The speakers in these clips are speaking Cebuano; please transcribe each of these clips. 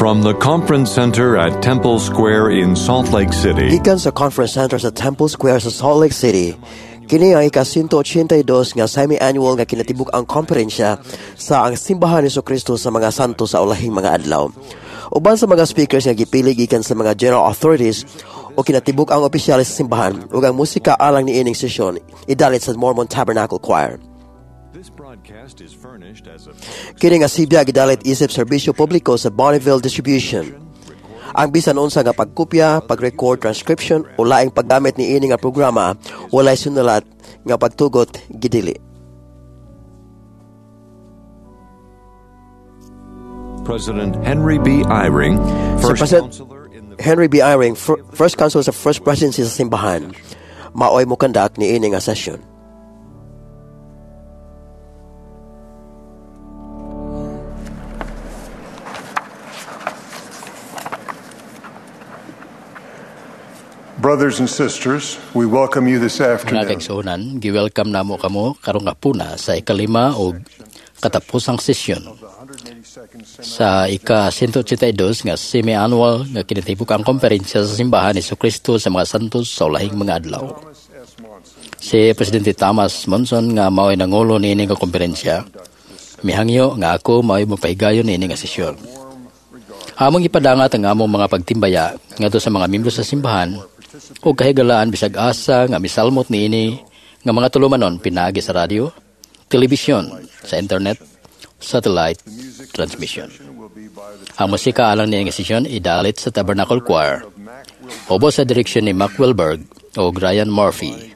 From the Conference Center at Temple Square in Salt Lake City, Gikan sa Conference Center sa Temple Square sa Salt Lake City, kini ang ika-182 nga semi-annual nga kinatibuk-ang komperensya sa ang Simbahan ni Kristo sa mga santo sa ulahing mga adlaw. Uban sa mga speakers nga gipili gikan sa mga general authorities o kinatibuk-ang opisyales sa simbahan ug ang musika alang niining sesyon idalit sa Mormon Tabernacle Choir. This broadcast is furnished as a Kini nga sibya gidalit isip serbisyo publiko sa Bonneville Distribution. Ang bisan unsa nga pagkopya, pag-record, transcription o laing paggamit niini nga programa walay sunulat nga pagtugot gidili. President Henry B. Eyring, Si first President counselor in the Henry B. Eyring, first counselor sa First Presidency sa simbahan, maoy mokandak niini nga session. Brothers and sisters, we welcome you this Mga afternoon. kaigsuonan, gi-welcome namo kamo karong hapuna sa ikalima og katapusang sesyon sa ika-182 nga semi-annual nga kinatibuk-ang komperensya sa Simbahan ni Kristo sa mga santos sa ulahing mga adlaw. Si Presidente Thomas Monson nga mao'y nangulo niini nga komperensya, mihangyo nga ako mao'y mopahigayon niini nga sesyon. Among ipadangat ang among mga pagtimbaya ngadto sa mga miyembro sa simbahan ug kahigalaan bisag asa nga misalmot niini nga mga tulumanon pinaagi sa radyo, telebisyon, sa internet, satellite transmission. Ang musika alang niini nga sesyon idalit sa Tabernacle Choir. Ubos sa direksyon ni Mac Wilberg o Ryan Murphy.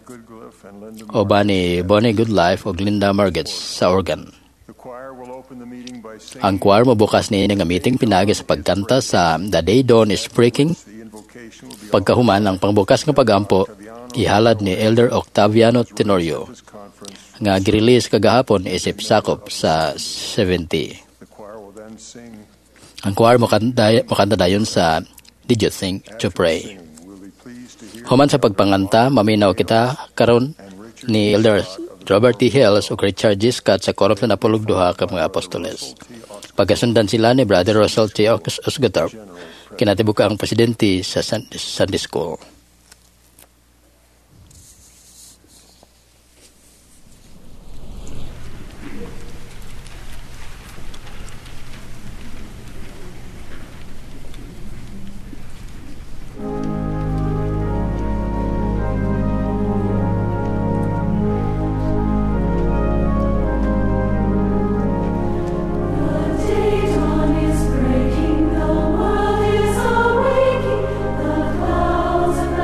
Uban ni Bonnie Goodlife o Linda Margets sa organ. The choir will open the meeting by singing Ang choir mobukas niini nga meeting pinaagi sa pagkanta sa The Day Dawn is Breaking. the invocation will be Pagkahuman ang pangbukas nga pagampo ihalad ni Elder Octaviano Tenorio this conference. nga girelease kagahapon isip sakop sa 70. The choir will then sing Ang choir mokanta dayon sa Did You Think to Pray? Singing. We'll be pleased to hear Human sa pagpanganta, maminaw kita karon ni Elder Robert T. Hales ug Richard G. Scott sa Quorum sa Napulog Duha ka mga apostoles. Pagkasundan sila ni Brother Russell T. Osguthorpe, kinatibuk ang presidente sa Sunday School. The day dawn is breaking, the world is awaking, the clouds are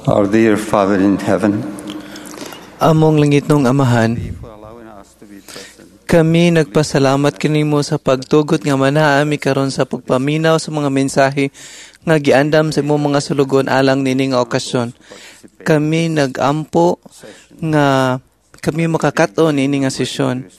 Our dear Father in heaven, Among langitnong Amahan, for allowing us to be present kami nagpasalamat kanimo sa pagtugot nga manaami karon sa pagpaminaw sa mga mensahe nga giandam sa imong mga sulugoon alang niini nga okasyon. Kami nagampo nga kami makakat-on niini nga sesyon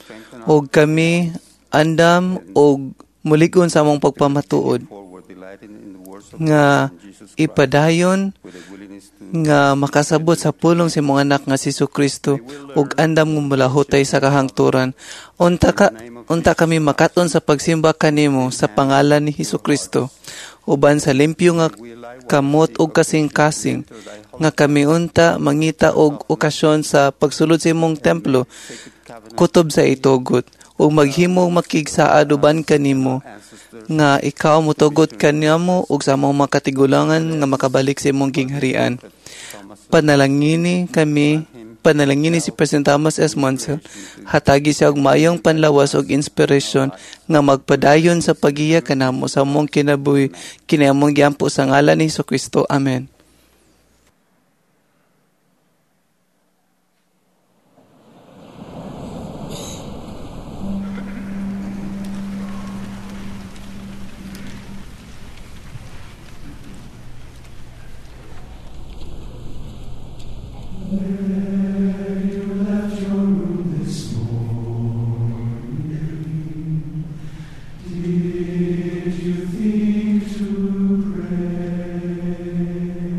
ug kami andam og mulig-on sa among pagpamatuod forward, delighting in the words of nga Jesus Christ, ipadayon with a willingness to nga makasabot sa pulong sa imong anak nga si Kristo ug andam nga mulahutay sa kahangturan. Unta kami makaton sa pagsimba kanimo sa pangalan ni Hesus Kristo uban sa limpyo nga kamot ug kasing-kasing nga kami unta mangita og okasyon sa pagsulod sa imong templo kutob sa itugot ug maghimo makigsaad uban kanimo nga ikaw motugot kanimo ug sa among mga katigulangan nga makabalik sa imong gingharian. Panalangini si President Thomas S. Monson, hatagi siya og maayong panlawas ug inspirasyon nga magpadayon sa paggiya kanamo sa among kinabuhi, kini among giampo sa ngalan ni Kristo. Amen. Did you think to pray?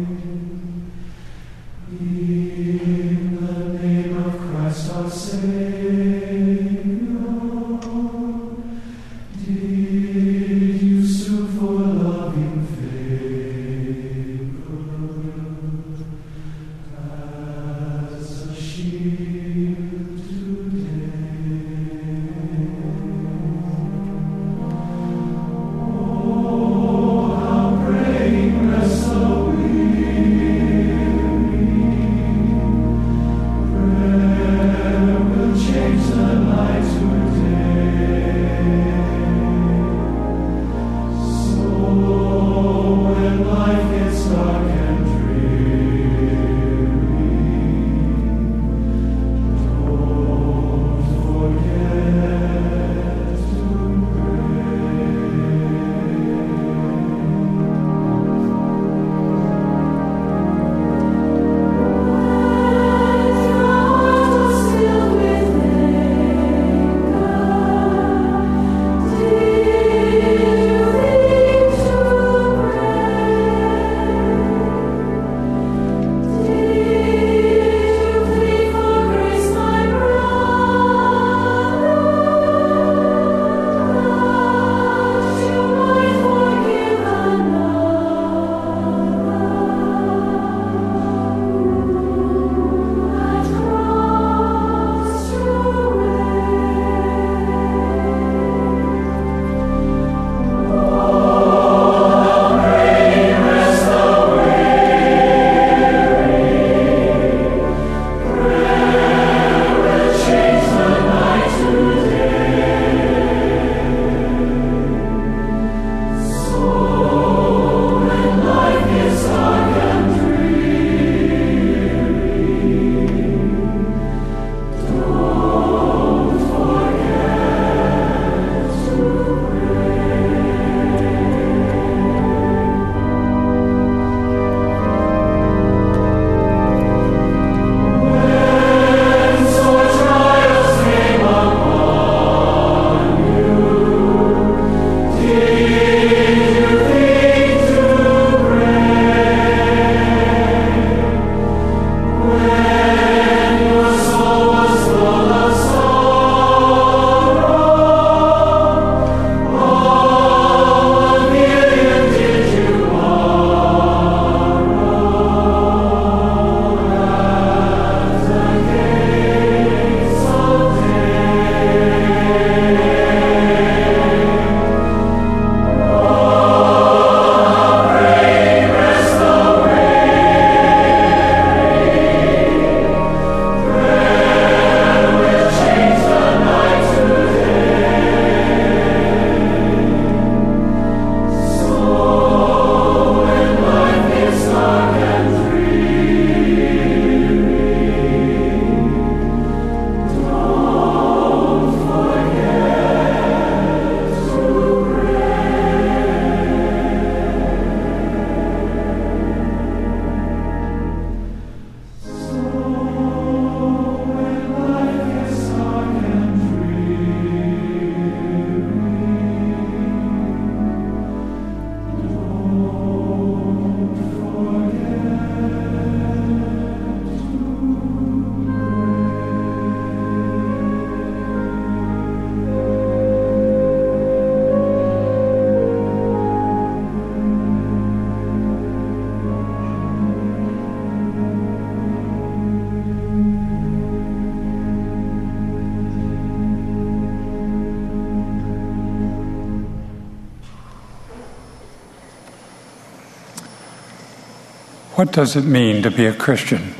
What does it mean to be a Christian?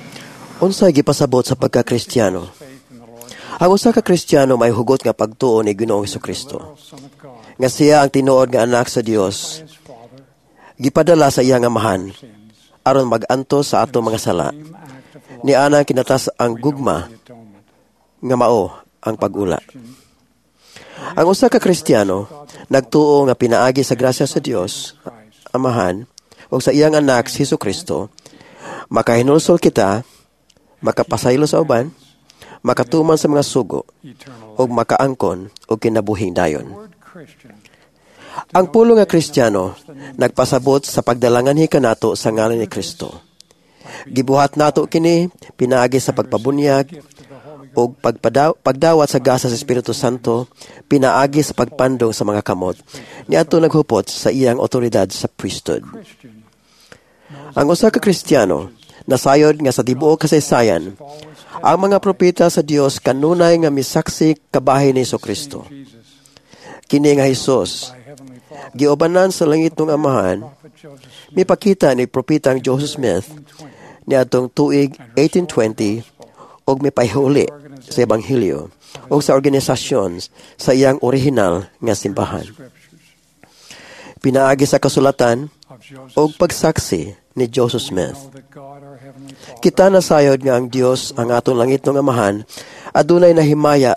Unsay gipasabot sa pagka-Kristiyano? Ang usa ka Kristiyano may hugot nga pagtuo ni Ginoong Hesukristo, nga siya ang tinuod nga anak sa Dios, gipadala sa iyang Amahan aron mag-antos sa atong mga sala. Niana kinatas ang gugma nga mao ang pag-ula. Ang usa ka Kristiyano nagtuo nga pinaagi sa grasya sa Dios Amahan ug sa iyang anak si Hesukristo, makahinulsol kita, makapasaylo sa uban, makatuman sa mga sugo, ug makaangkon og kinabuhing dayon. Ang pulo nga Kristiyano nagpasabot sa pagdalangan kanato sa ngalan ni Kristo. Gibuhat nato kini pinaagi sa pagpabunyag ug pagdawat sa gasa sa Espiritu Santo, pinaagi sa pagpandong sa mga kamot niadto naghupot sa iyang otoridad sa priesthood. Ang usa ka Kristiyano nasayod nga sa tibuok kasaysayan ang mga propeta sa Dios kanunay nga misaksi kabahin ni Kristo. Kini nga Hesus giubanan sa langitnong Amahan, mipakita ni propetang Joseph Smith niadtong tuig 1820 og mipahuli sa ebanghelyo og sa organisasyon sa iyang orihinal nga simbahan. Pinaagi sa kasulatan og pagsaksi ni Joseph Smith. Kita nasayod nga ang Dios ang atong langitnong Amahan adunay nahimaya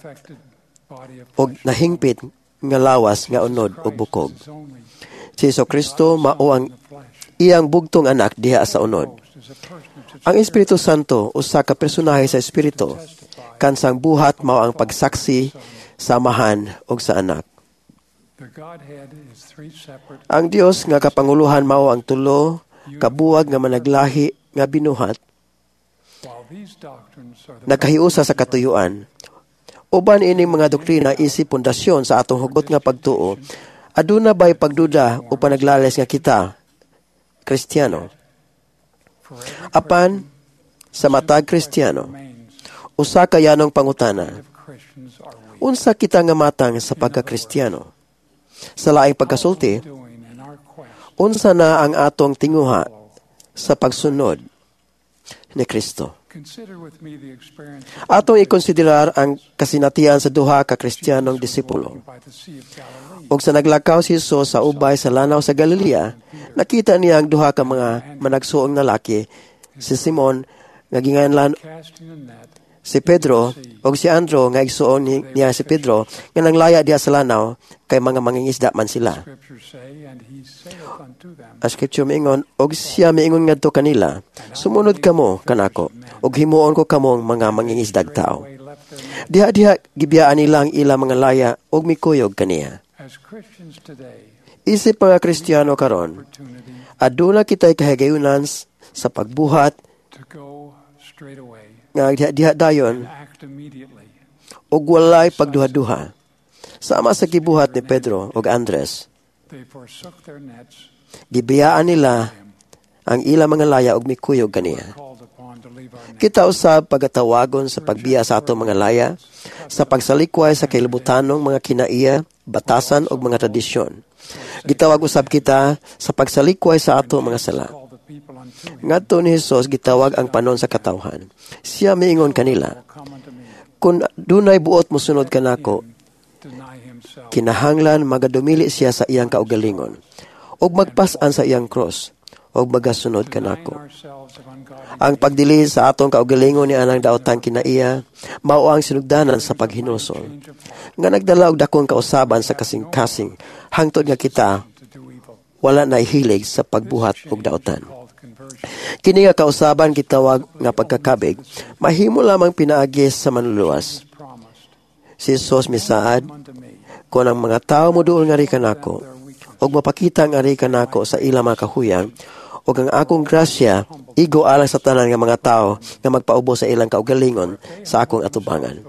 og nahingpit nga lawas nga unod og bukog. Si Hesukristo mao ang iyang bugtong anak diha sa unod. Ang Espiritu Santo usa ka personahe sa Espiritu, kansang buhat mao ang pagsaksi sa Amahan ug sa Anak. Ang Dios nga kapanguluhan mao ang tulo kabuwag nga managlahi nga binuhat, nagkahiusa sa katuyuan. Uban ining mga doktrina isip pundasyon sa atong hugot nga pagtuo, aduna bay pagduda o panaglales nga kita Kristiyano? Apan sa matag Kristiyano, usa ka yanong pangutana, unsa kita nga matang sa pagka-Kristiyano? Sa laing pagkasulti, unsa na ang atong tinguha sa pagsunod ni Kristo? Atong ikonsiderar ang kasinatian sa duha ka Kristiyanong disipulo. Ug sa naglakaw si Jesus sa ubay sa lanaw sa Galilea, nakita niya ang duha ka mga managsuong lalaki, si Simon nga ginganlan si Pedro ug si Andro nga igsuon niya si Pedro nga nanglaya diha sa lanaw kay mga mangingisda man sila. Ang scripture miingon, og siya miingon ngadto kanila, "Sumunod kamo kanako ug himuon ko kamong mga mangingisdag tao." Diha-diha gibiyaan nila ang ilang mga laya ug mikuyog kaniya. Isip mga Kristiyano karon, aduna kita'y kahigayunan sa pagbuhat nga diha-diha dayon ug walay pagduha-duha, sama sa gibuhat ni Pedro ug Andres. Gibiyaan nila ang ilang mga laya ug mikuyog kaniya. Kita usab pagatawagon sa pagbiya sa atong mga laya, sa pagsalikway sa kalibutanong mga kinaiya, batasan ug mga tradisyon. Gitawag usab kita sa pagsalikway sa atong mga sala. Ngadto ni Hesus gitawag ang panon sa katawhan. Siya miingon kanila, "Kung dunay buot mosunod kanako, kinahanglan magadumili siya sa iyang kaugalingon ug magpas-an sa iyang cross ug magasunod kanako." Ang pagdili sa atong kaugalingon ni anang daotang kinaiya mao ang sinugdanan sa paghinulsol nga nagdala og dakong kausaban sa kasing-kasing hangtod nga kita wala na hilig sa pagbuhat og daotan. Kini nga kausaban gitawag nga pagkakabig, mahimo lamang pinaagi sa manluluwas. Si Jesus misaad, "Kon ang mga tao moduol ngari kanako, ug mapakita ngari kanako sa ilang mga kahuyang, ug ang akong grasya igo alang sa tanan nga mga tao nga magpaubo sa ilang kaugalingon sa akong atubangan.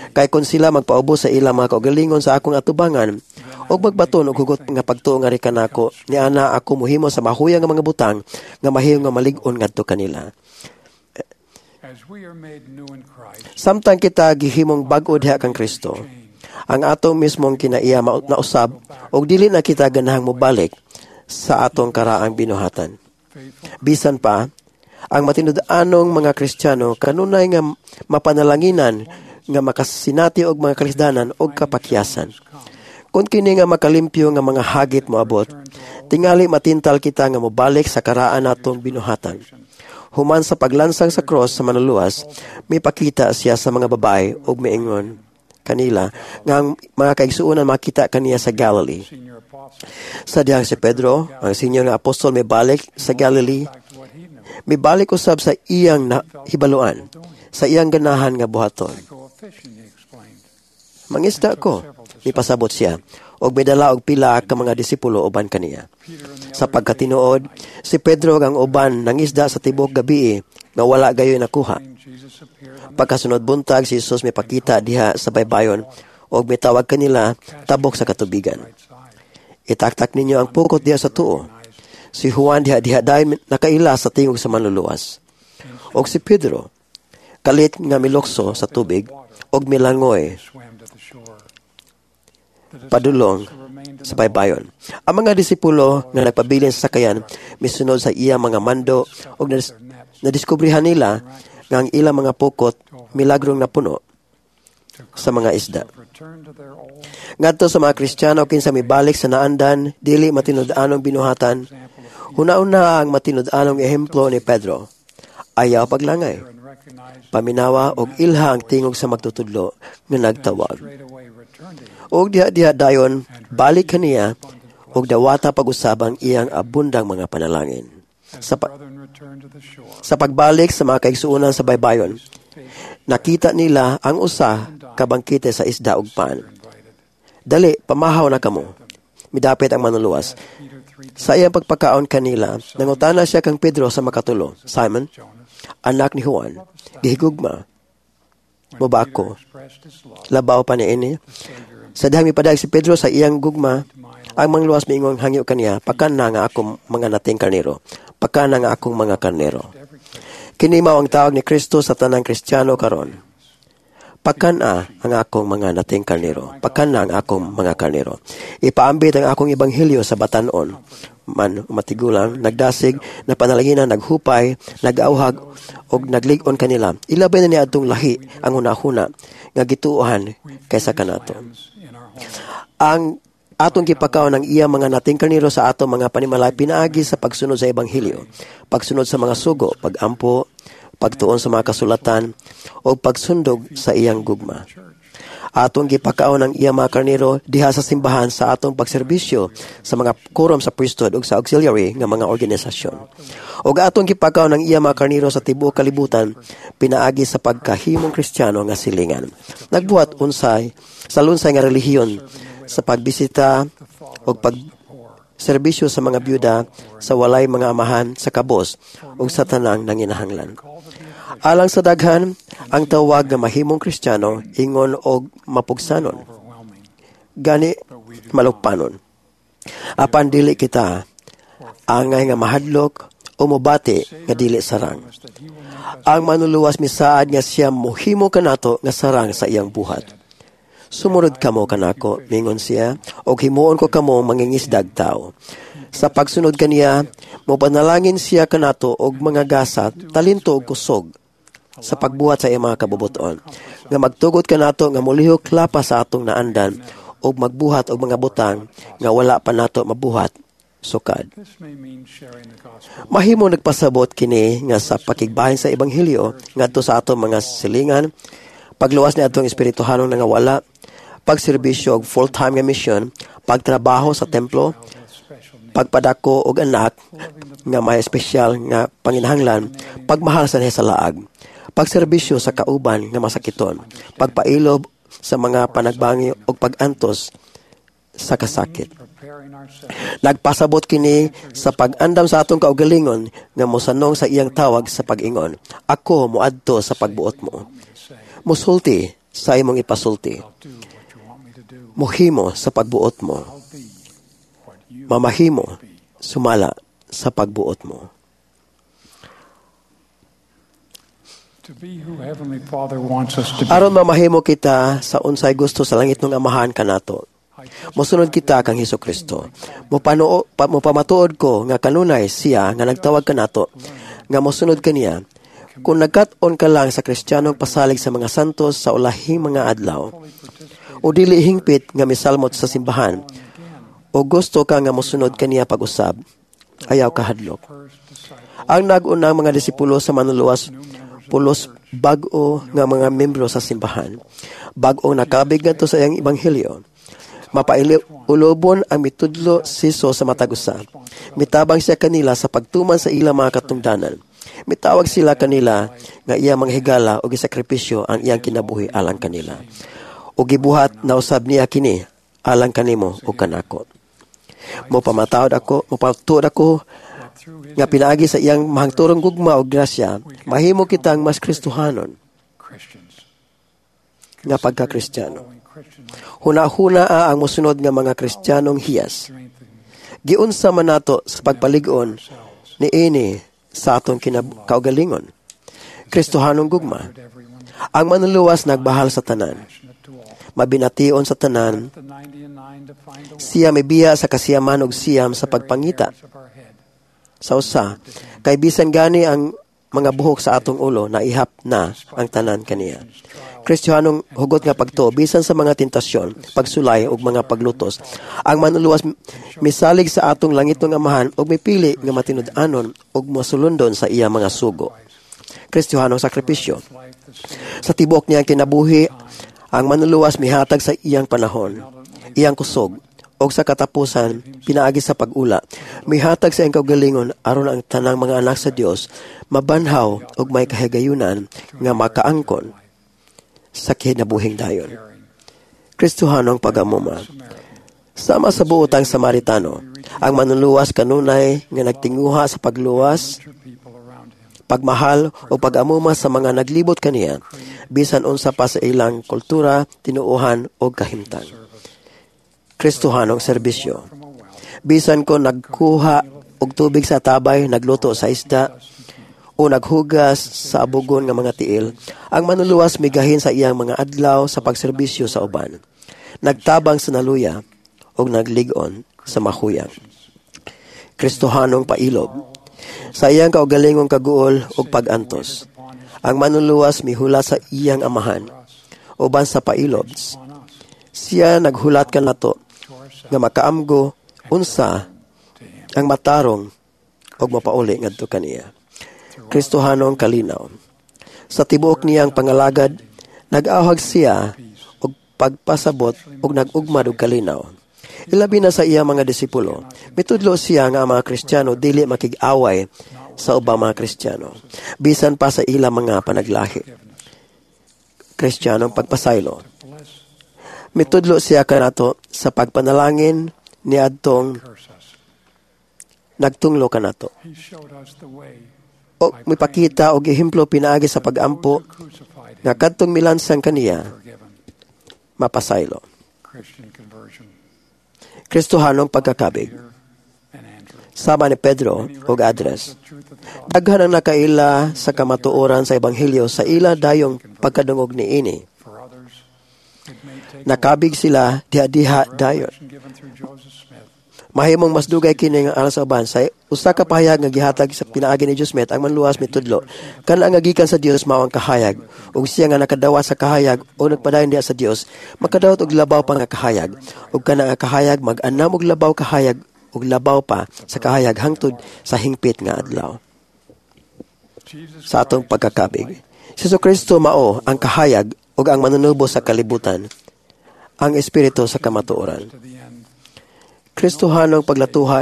Kay kon sila magpaubo sa ilang mga kaugalingon sa akong atubangan, ug magbaton og hugot nga pagtuo ngari kanako, niana ako mohimo sa mahuyang nga mga butang nga mahimo nga malig-on ngadto kanila." Samtang kita gihimong bag-o diha kang Kristo, ang atong mismong kinaiya nausab ug dili na kita ganahang mobalik sa atong karaang binuhatan. Bisan pa, Ang matinud-anong mga Kristiyano kanunay nga mapanalanginan nga makasinati og mga kalisdanan og kapakyasan. Kung kini nga makalimpyo nga mga hagit moabot, tingali matintal kita nga mobalik sa karaan natong binuhatan. Human sa paglansang sa cross sa manluluwas, mipakita siya sa mga babae ug miingon kanila nga ang mga kaigsuonan makita kaniya sa Galilee. Sa dihang si Pedro, ang senior nga apostol, mibalik sa Galilee, mibalik usab sa iyang hibaluan, sa iyang ganahan nga buhaton. "Mangisda ko," mipasabot siya, og midala og pila ka mga disipulo uban kaniya. Sa pagkatinuod, si Pedro ug ang uban nangisda sa tibuok gabii nga wala gayoy nakuha. Pagkasunod buntag, si Jesus mipakita diha sa baybayon og mitawag kanila tabok sa katubigan. "Itaktak ninyo ang pukot diha sa tuo." Si Juan diha-diha dayon nakaila sa tingog sa Manluluwas. Og si Pedro, kalit nga milukso sa tubig og milangoy padulong sa baybayon. Ang mga disipulo nga nagpabilin sa sakayan misunod sa iya mga mando og nadiskubrihan nila nga ang ilang mga pukot milagrong napuno sa mga isda. Ngadto sa mga Kristiyano kinsa mibalik sa naandan, dili matinud-anong binuhatan, huna-una ang matinud-anong ehemplo ni Pedro. Ayaw paglangay. Paminawa og ilha ang tingog sa magtutudlo nga nagtawag. Og diha-diha dayon balik kaniya og dawata pag-usab ang iyang abundang mga panalangin. Sa pagbalik sa mga kaigsuonan sa baybayon, nakita nila ang usa ka bangkete sa isda ug pan. "Dali, pamahaw na kamo," midapit ang Manluluwas. Sa iyang pagpakaon kanila, nangutana siya kang Pedro sa makatulo, "Simon, anak ni Juan, gihigugma mo ba ako labaw pa niini?" Sa dihang mipadayag si Pedro sa iyang gugma, ang Manluluwas miingon hangyo kaniya, "Pakana nga akong mga nating karnero. Pakana nga akong mga karnero." Kini mao ang tawag ni Kristo sa tanang Kristiyano karon. "Pakana ang akong mga nating karnero. Pakana ang akong mga karnero. Ipaambit ang akong ebanghelyo sa batanon man matigulang, nagdasig, napanalanginan, naghupay, nag-auhag, og naglig-on kanila. Ilabay na niya atong lahi ang hunahuna nga gituohan kaysa kanato." Ang atong gipakaon ang iya mga nating karnero sa atong mga panimalay pinaagi sa pagsunod sa ebanghelyo, pagsunod sa mga sugo, pagampo, pagtuon sa mga kasulatan, o pagsundog sa iyang gugma. Atong gipakaon ang iya mga karnero diha sa simbahan sa atong pagserbisyo sa mga quorum sa priesthood ug sa auxiliary nga mga organisasyon. Ug atong gipakaon ang iya mga karnero sa tibuok kalibutan pinaagi sa pagkahimong Kristiyano nga silingan. Nagbuhat unsay sa lunsay nga relihiyon sa pagbisita ug pag serbisyo sa mga byuda, sa walay mga amahan, sa kabos ug sa tanang nanginahanglan. Alang sa daghan, ang tawag nga mahimong Kristiyano ingon og mapugsanon, gani malukpanon. Apan dili kita angay nga mahadlok o mobati nga dili sarang. Ang Manluluwas misaad nga siya mohimo kanato nga sarang sa iyang buhat. "Sumunod kamo kanako," mingon siya, "og himuon ko kamo mangingisdag tao." Sa pagsunod kaniya, mopanalangin siya kanato og mga gasa, talento og kusog sa pagbuhat sa iyang mga kabubuton. Nga magtugot kanato nga molihok lapas sa atong naandan og magbuhat og mga butang nga wala pa nato mabuhat sukad. Mahimo nagpasabot kini nga sa pakigbahin sa ebanghelyo ngadto sa atong mga silingan, pagluwas ni atong espirituhanong nangawala, pagserbisyo og full-time nga misyon, pagtrabaho sa templo, pagpadako og anak nga may espesyal nga panginahanglan, pagmahal sa sa laag, pagserbisyo sa kauban nga masakiton, pagpailob sa mga panagbangi og pagantos sa kasakit. Nagpasabot kini sa pag-andam sa atong kaugalingon nga mosanong sa iyang tawag sa pag-ingon, "Ako moadto sa pagbuot mo. Musulti sa imong ipasulti. Muhimo sa pagbuot mo. Mamahimo sumala sa pagbuot mo." Aron mamahimo kita sa unsay gusto sa langit ng Amahan kanato, mosunod kita kang Hesus Kristo. Mopamatuod ko nga kanunay siya nga nagtawag kanato nga mosunod kaniya. Kung nagkat-on ka lang sa Kristiyanong pasalig sa mga santos sa ulahing mga adlaw, o dili hingpit nga misalmot sa simbahan, o gusto ka nga mosunod kaniya pag-usab, ayaw kahadlok. Ang nag-unang mga disipulo sa manluluwas pulos bag-o nga mga membro sa simbahan. Bag-o nakabig ngadto sa iyang ebanghelyo. Mapailubon ang mitudlo siso sa matag usa. Mitabang siya kanila sa pagtuman sa ilang mga katungdanan. Mitawag sila kanila nga iya mga higala o gisakripisyo ang iyang kinabuhi alang kanila. O gibuhat na usab niya kini alang kanimo o kanako. Mopamatawd ako, mopatuod ako nga pinaagi sa iyang mahangturong gugma o grasya, mahimo kitang mas Kristohanon nga pagka-Kristiyano. Huna-huna ang mosunod nga mga Kristiyanong hiyas. Giunsa man nato sa pagpalig-on niini sa atong kaugalingon. Kristohanong gugma. Ang manluluwas nagbahal sa tanan. Mabination sa tanan. Siya mibiya sa kasiyaman ug siyam sa pagpangita. Sa usa, kay bisan gani ang mga buhok sa atong ulo naihap na ang tanan kaniya. Kristiyanong hugot nga pagtuo bisan sa mga tentasyon, pagsulay ug mga paglutos. Ang manluluwas misalig sa atong langitong Amahan ug mipili nga matinud-anon ug mosulundon sa iya mga sugo. Kristiyanong sakripisyo. Sa tibuok niyang kinabuhi, ang manluluwas mihatag sa iyang panahon, iyang kusog, og sa katapusan pinaagi sa pag-ula. Mihatag sa iyang kaugalingon aron ang tanang mga anak sa Dios mabanhaw ug may kahigayunan nga makaangkon sa kinabuhing dayon. Kristohanong pagamuma. Sama sa buotang Samaritano, ang manluluwas kanunay nga nagtinguha sa pagluwas, pagmahal o pag-amuma sa mga naglibot kaniya, bisan unsa pa sa ilang kultura, tinuohan o kahimtang. Kristohanong serbisyo. Bisan ko nagkuha og tubig sa tabay, nagluto sa isda, o naghugas sa abugon nga mga tiil, ang manluluwas migahin sa iyang mga adlaw sa pagserbisyo sa uban. Nagtabang sa naluya og naglig-on sa mahuyang. Kristohanong pailob. Sa iyang kaugalingong kaguol ug pag-antos, ang manluluwas mihula sa iyang amahan uban sa pailob. Siya naghulat kanato nga makaamgo unsa ang matarong og mapauli ngadto kaniya. Kristohanong kalinaw. Sa tibuok niyang pangalagad, nag-awhag siya og pagpasabot og nag-ugmad og kalinaw. Ilabi na sa iya mga disipulo, mitudlo siya nga ang mga Kristiyano dili makig-away sa ubang mga Kristiyano, bisan pa sa ilang mga panaglahi. Kristiyanong pagpasaylo. Mitudlo siya kanato sa pagpanalangin niadtong nagtunglo kanato. O mipakita og ehemplo pinaagi sa pagampo nga kadtong milansang kaniya mapasaylo. Kristohanong pagkakabig. Sama ni Pedro og Andres. Daghan ang nakaila sa kamatuoran sa ebanghelyo sa ila dayong pagkadungog niini. Nakabig sila diha-diha dayon. Mahimong mas dugay kini nga alang sa uban sa usa ka pahayag nga gihatag sa pinaagi ni Joseph Smith ang manluwas mitudlo kana ang gikan sa Dios mao ang kahayag ug siya nga nakadawat sa kahayag o nagpadayon diha sa Dios makadawat og labaw pa nga kahayag ug kana nga kahayag mag-anam og labaw kahayag ug labaw pa sa kahayag hangtod sa hingpit nga adlaw. Sa atong pagkakabig, si Jesucristo mao ang kahayag ug ang manunubo sa kalibutan, ang espiritu sa kamatuoran. Kristohanong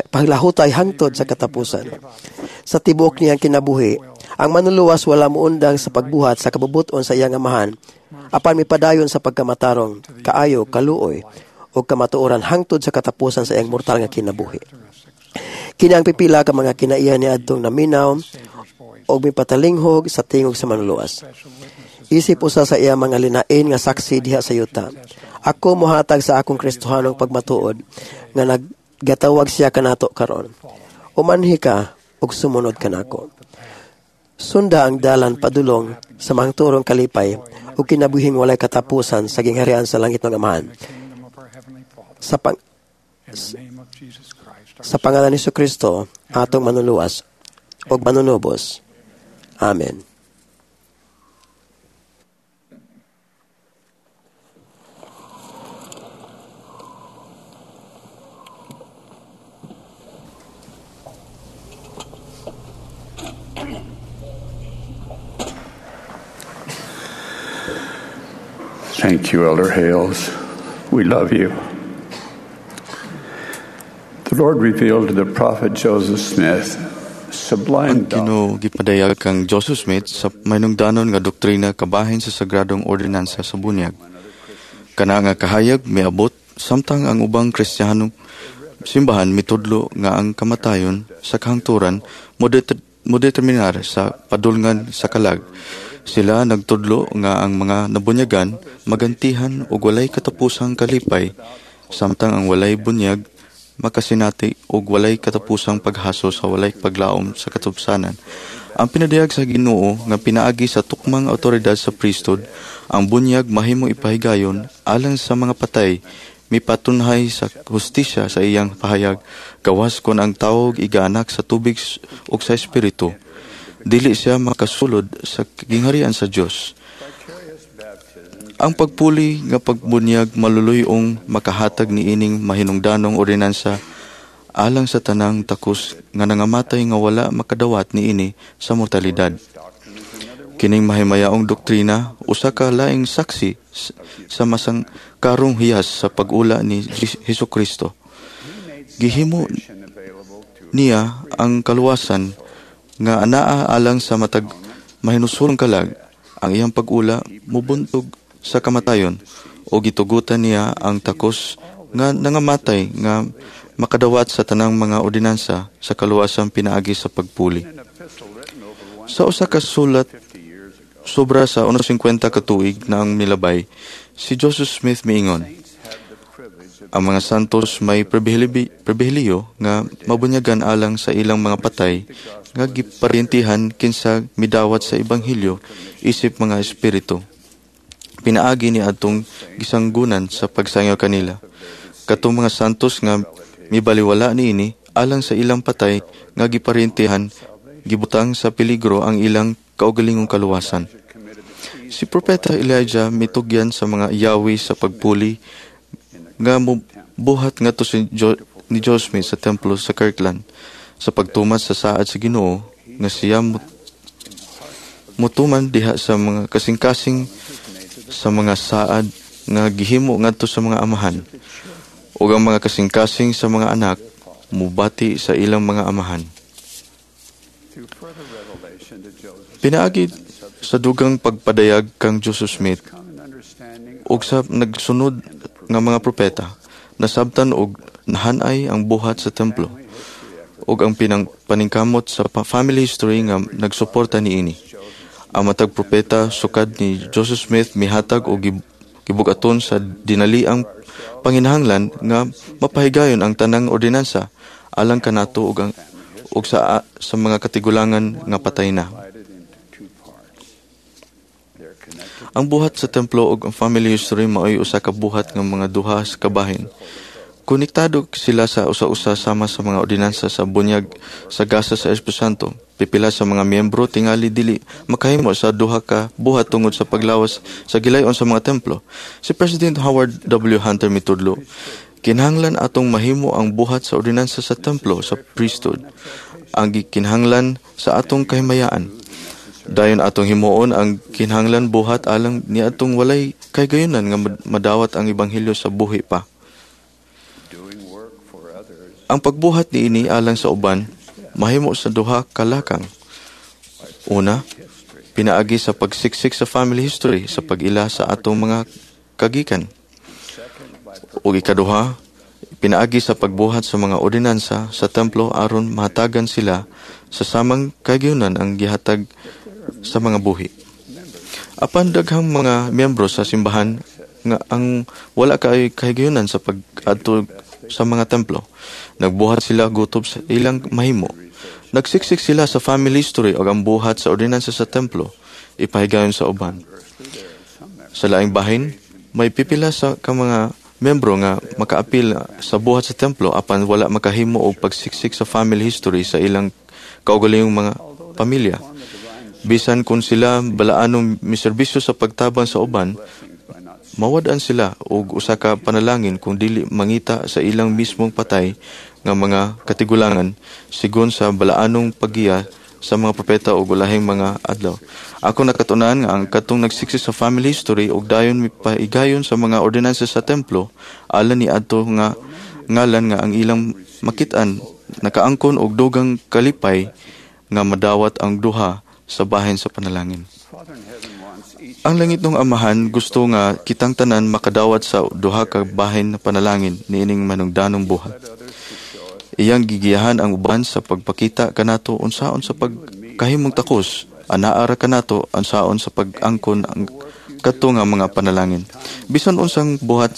paglahutay hangtod sa katapusan. Sa tibuok niyang kinabuhi, ang manluluwas wala muundang sa pagbuhat sa kabubuton sa iyang amahan, apan mipadayon sa pagkamatarong, kaayo, kaluoy, o kamatuoran hangtod sa katapusan sa iyang mortal nga kinabuhi. Kini ang pipila ka mga kinaiya ni adtong naminaw o mipatalinghog sa tingog sa manluluwas. Isip usa sa iya mga linain nga saksi diha sa yuta. Ako mohatag sa akong Kristohanong pagmatuod nga naggatawag siya kanato karon. Umanhi ka ug sumunod kanako. Sunda ang dalan padulong sa mangturong kalipay ug kinabuhing walay katapusan sa gingharian sa langit ng Amahan. Sa pangalan ni Kristo, atong manluluwas ug manunubos. Amen. Thank you, Elder Hales. We love you. The Lord revealed to the prophet Joseph Smith sublime Ang Ginoo gipadayag kang Joseph Smith sa mahinungdanon nga doktrina kabahin sa sagradong ordinansa sa bunyag. Kana nga kahayag miabot samtang ang ubang Kristiyanong simbahan mitudlo nga ang kamatayon sa kahangturan modeterminar sa padulngan sa kalag. Sila nagtudlo nga ang mga nabunyagan magantihan og walay katapusang kalipay samtang ang walay bunyag makasinati og walay katapusang paghaso sa walay paglaom sa katubsanan. Ang pinadayag sa Ginoo nga pinaagi sa tukmang awtoridad sa priesthood, ang bunyag mahimo ipahigayon alang sa mga patay, mipatunhay sa hustisya sa iyang pahayag, gawas kon ang tawog igaanak sa tubig ug sa espiritu. Dili siya makasulod sa gingharian sa Dios. Ang pagpuli nga pagbunyag maluluyong makahatag niining mahinungdanong ordinansa alang sa tanang takos nga nangamatay nga wala makadawat niini sa mortalidad. Kining mahimayaong doktrina usa ka laing saksi sa masang karong hiyas sa pag-ula ni Hesukristo. Gihimo niya ang kaluwasan nga anaa alang sa matag mahinusolong kalag. Ang iyang pag-ula mubuntog sa kamatayon o gitugutan niya ang takos nga nangamatay nga makadawat sa tanang mga ordinansa sa kaluwasan pinaagi sa pagpuli. Sa usa ka sulat sobra sa 150 ka tuig na ang milabay, si Joseph Smith miingon, ang mga santos may pribilehiyo nga mabunyagan alang sa ilang mga patay nga giparyentihan kinsa midawat sa ebanghelyo isip mga espiritu. Pinaagi ni atong gisanggunan sa pagsangaw kanila. Katong mga santos nga mibaliwala niini alang sa ilang patay nga giparyentihan, gibutang sa peligro ang ilang kaugalingong kaluwasan. Si Propeta Elijah mitugyan sa mga yawi sa pagpuli nga buhat ngadto si ni Joseph Smith sa templo sa Kirtland sa pagtuman sa saad sa Ginoo nga siya mutuman diha sa mga kasing-kasing sa mga saad nga gihimo ngadto sa mga amahan ug ang mga kasing-kasing sa mga anak mubati sa ilang mga amahan. Pinaagi sa dugang pagpadayag kang Joseph Smith ug sa nagsunod nga mga propeta, nasabtan og nahanay ang buhat sa templo ug ang paningkamot sa family history nga nagsuporta niini. Ang matag propeta sukad ni Joseph Smith mihatag og gibug-aton sa dinaliang panginahanglan nga mapahigayon ang tanang ordinansa alang kanato ug sa mga katigulangan nga patay na. Ang buhat sa templo ug ang family history maoy usa ka buhat nga mga duha sa kabahin. Konektado sila sa usa-usa sama sa mga ordinansa sa bunyag sa gasa sa Espiritu Santo. Pipila sa mga miyembro tingali dili makahimo sa duha ka buhat tungod sa paglawas sa gilayon sa mga templo. Si President Howard W. Hunter mitudlo, kinahanglan atong mahimo ang buhat sa ordinansa sa templo sa priesthood, ang gikinahanglan sa atong kahimayaan. Dayon atong himuon ang kinahanglan buhat alang niadtong walay kahigayunan nga madawat ang ebanghelyo sa buhi pa. Ang pagbuhat niini alang sa uban mahimo sa duha ka lakang. Una, pinaagi sa pagsiksik sa family history sa pag-ila sa atong mga kagikan. Ug ikaduha, pinaagi sa pagbuhat sa mga ordinansa sa templo aron mahatagan sila sa samang kahigayunan ang gihatag sa mga buhi. Apan daghang mga miyembro sa simbahan nga ang wala kay kahigayunan sa pag-adto sa mga templo. Nagbuhat sila gutob sa ilang mahimo. Nagsiksik sila sa family history o ang buhat sa ordinansa sa templo, ipahigayon sa uban. Sa laing bahin, may pipila sa ka mga miyembro nga makaapil sa buhat sa templo apan wala makahimo og pagsiksik sa family history sa ilang kaugalingong mga pamilya. Bisan kung sila balaanong miserbisyo sa pagtabang sa uban, mawad-an sila og usa ka panalangin kung dili mangita sa ilang mismong patay nga mga katigulangan sigon sa balaanong paggiya sa mga propeta ug ulahing mga adlaw. Ako nakatunan nga ang katong nagsiksik sa family history ug dayon mipahigayon sa mga ordinansa sa templo alang ni adto nga ngalan nga ang ilang makit-an nakaangkon og dugang kalipay nga madawat ang duha sa bahin sa panalangin. Ang langitnong Amahan gusto nga kitang tanan makadawat sa duha ka bahin na panalangin niining manungdanong buhat. Iyang gigiyahan ang uban sa pagpakita kanato unsaon sa pagkahimong takos, anaa ra kanato unsaon sa pag-angkon ang kadto nga mga panalangin. Bisan unsang buhat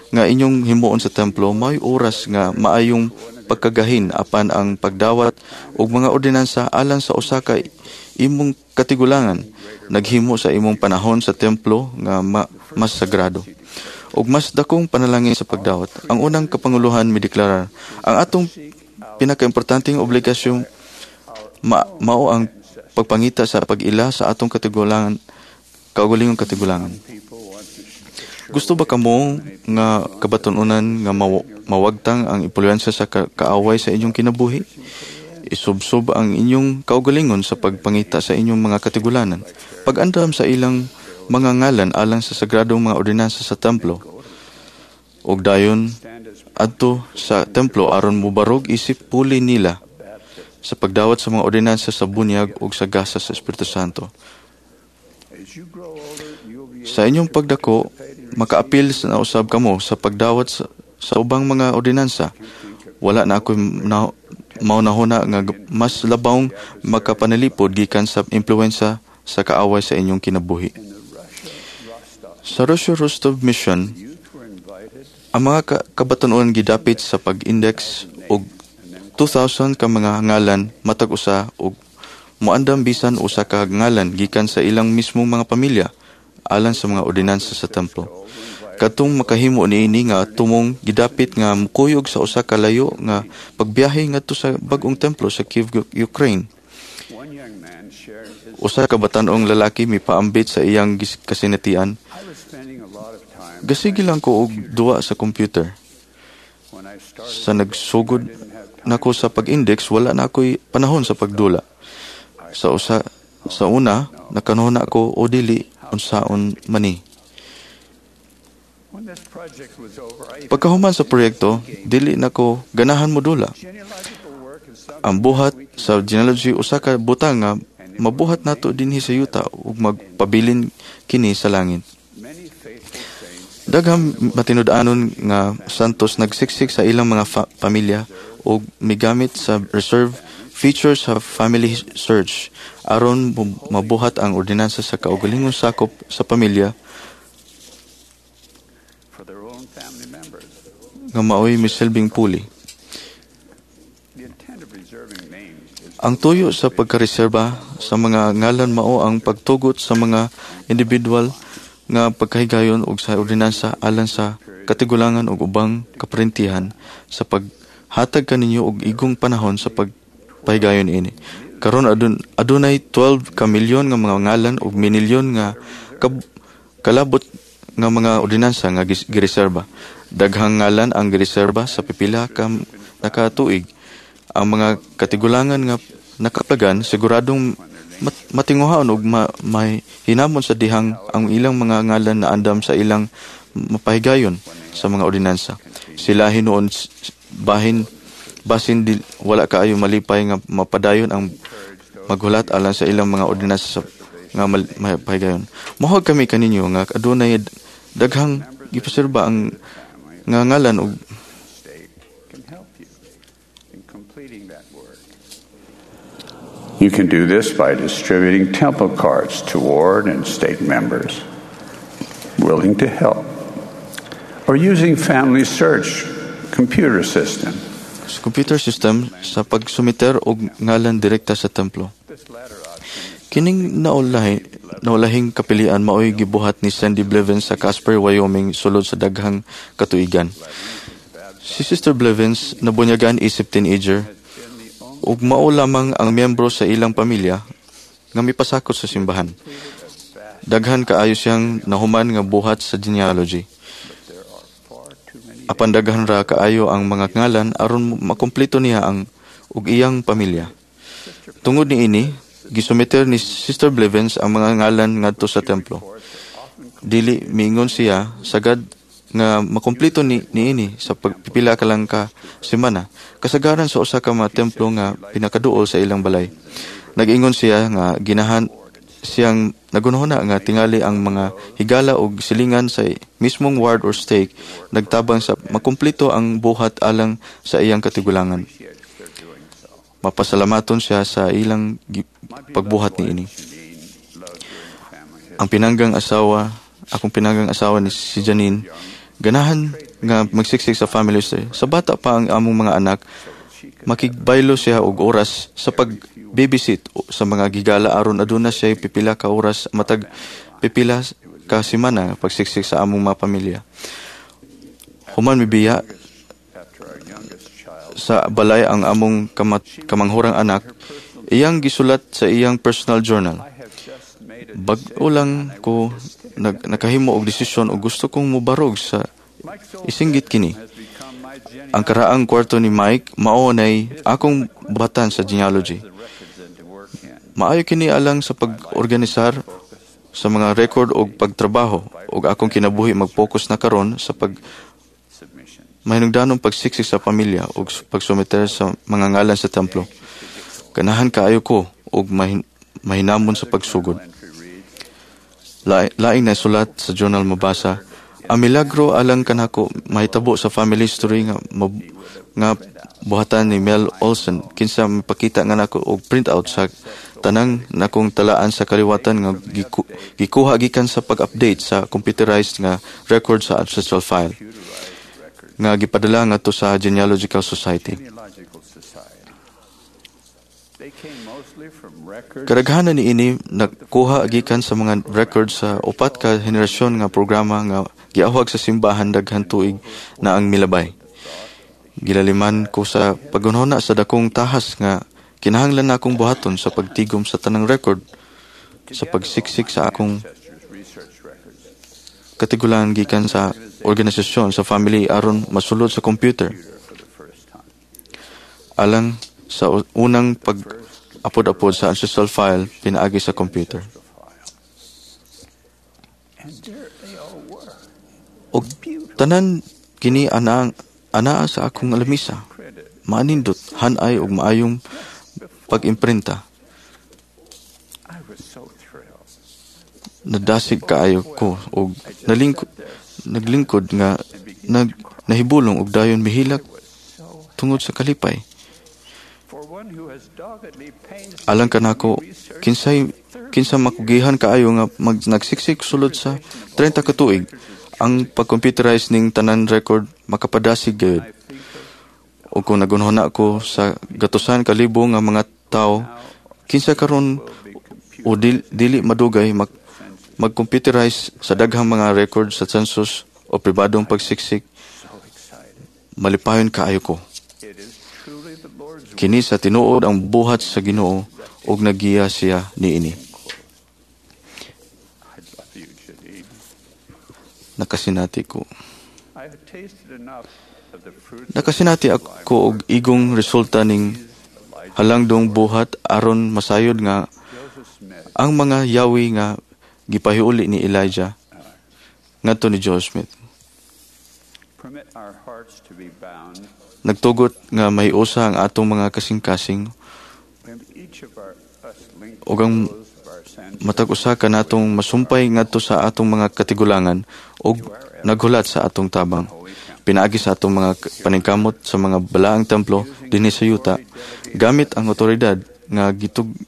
nga inyong himuon sa templo, may oras nga maayong pagkagahin apan ang pagdawat og mga ordinansa alang sa usa ka imong katigulangan naghimo sa imong panahon sa templo nga mas sagrado ug mas dakong panalangin sa pagdawat. Ang unang kapanguluhan mideklarar, ang atong pinakaimportanteng obligasyon mao ang pagpangita sa pag-ila sa atong katigulangan, kaugalingong katigulangan. Gusto ba kamo nga kabatunonan nga mawagtang ang impluwensya sa kaaway sa inyong kinabuhi? Isubsob ang inyong kaugalingon sa pagpangita sa inyong mga katigulanan. Pag-andam sa ilang mga ngalan alang sa sagradong mga ordinansa sa templo. Ug dayon adto sa templo aron mobarog isip puli nila sa pagdawat sa mga ordinansa sa bunyag ug sa gasa sa Espiritu Santo. Sa inyong pagdako, makaapil na usab kamo sa pagdawat sa ubang mga ordinansa. Wala na ako maunahuna nga mas labawng makapanalipod gikan sa impluwensya sa kaaway sa inyong kinabuhi. Sa Russia Rostov Mission, ang mga kabatunon gidapit sa pag-index og 2,000 ka mga ngalan matag usa og moandam bisan usa ka ngalan gikan sa ilang mismong mga pamilya alang sa mga ordinansa sa templo. Katong makahimo niini nga tumong gidapit nga mukuyog sa usa ka layo nga pagbiyahe ngadto sa bag-ong templo sa Kiev, Ukraine. Usa ka batan-ong lalaki mipaambit sa iyang kasinatian. Gasige lang ko og duwa sa computer. Sa nagsugod nako sa pag-index, wala na ako'y panahon sa pagdula. Sa una, nakanuhuna ko o dili unsaon mani. Pagkahuman sa proyekto, dili nako ganahan modula. Ang buhat sa genealogy usa ka butang nga mabuhat nato dinhi sa yuta ug magpabilin kini sa langit. Daghang matinud-anon nga santos nagsiksik sa ilang mga pamilya ug migamit sa reserve features sa family search aron mabuhat ang ordinansa sa kaugalingong sakop sa pamilya nga maoy misilbing puli. Ang tuyo sa pagkareserba sa mga ngalan mao ang pagtugot sa mga individual nga pagkahigayon og sa ordinansa alang sa katigulangan og ubang kaparentihan sa paghatag kaninyo og igong panahon sa pagpahigayon ini. Karon adunay 12 ka milyon nga mga ngalan ug minilyon nga kalabot nga mga ordinansa nga gireserba. Daghang ngalan ang gireserba sa pipila ka nakatuig. Ang mga katigulangan nga nakaplagan siguradong matinguhaon og may hinamon sa dihang ang ilang mga ngalan na andam sa ilang mapahigayon sa mga ordinansa. Sila hinuon bahin basin di, wala kaayo malipay nga mapadayon ang maghulat alang sa ilang mga ordinansa sa nga mapahigayon. Mohuwag kami kaninyo nga adunay daghang gipaserba ang nga ngalan og. You can do this by distributing temple cards to ward and stake members willing to help, or using Family Search computer system. Sa computer system sa pagsumiter og ngalan direkta sa templo. Kining naulahing kapilian maoy gibuhat ni Sandy Blevins sa Casper, Wyoming sulod sa daghang katuigan. Si Sister Blevins nabunyagan isip teenager ug mao lamang ang miyembro sa ilang pamilya nga mipasakot sa simbahan. Daghan kaayo siyang nahuman nga buhat sa genealogy. Apan daghan ra kaayo ang mga ngalan aron makumpleto niya ang ug iyang pamilya. Tungod niini, gisumiter ni Sister Blevins ang mga ngalan ngadto sa templo. Dili miingon siya sagad nga makumpleto ni niini sa pagpipila ka lang ka semana kasagaran sa usa ka mga templo nga pinakaduol sa ilang balay. Nag-ingon siya nga ginahan siyang nagunhona nga tingali ang mga higala og silingan sa mismong ward or stake nagtabang sa makumpleto ang buhat alang sa iyang katigulangan. Mapasalamaton siya sa ilang pagbuhat niini. Ang pinanggang asawa, akong pinanggang asawa ni si Janine, ganahan nga magsiksik sa family history. Sa bata pa ang among mga anak, makigbaylo siya og oras sa pag-babysit sa mga gigala aron aduna siya pipila ka oras matag pipila ka semana pagsiksik sa among mga pamilya. Human mibiya sa balay ang among kamanghurang anak, iyang gisulat sa iyang personal journal. Bag-o lang ko nakahimo og desisyon og gusto kong mobarog sa isinggit kini. Ang karaang kwarto ni Mike mao nay akong buhatan sa genealogy. Maayo kini alang sa pag-organisar sa mga record og pagtrabaho og akong kinabuhi mag-focus na karon sa pag mahinungdanong pagsiksik sa pamilya og pagsumiter sa mga ngalan sa templo. Ganahan kaayo ko og mahinamon sa pagsugod. Laing nasulat sa journal mabasa, ang milagro alang kanako mahitabo sa family history nga nga buhatan ni Mel Olson kinsa mipakita nga nako og printout sa tanang nakong talaan sa kaliwatan nga gikuha gikan sa pag-update sa computerized nga record sa ancestral file nga gipadala ngadto sa Genealogical Society. Kadaghanan niini nakuha gikan sa mga record sa upat ka henerasyon nga programa nga giawhag sa simbahan daghan tuig na ang milabay. Gilaliman ko sa pagunhona sa dakong tahas nga kinahanglan nakong buhaton sa pagtigom sa tanang record sa pagsiksik sa akong katigulangan gikan sa organisasyon sa family aron masulod sa computer. Alang sa unang pag-apod-apod sa ancestral file pinaagi sa computer. Og tanan kini anaa sa akong alamisa. Maanindot, hanay og maayong pag-imprinta. Nadasig kaayo ko og naglingkod nga nahibulong og dayon mihilak tungod sa kalipay. Alang kanako kinsa makugihan kaayo nga nagsiksik sulod sa 30 ka tuig ang pag-computerize ning tanan record makapadasig gayud. O kung nagunhona ko sa gatusan kalibo nga mga tawo kinsa karon o dili madugay mag-computerize sa daghang mga record sa census o pribadong pagsiksik, malipayon kaayo ko. Kini sa tinuod ang buhat sa Ginoo ug nagiya siya niini. Nakasinati ko. Nakasinati ako og igong resulta ning halangdong buhat aron masayod nga ang mga yawi nga gipahiuli ni Elijah ngadto ni Joseph Smith. Nagtugot nga mahiusa ang atong mga kasing-kasing ug ang matag usa ka natong masumpay ngadto sa atong mga katigulangan ug naghulat sa atong tabang pinaagi sa atong mga paningkamot sa mga balaang templo dinhi sa yuta gamit ang otoridad nga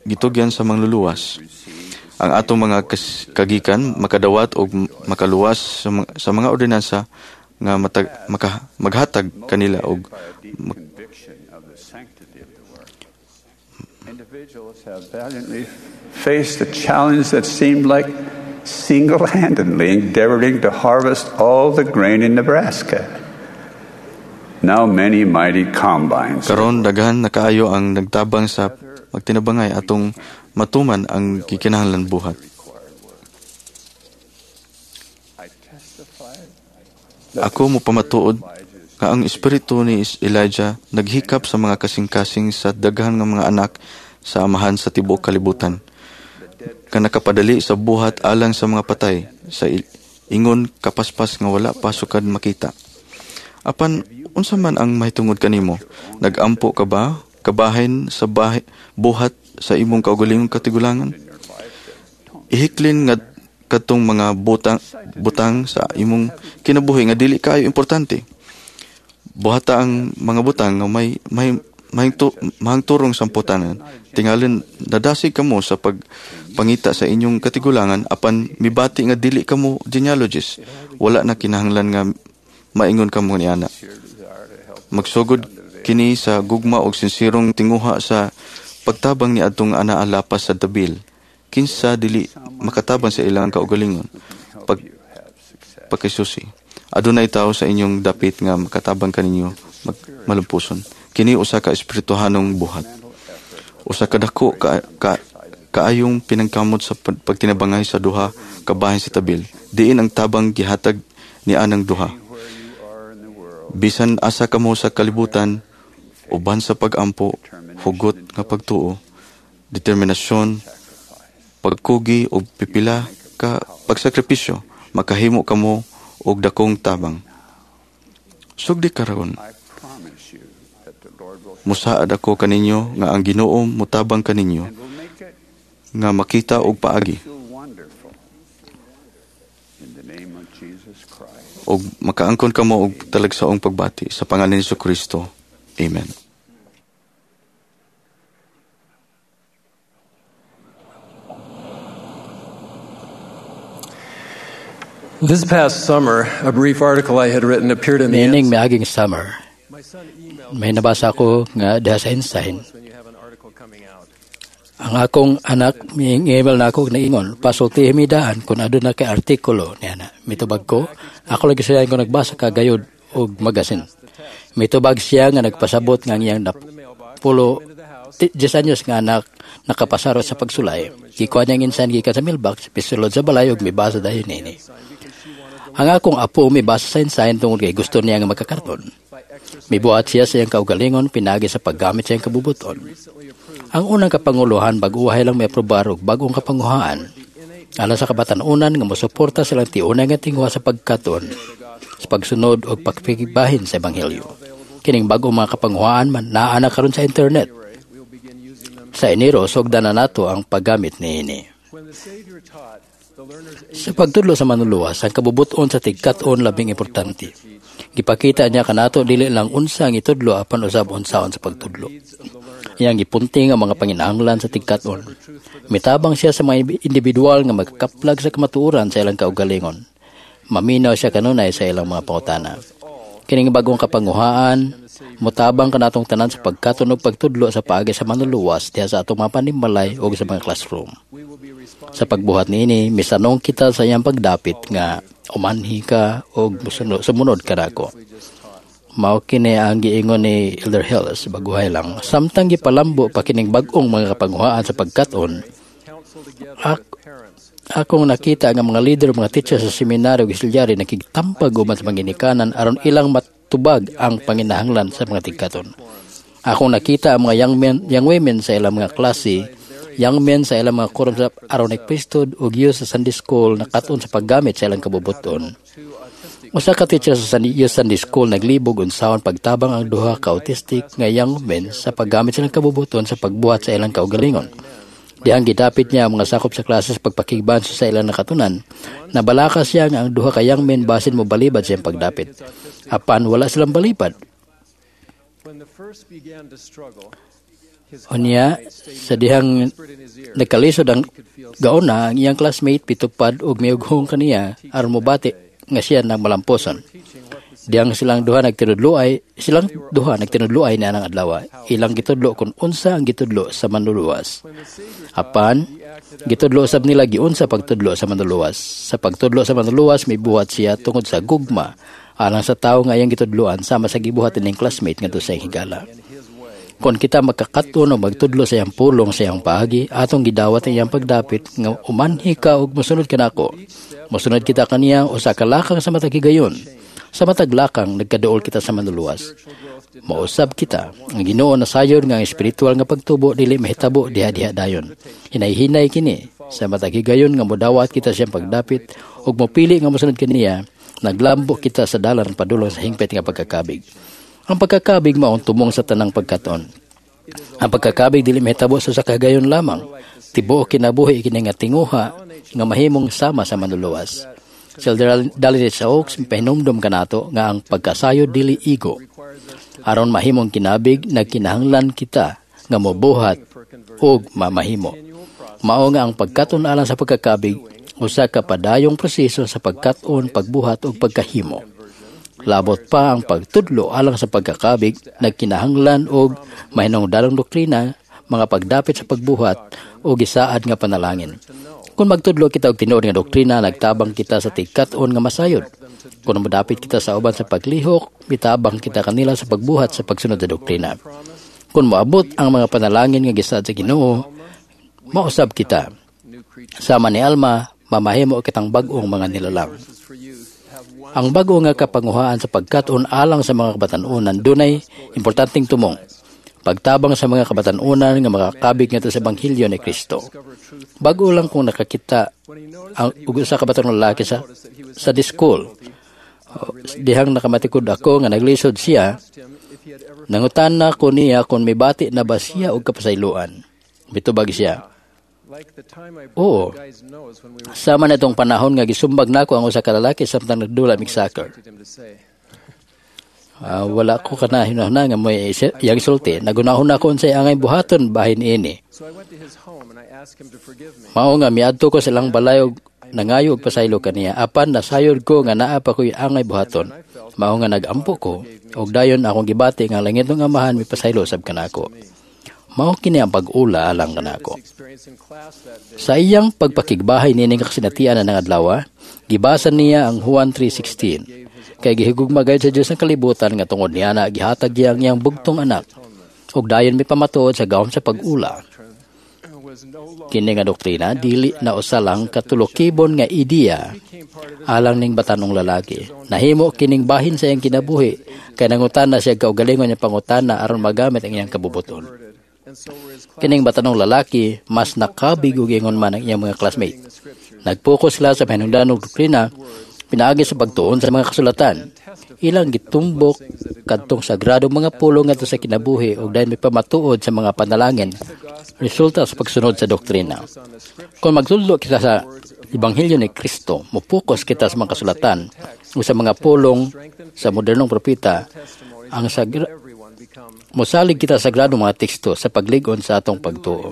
gitugyan sa mangluluwas. Ang atong mga kagikan makadawat og makaluwas sa mga ordinansa nga maghatag kanila og Individuals have valiantly faced a challenge that seemed like single-handedly endeavoring to harvest all the grain in Nebraska. Now many mighty combines. Karon daghan na kaayo ang nagtabang sa magtinabangay atong matuman ang gikinahanglan buhat. Ako mopamatuod nga ang espiritu ni Elijah naghikap sa mga kasing-kasing sa daghan nga mga anak sa amahan sa tibuok kalibutan, nga nakapadali sa buhat alang sa mga patay sa ingon kapaspas nga wala pa sukad makita. Apan unsa man ang mahitungod kanimo? Nagampo ka ba kabahin sa buhat sa imong kaugalingong katigulangan? Ihiklin nga katong mga butang sa imong kinabuhi nga dili kaayo importante. Buhata ang mga butang nga may mahingturong samputanan. Tingalin nadasig kamo sa pagpangita sa inyong katigulangan, apan mibati nga dili kamo genealogist. Wala na kinahanglan nga maingon kamo niana. Magsugod kini sa gugma og sinsirong tinguha sa pagtabang ni adtong anaa lapas sa tabil. Kinsa dili makatabang sa ilang kaugalingon pagkisusi. Adunay tawo sa inyong dapit nga makatabang kaninyo malumpuson. Kini usa ka espirituhanong buhat. Usa ka dako kaayong pinangkamot sa pagtinabangay sa duha kabahin sa tabil. Diin ang tabang gihatag ni anang duha. Bisan asa kamo sa kalibutan, uban sa pag-ampo, hugot nga pagtuo, determinasyon, pagkugi o pipila ka pagsakripisyo, makahimo kamo og dakong tabang. Sugdi karon, musaad ako kaninyo nga ang Ginoo mutabang kaninyo nga makita og paagi og makaangkon kamo og talagsaong pagbati sa pangalan ni Jesucristo. Amen. This past summer, a brief article I had written appeared in the Meaning miaging summer. May nabasa ko nga diha sa Ensign. Ang akong anak mi-email na ako naingon, pasultihi mi daan kung aduna kay artikulo niya na. Mitubag ko, ako lagi siya ko nagbasa ka gayud og magasin. Mitubag siya nga nagpasabot nga ang iyang napulo 10 anyos nga anak nakapasarot sa pagsulay. Gikuha niya ang Ensign gikan sa mailbox, pisulod sa balay ug mibasa dayon nini. Ang akong apo mibasa sa Ensign tungod kay gusto niya nga magkakarton. Mibuhat siya sa iyang kaugalingon pinagi sa paggamit sa iyang kabubuton. Ang unang kapanguluhan bag-uhay lang may aprobar og bag-ong kapanguhaan. Alang sa kabatan-unan nga mosuporta silang tiunay nga tinguha sa pagkaton, sa pagsunod og pagpigibahin sa ebanghelyo. Kining bag-ong mga kapanguhaan man naa na karon sa internet. Sa Enero sugdan na nato ang paggamit niini. Sa pagtudlo sa manluluwas, ang kabubuton sa tigkat-on labing importante. Gipakita niya kanato dili lang unsa ang itudlo apan usab unsaon sa pagtudlo. Iyang gipunting ang mga panginahanglan sa tigkat-on. Mitabang siya sa mga individual nga magkaplag sa kamatuoran sa ilang kaugalingon. Maminaw siya kanunay sa ilang mga pangutana. Kining bagong kapanguhaan, mutabang kanatong tanan sa pagkatunog pagtudlo sa paagi sa manluluwas diha sa atong mga panimalay o sa mga classroom. Sa pagbuhat niini, misanong kita sa iyang pagdapit nga umanhi ka o sumunod ka nako. Mao kini ang giingon ni Elder Hills baguhay lang. Samtang gipalambo pa kining bag-ong mga kapanguhaan sa pagkat-on, akong nakita nga mga leader, mga teacher sa seminaryo ug auxiliary nakigtampag uban sa mga ginikanan aron ilang matubag ang panginahanglan sa mga tigkaton. Akong nakita ang mga young men, young women sa ilang mga klase, young men sa ilang mga quorum sa Aaronic Priesthood ug youth sa Sunday School nakat-on sa paggamit sa ilang kabubuton. Usa ka teacher sa Youth Sunday School naglibog unsaon pagtabang ang duha ka autistic nga young men sa paggamit sa ilang kabubuton sa pagbuhat sa ilang kaugalingon. Dihang gidapit niya ang mga sakop sa klase sa pagpakigbanso sa ilang nakatunan. Nabalaka siya nga ang duha ka young men basin mo balibad sa iyang pagdapit. Apan wala silang balibad. Unya, sa dihang nagkalisod ang gauna, ang iyang classmate pitupad og miughong kaniya aron mobati nga siya nang malamposon. Dihang silang duha nagtinudloay, silang duha nagtinudloay ni anang adlaw. Ilang gitudlo kung unsa ang gitudlo sa manluluwas. Apan gitudlo sab nila giunsa pagtudlo sa manluluwas. Sa pagtudlo sa manluluwas mibuhat siya tungod sa gugma alang sa tawo nga iyang gitudloan sama sa gibuhat ning classmate ngadto sa higala. Kon kita magkakat-on o magtudlo sa iyang pulong sa iyang paagi, atong gidawat ang iyang pagdapit nga umanhi ka ug mosunod kanako. Mosunod kita kaniya usa ka lakang sa matag higayon. Sa matag lakang nagkaduol kita sa manluluwas. Mausab kita ang Ginoo nasayod nga ang espiritual nga pagtubo dili mahitabo diha-diha dayon. Hinay-hinay kini sa matag higayon nga modawat kita sa iyang pagdapit ug mopili nga mosunod kaniya, naglambo kita sa dalan padulong sa hingpit nga pagkakabig. Ang pagkakabig mao ang tumong sa tanang pagkaton. Ang pagkakabig dili mahitabo sa usa ka higayon lamang. Tibuok kinabuhi kini nga tinguha nga mahimong sama sa manluluwas. Si Elder Dallin H. Oaks pahinumdom kanato nga ang pagkasayod dili igo. Aron mahimong kinabig, nagkinahanglan kita nga mobuhat ug mamahimo. Mao nga ang pagkaton alang sa pagkakabig usa ka padayong proseso sa pagkat-on, pagbuhat ug pagkahimo. Labot pa ang pagtudlo alang sa pagkakabig, nagkinahanglan og mahinungdanong doktrina, mga pagdapit sa pagbuhat o gisaad nga panalangin. Kung magtudlo kita og tinuod nga doktrina, nagtabang kita sa tigkat-on nga masayod. Kung modapit kita sa uban sa paglihok, mitabang kita kanila sa pagbuhat sa pagsunod sa doktrina. Kung moabot ang mga panalangin nga gisaad sa Ginoo, mausab kita. Sama ni Alma, mamahimo kitang bag-ong mga nilalang. Ang bag-o nga kapanguhaan sa pagkat-on alang sa mga kabatan-onan dunay importanteng tumong. Pagtabang sa mga kabatan-onan nga makakabig ngadto sa ebanghelyo ni Kristo. Bag-o lang kung nakakita ang ug usa ka batan-ong lalaki sa school. Dihang nakamatikod ako nga naglisod siya, nangutana ko niya kung mibati na ba siya og kapasayloan. Mitubag siya, "Oo. Sama na itong panahon nga gisumbag nako ang usa ka lalaki samtang nagdula mig soccer." Wala ko kana hinahuna nga may iyang sulti. Nagunahon ako unsay angay buhaton bahin ini. Mao nga miadto ko sa ilang balay og nangayo og pasaylo kaniya. Apan nasayod ko nga naa pa ko'y angay buhaton. Mao nga nagampo ko og dayon akong gibati nga langitnong Amahan mipasaylo sab kanako. Mao kini ang pag-ula alang kanako. Sa iyang pagpakigbahay nining kasinatian na adlaw, gibasa niya ang Juan 3:16. Kay gihigugma gayud sa Dios ang kalibutan nga tungod niya na gihatag niya ang iyang bugtong anak ug dayon mipamatuod sa gahom sa pag-ula. Kini nga doktrina dili na usa lang katulokibon nga ideya alang ning batanong lalaki. Nahimo kining bahin sa iyang kinabuhi kay nangutana siya kaugalingon niya pangutana aron magamit ang iyang kabubuton. Kining batanong lalaki mas nakabig og ingon man ang iyang mga classmate. Nagpokus sila sa mahinungdanong doktrina pinaagi sa pagtuon sa mga kasulatan. Ilang gitumbok kadtong sagradong mga pulong ngadto sa kinabuhi ug dayon mipamatuod sa mga panalangin resulta sa pagsunod sa doktrina. Kung magtudlo kita sa ebanghelyo ni Kristo, mopokus kita sa mga kasulatan ug sa mga pulong sa modernong propeta, ang mosalig kita sa sagradong mga teksto sa paglig-on sa atong pagtuo.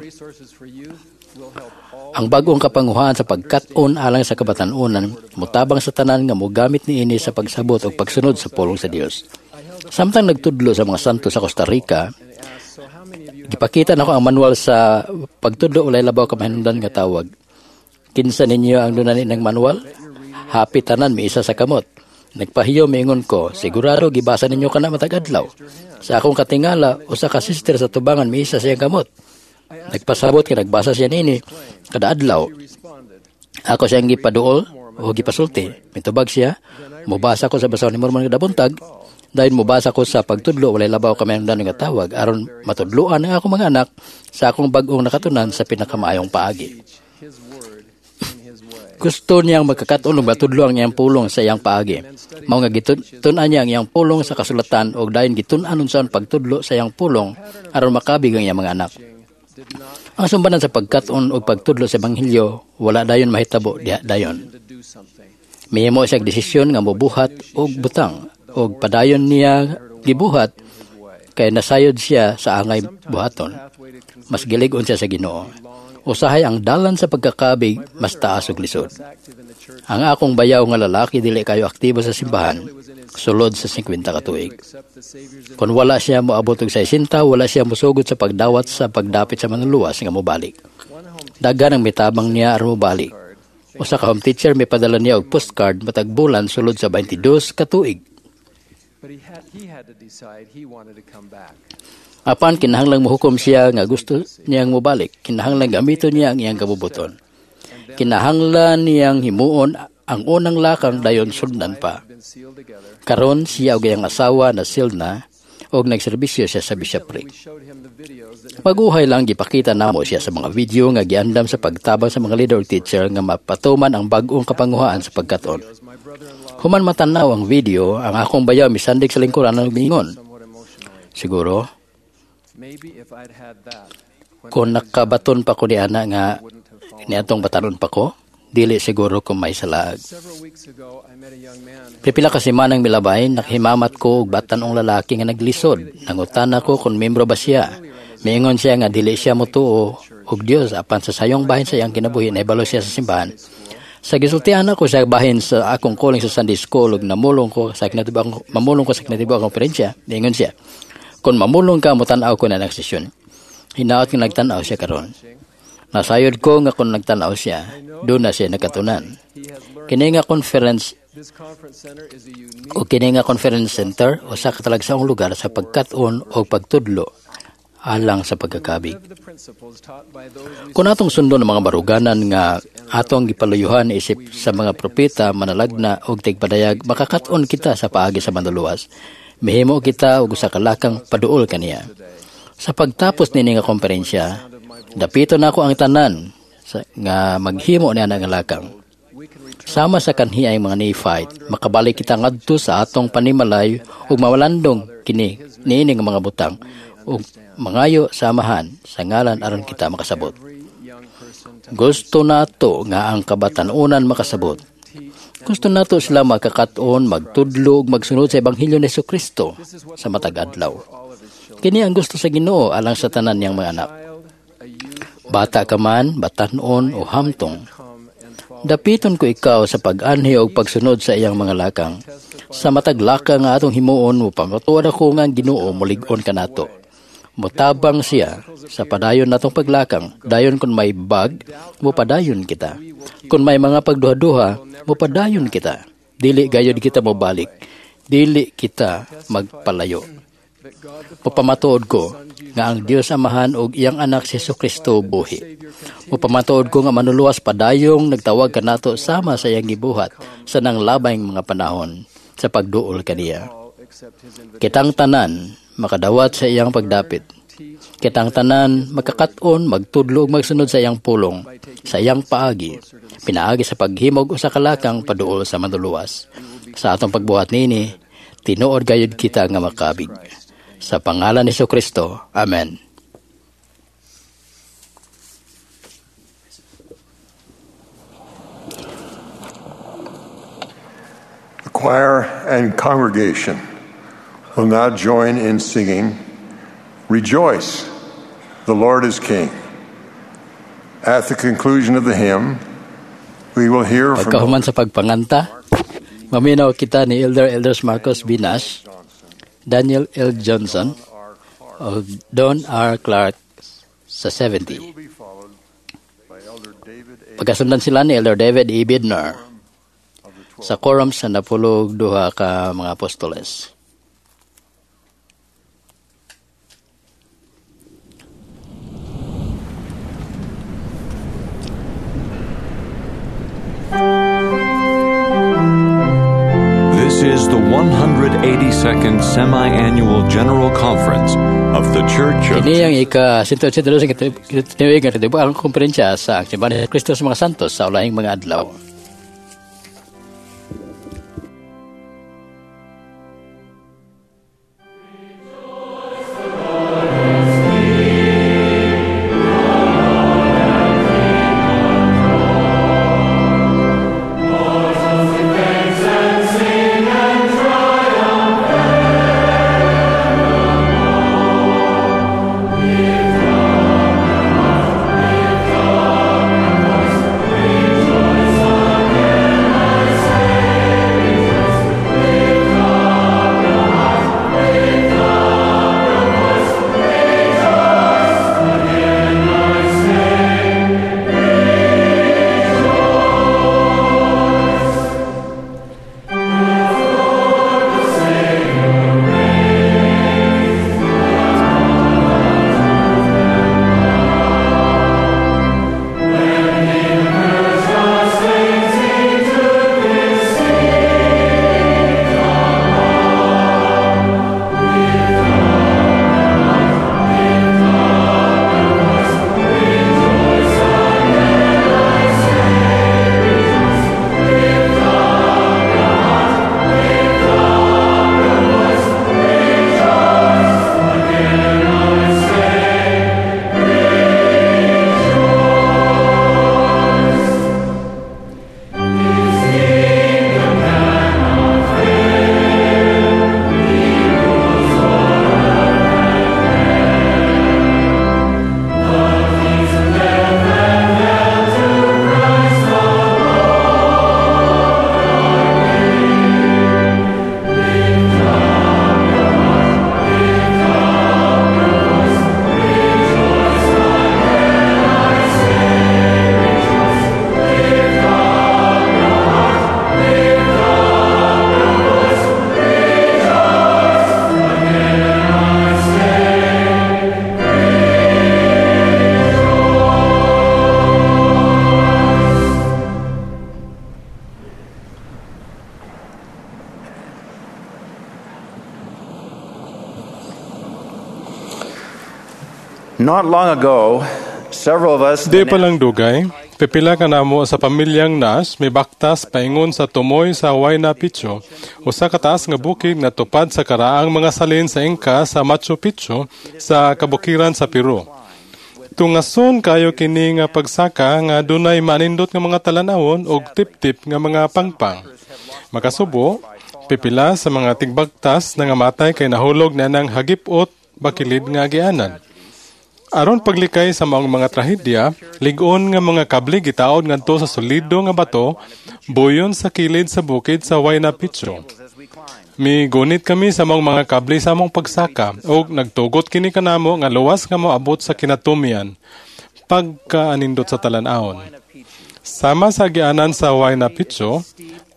Ang bag-ong kapanguhaan sa pagkat-on alang sa kabatan-onan, motabang sa tanan nga mogamit niini sa pagsabot o pagsunod sa pulong sa Dios. Samtang nagtudlo sa mga santo sa Costa Rica, gipakita nako ang manual sa pagtudlo walay labaw ka mahinungdan nga tawag. "Kinsa ninyo ang dunay ng manual?" Happy tanan miisa sa kamot. Nagpahiyo miingon ko, "Sigurado gibasa ninyo kana matag adlaw." Sa akong katingala, usa ka sister sa tubangan miisa sa iyang kamot. Nagpasabot kay nagbasa siya niini kada adlaw. Ako siyang gipaduol o gipasulti. Mitubag siya, "Mubasa ko sa Basahon ni Mormon kada buntag, dahil mubasa ko sa pagtudlo walay labaw kami ang nga tawag aron matudloan ang akong mga anak sa akong bag-ong nakatunan sa pinakamaayong paagi." Gusto niyang magkakat-on ug matudlo ang iyang pulong sa iyang paagi. Mao nga gitun-an niya ang iyang pulong sa kasulatan ug dayon gitun-an unsaon pagtudlo sa iyang pulong aron makabig ang iyang mga anak. Ang sumbanan sa pagkat-on ug pagtudlo sa ebanghelyo wala dayon mahitabo diha dayon. Mihimo siya og desisyon nga mobuhat og butang ug padayon niya gibuhat kay nasayod siya sa angay buhaton. Mas gilig-on siya sa Ginoo. Usahay ang dalan sa pagkakabig mas taas og lisod. Ang akong bayaw nga lalaki dili kayo aktibo sa simbahan sulod sa 50 ka tuig. Kung wala siya moabot og 60, wala siya mosugod sa pagdawat sa pagdapit sa manluluwas nga mobalik. Daghan ang mitabang niya aron mobalik. Usa ka home teacher mipadala niya og postcard matag bulan sulod sa 22 ka tuig. But he had to decide he wanted to come back. Apan kinahanglang mohukom siya nga gusto niyang mobalik. Kinahanglang gamiton niya ang iyang kabubuton. Kinahanglan niyang himuon ang unang lakang dayon sundan pa. Karon siya og iyang asawa na silna og nagserbisyo siya sa bishopric. Maguhay lang gipakita namo siya sa mga video nga giandam sa pagtabang sa mga leader ug teacher nga mapatuman ang bag-ong kapanguhaan sa pagkaton. Human matanaw ang video, ang akong bayaw misandig sa lingkuran og miingon. Siguro, kung nakabaton pa ko ni ana nga niadtong batanon pa ko, dili siguro ko may salaag. Pipila ka semanang milabay, nakahimamat ko og batan-ong lalaki nga naglisod. Nangutana ko kung membro ba siya. Miingon siya nga dili siya motuo og Dios apan sa sayong bahin sa iyang kinabuhi nahibalo siya sa simbahan. Sa gisultihan ako sa bahin sa akong calling sa Sunday school ug namulong ko sa kinatibuk mamulong ko sa kinatibuk konferensya, miingon siya. Kung mamulong ka motan-aw ko na ng sesyon. Hinaot nga nagtan-aw siya karon. Nasayod ko nga kung nagtan-aw siya, doon na siya nakatunan. Kini nga conference o kini nga conference center usa ka talagsaong lugar sa pagkat-on o pagtudlo alang sa pagkakabig. Kung atong sundon ang mga baruganan nga atong gipaluyuhan isip sa mga propeta, manalagna og tigpadayag, makakat-on kita sa paagi sa manluluwas. Mihimo kita og usa ka lakang paduol kaniya. Sa pagtapos niini nga konferensya, dapito nako ang tanan sa, nga maghimo niya nga lakang. Sama sa kanhi ang mga Nephite, makabalik kita ngadto sa atong panimalay ug mawalandong kini niini nga mga butang ug mangayo sa Amahan sa ngalan aron kita makasabot. Gusto nato nga ang kabatan-unan makasabot. Gusto nato sila makakat-on, magtudlo ug magsunod sa ebanghelyo ni Kristo sa matag adlaw. Kini ang gusto sa Ginoo alang sa tanan niyang mga anak. Bata ka man, batan-on o hamtong, dapiton ko ikaw sa pag-anhi o pagsunod sa iyang mga lakang. Sa matag lakang nga atong himuon, mupamatuod ako nga ang Ginoo mulig-on kanato. Mutabang siya sa padayon natong paglakang. Dayon kung may bag, mupadayon kita. Kung may mga pagduha-duha, mupadayon kita. Dili gayod kita mobalik. Dili kita magpalayo. Mupamatuod ko nga ang Dios Amahan ug iyang anak si Jesu Kristo buhi. Mupamatuod ko nga manluluwas padayong nagtawag kanato sama sa iyang gibuhat sa nanglabayng mga panahon sa pagduol kaniya. Kitang tanan makadawat sa iyang pagdapit. Kitang tanan makakat-on, magtudlo ug magsunod sa iyang pulong, sa iyang paagi, pinaagi sa paghimog usa ka lakang paduol sa manluluwas. Sa atong pagbuhat niini, tinuod gayud kita nga makabig. Sa pangalan ni Kristo. Amen. The choir and congregation will now join in singing, Rejoice, the Lord is King. At the conclusion of the hymn, we will hear from Pagkahuman sa pagpanganta, maminaw kita ni Elder Elders Marcos B. Nash, Daniel L. Johnson, o Don R. Clark sa 70. Pagkasundan sila ni Elder David E. Bidner sa quorum sa 12 ka mga apostoles. This is the 182nd Semi-Annual General Conference of the Church of Kini ang ika-182 nga tinuig nga katibuang konferensya sa ang Simbahan ni Kristo sa mga Santos sa ulahing mga adlaw. Rejoice. Not long ago, several of us Di pa lang dugay, pipila ka namo sa pamilyang Nash may baktas paingon sa tumoy sa Huayna Picchu, usa ka taas nga bukid nga tupad sa karaang mga salin sa Inca sa Machu Picchu sa kabukiran sa Peru. Tungason kayo kini nga pagsaka nga dunay manindot nga mga talan-awon og tip-tip nga mga pangpang. Makasubo, pipila sa mga tigbagtas nangamatay kay nahulog na ng hagipot bakilid nga agianan. Aron paglikay sa maong mga trahedya, lig-on nga mga kable gitaod ngadto sa solido nga bato, buyon sa kilid sa bukid sa Huayna Picchu. Migunit kami sa maong mga kable sa among pagsaka ug nagtugot kini kanamo nga luwas nga moabot sa kinatumian pagkaanindot sa talan-awon. Sama sa agianan sa Huayna Picchu,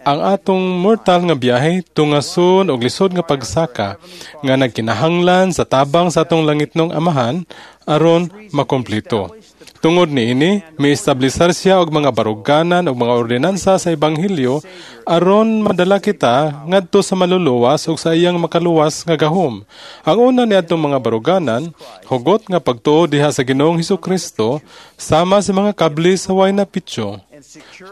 ang atong mortal nga biyahe tungason og lisod nga pagsaka nga nagkinahanglan sa tabang sa atong langitnong Amahan aron makomplito. Tungod niini, miestablisar siya og mga baruganan og mga ordinansa sa ebanghelyo aron madala kita ngadto sa maluluwas ug sa iyang makaluwas nga gahom. Ang una niadtong mga baruganan, hugot nga pagtuo diha sa Ginoong Hesukristo sama sa mga kable sa Huayna Picchu.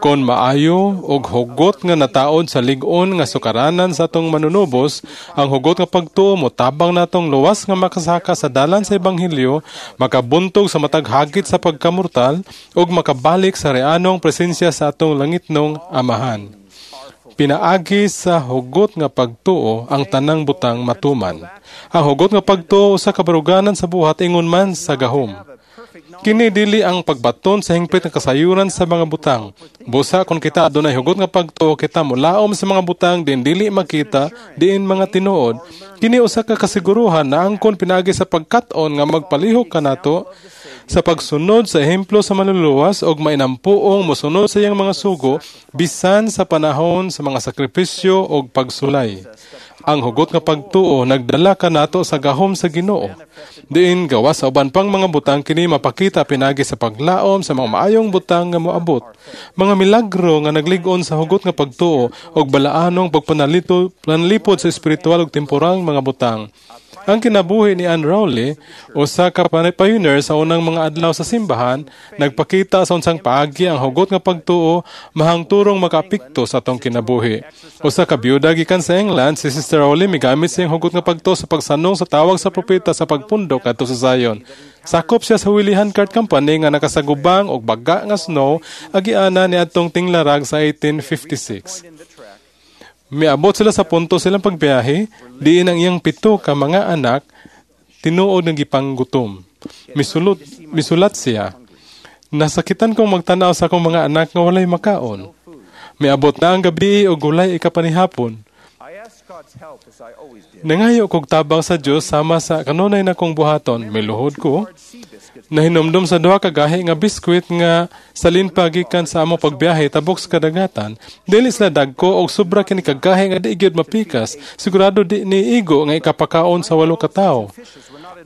Kon maayo og hugot nga nataod sa lig-on nga sukaranan sa atong manunubos, ang hugot nga pagtuo mo tabang natong luwas nga makasaka sa dalan sa ebanghelyo, makabuntog sa matag hagit sa pagkamortal ug makabalik sa reanong presensya sa atong langitnong Amahan. Pinaagi sa hugot nga pagtuo ang tanang butang matuman. Ang hugot nga pagtuo sa kabaruganan sa buhat ingon man sa gahom. Kini dili ang pagbaton sa hingpit nga kasayuran sa mga butang. Busa kung kita adunay hugot nga pagtuo, kita molaom sa mga butang din dili makita, diin mga tinuod. Kini usa ka kasiguruhan na angkon pinaagi sa pagkat-on nga magpalihok kanato sa pagsunod sa ehemplo sa manluluwas og mainampuong mosunod sa iyang mga sugo bisan sa panahon sa mga sakripisyo og pagsulay. Ang hugot nga pagtuo nagdala kanato sa gahom sa Ginoo. Diin gawas sa uban pang mga butang kini mapakita pinagi sa paglaom sa mga maayong butang nga moabot. Mga milagro nga naglig-on sa hugot nga pagtuo og balaanong pagpanalipod sa espiritual ug temporal mga butang. Ang kinabuhi ni Ann Rowley, usa ka pioneer sa unang mga adlaw sa simbahan, nagpakita sa unsang paagi ang hugot nga pagtuo mahangturong makaapekto sa atong kinabuhi. Usa ka biyuda gikan sa England, si Sister Rowley migamit sa iyang hugot nga pagtuo sa pagsanong sa tawag sa propeta sa pagpundok adto sa Zion. Sakop siya sa Willie Handcart Company nga nakasagubang og baga nga snow agiana ni adtong tinglarag sa 1856. Miabot sila sa punto silang pagbiyahe, diin ang iyang 7 ka mga anak tinuod nga gipanggutom. Misulat siya, nasakitan kong magtanaw sa akong mga anak nga walay makaon. Miabot na ang gabi og walay ikapanihapon. Nangayo kog tabang sa Dios sama sa kanunay na kong buhaton, miluhod ko. Nahinomdom sa duha ka gahi nga biskwit nga salin pa gikan sa among pagbiyahe tabok sa kadagatan. Dili sila dagko og sobra kini kagahi nga di gyud mapikas. Sigurado di niigo nga ikapakaon sa 8 ka tawo.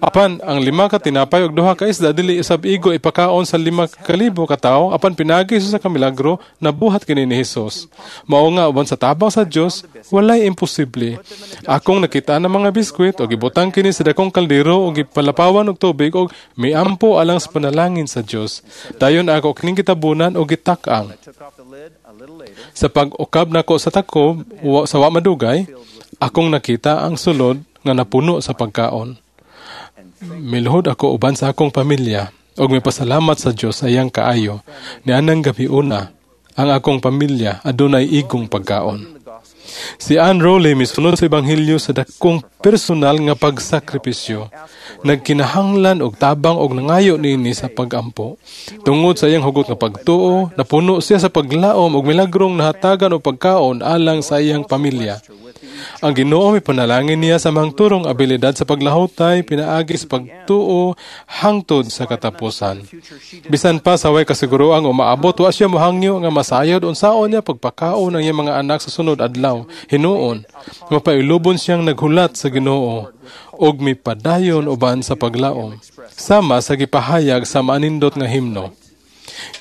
Apan ang 5 ka tinapay og 2 ka isda dili usab igo ipakaon sa 5,000 ka tawo, apan pinagi sa kamilagro nabuhat kini ni Hesus. Mao nga uban sa tabang sa Dios walay imposible. Akong nakita ang mga biskwit og gibutang kini sa dakong kaldero og gipalapawan og tubig og miampo alang sa panalangin sa Dios. Dayon ako kining gitabunan og gitak-ang. Sa pag-ukab nako sa takob sa wa madugay, akong nakita ang sulod nga napuno sa pagkaon. Miluhod ako uban sa akong pamilya og mipasalamat sa Dios sa iyang kaayo. Nianang gabi una, ang akong pamilya adunay igong pagkaon. Si Ann Rowley misunod sa ebanghelyo sa dakong personal nga pagsakripisyo. Nagkinahanglan og tabang og nangayo niini sa pagampo. Tungod sa iyang hugot nga pagtuo, napuno siya sa paglaom og milagrong nahatagan og pagkaon alang sa iyang pamilya. Ang Ginoo mipanalangin niya sa mangturong abilidad sa paglahutay pinaagi sa pagtuo hangtod sa katapusan. Bisan pa sa way kasiguroang umaabot, wa siya mohangyo nga masayod unsaon niya pagpakaon ang iyang mga anak sa sunod adlaw. Hinuon, mapailubon siyang naghulat sa Ginoo og mipadayon uban sa paglaom, sama sa gipahayag sa maanindot nga himno.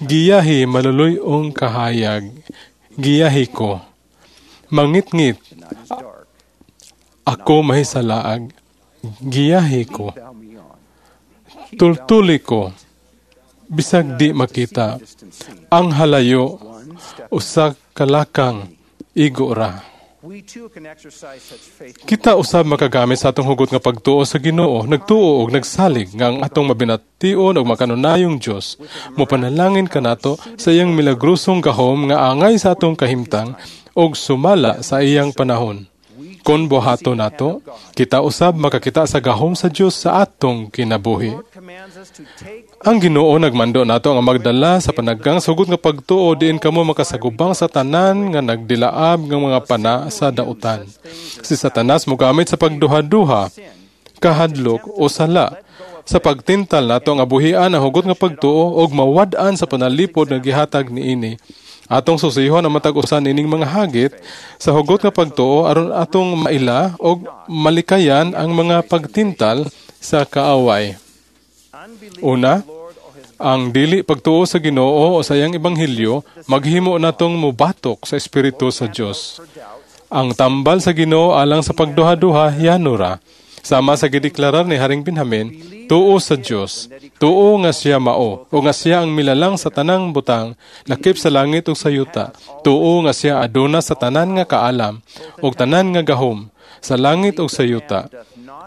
Giyahi maluluy-ong kahayag, giyahi ko. Mangitngit, ako mahisalaag, giyahi ko. Tultuli ko, bisag di makita, ang halayo, usa kalakang igo ra. Kita usab makagamit sa atong hugot nga pagtuo sa Ginoo, nagtuo og nagsalig nga ang atong mabination og makanunayong Dios mopanalangin kanato sa iyang milagrosong gahom nga angay sa atong kahimtang og sumala sa iyang panahon. Kon buhato nato, kita usab makakita sa gahom sa Dios sa atong kinabuhi. Ang Ginoo nagmando nato nga magdala sa panaggang sugot nga pagtuo diin kamo makasagubang sa tanan nga nagdilaab nga mga pana sa dautan. Si Satanas mogamit sa pagduha-duha, kahadlok o sala sa pagtintal nato nga buhian ang hugot nga pagtuo og mawad-an sa panalipod nga gihatag niini. Atong susihon ang matag usa nining mga hagit sa hugot nga pagtuo aron atong maila og malikayan ang mga pagtintal sa kaaway. Una, ang dili pagtuo sa Ginoo o sa iyang ebanghelyo maghimo natong mobatok sa espiritu sa Dios. Ang tambal sa Ginoo alang sa pagduha-duha yanura. Sama sa gideklarar ni Haring Benjamin, tuo sa Dios, tuo nga siya mao, o nga siya ang milalang sa tanang butang, lakip sa langit ug sa yuta. Tuo nga siya aduna sa tanan nga kaalam, ug tanan nga gahom, sa langit ug sa yuta.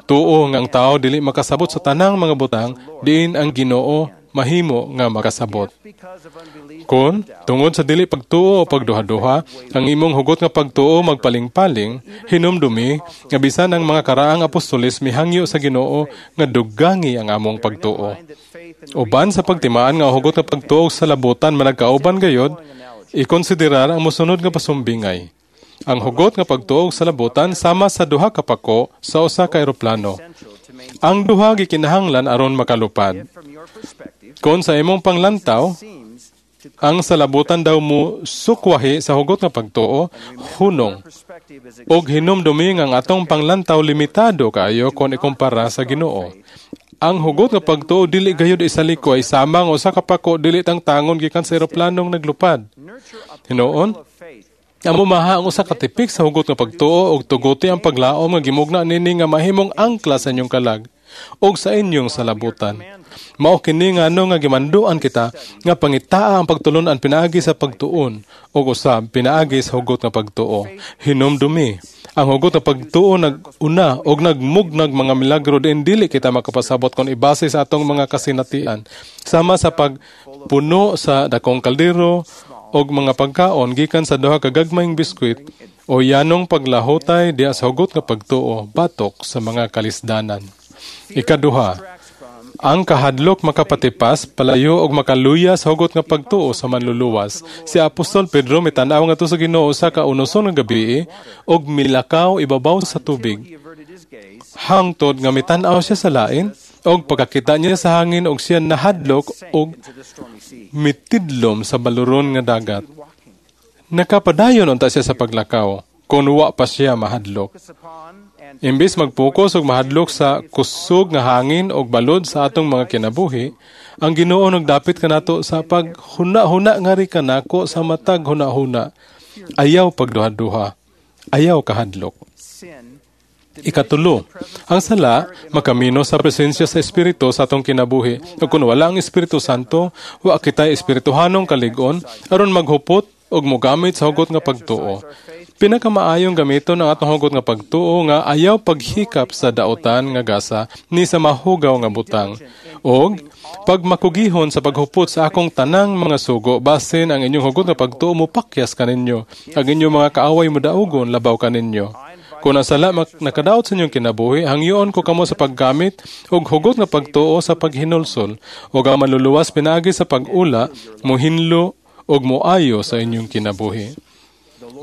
Tuo nga ang tao dili makasabot sa tanang mga butang, diin ang Ginoo mahimo nga makasabot. Kon, tungod sa dili pagtuo o pagduha-duha, ang imong hugot nga pagtuo magpaling-paling, hinumdumi, nga bisan ang mga karaang apostoles mihangyo sa Ginoo nga dugangi ang among pagtuo. Uban sa pagtimaan nga hugot nga pagtuo sa labutan managkauban gayod, ikonsiderar ang mosunod nga pasumbingay. Ang hugot nga pagtuo sa labutan sama sa duha ka pako sa usa ka eroplano. Ang duha gikinahanglan aron makalupad. Kon sa imong panglantaw, ang salabutan daw mo sukwahi sa hugot nga pagtuo, hunong. Og hinumdumi nga ang atong panglantaw limitado kaayo kon ikumpara sa Ginoo. Ang hugot nga pagtuo dili gayud isalikoy sama nga usa ka pako dili tangtangon gikan sa eroplanong naglupad. Hinuon, amo maha ang usa ka tipik sa hugot nga pagtuo og tuguti ang paglaom nga gimugna nini nga mahimong angkla sa inyong kalag og sa inyong salabutan. Mao kini nga ano nga gimanduan kita nga pangitaa ang pagtulon-an pinaagi sa pagtuon og usab pinaagi sa hugot nga pagtuo. Hinumdumi, ang hugot nga pagtuo nag-una og nagmugnag mga milagro diin dili kita makapasabot kon ibase sa atong mga kasinatian. Sama sa pagpuno sa dakong kaldero og mga pagkaon gikan sa duha ka gagmayng biskwit o yanong paglahotay diha sa hugot nga pagtuo batok sa mga kalisdanan. Ikaduha, ang kahadlok makapatipas, palayo og makaluya sa hugot nga pagtuo sa manluluwas. Si Apostol Pedro mitan-aw ngadto sa Ginoo sa kaunoson nga gabi og milakaw ibabaw sa tubig. Hangtod nga mitan-aw siya sa lain og pagkakita niya sa hangin og siya nahadlok og mitidlom sa baluron nga dagat. Nakapadayon unta siya sa paglakaw kon wa pa siya mahadlok. Imbis magpokus og mahadlok sa kusog nga hangin og balod sa atong mga kinabuhi, ang Ginoo nagdapit kanato sa paghuna-huna nga ri kanako sa matag huna-huna. Ayaw pagduha-duha, ayaw kahadlok. Ikatulo, ang sala makamino sa presensya sa Espiritu sa atong kinabuhi. Ug kun wala ang Espiritu Santo, wa kitay espirituhanong kalig-on aron maghupot og mogamit sa hugot nga pagtuo. Pinakamaayong gamiton ang atong hugot nga pagtuo nga ayaw paghikap sa daotan nga gasa ni sa mahugaw nga butang. Og pagmakugihon sa paghupot sa akong tanang mga sugo, basin ang inyong hugot nga pagtuo mopakyas kaninyo, ang inyong mga kaaway modaugon labaw kaninyo. Kung ang sala nakadaot sa inyong kinabuhi, hangyoon ko kamo sa paggamit og hugot nga pagtuo sa paghinulsol, ug ang manluluwas pinaagi sa pag-ula, mohinlo og moayo sa inyong kinabuhi.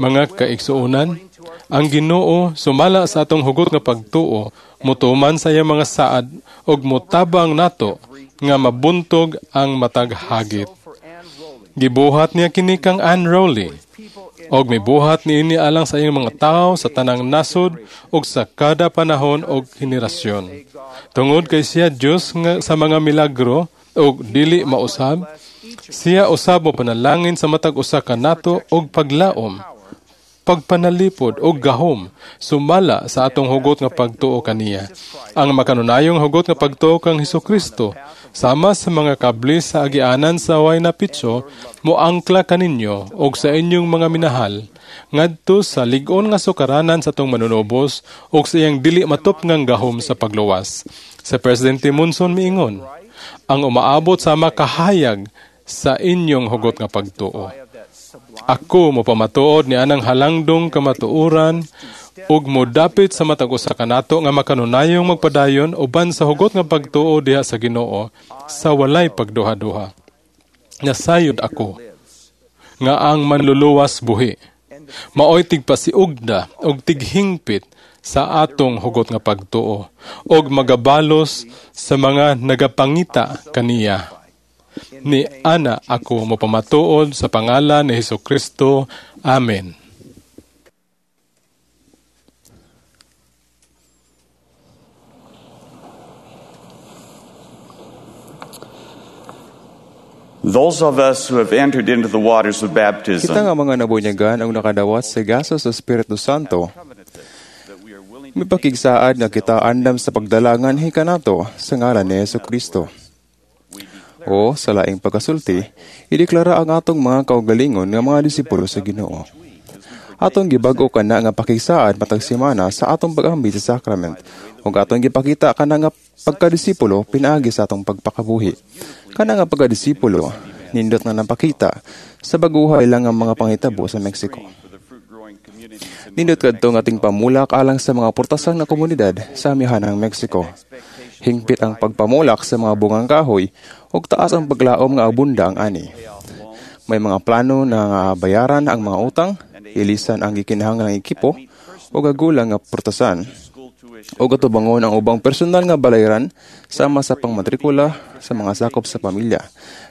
Mga kaigsuonan, ang Ginoo sumala sa atong hugot nga pagtuo, motuman sa iyang mga saad ug motabang nato nga mabuntog ang matag hagit. Gibuhat niya kini kang Ann Rowley, og mibuhat niini alang sa iyang mga tawo sa tanang nasod ug sa kada panahon og henerasyon. Tungod kay siya Dios nga sa mga milagro ug dili mausab, siya usab mo panalangin sa matag usa kanato og paglaom. pagpanalipod o gahom sumala sa atong hugot nga pagtuo kaniya. Ang makanunayong hugot nga pagtuo kang Hesukristo sama sa mga kabli sa agianan sa Huayna Picchu moangkla kaninyo og sa inyong mga minahal ngadto sa lig-on nga sukaranan sa atong manunubos ug sa iyang dili matupngang gahom sa pagluwas. Sa Presidente Monson miingon, ang umaabot sa makahayag sa inyong hugot nga pagtuo. Ako mopamatuod ni anang halangdong kamatuoran ug modapit sa matag usa kanato nga makanunayong magpadayon uban sa hugot nga pagtuo diha sa Ginoo sa walay pagduha-duha. Nasayod ako nga ang manluluwas buhi. Maoy tigpasiugda og tighingpit sa atong hugot nga pagtuo og magabalos sa mga nagapangita kaniya. Ni ana ako mopamatuod sa pangalan ni Hesukristo. Amen. Those of us who have entered into the waters of baptism Kita nga mga nabunyagan ang nakadawat sa gaso sa Espiritu Santo. Mipakigsaad nga kita andam sa pagdalangan hikanato sa ngalan ni Hesus Kristo. O sa laing pagkasulti, ideklara ang atong mga kaugalingon nga mga disipulo sa Ginoo. Atong gibag-o kana nga pakigsaad matag semana sa atong pag-ambit sa sacrament ug atong gipakita kana nga pagkadisipulo pinaagi sa atong pagpakabuhi. Kana nga pagkadisipulo nindot nga napakita sa baguhay lang ang mga panghitabo sa Mexico. Nindot kadto nga ating pamulak alang sa mga portasan nga komunidad sa amihanang Mexico. Hingpit ang pagpamulak sa mga bungang kahoy ug taas ang paglaom nga abunda ang ani. May mga plano na nga bayaran ang mga utang, ilisan ang gikinahanglang ekipo ug agulang nga portasan ug atubangon ang ubang personal nga balayran sama sa pangmatrikula sa mga sakop sa pamilya.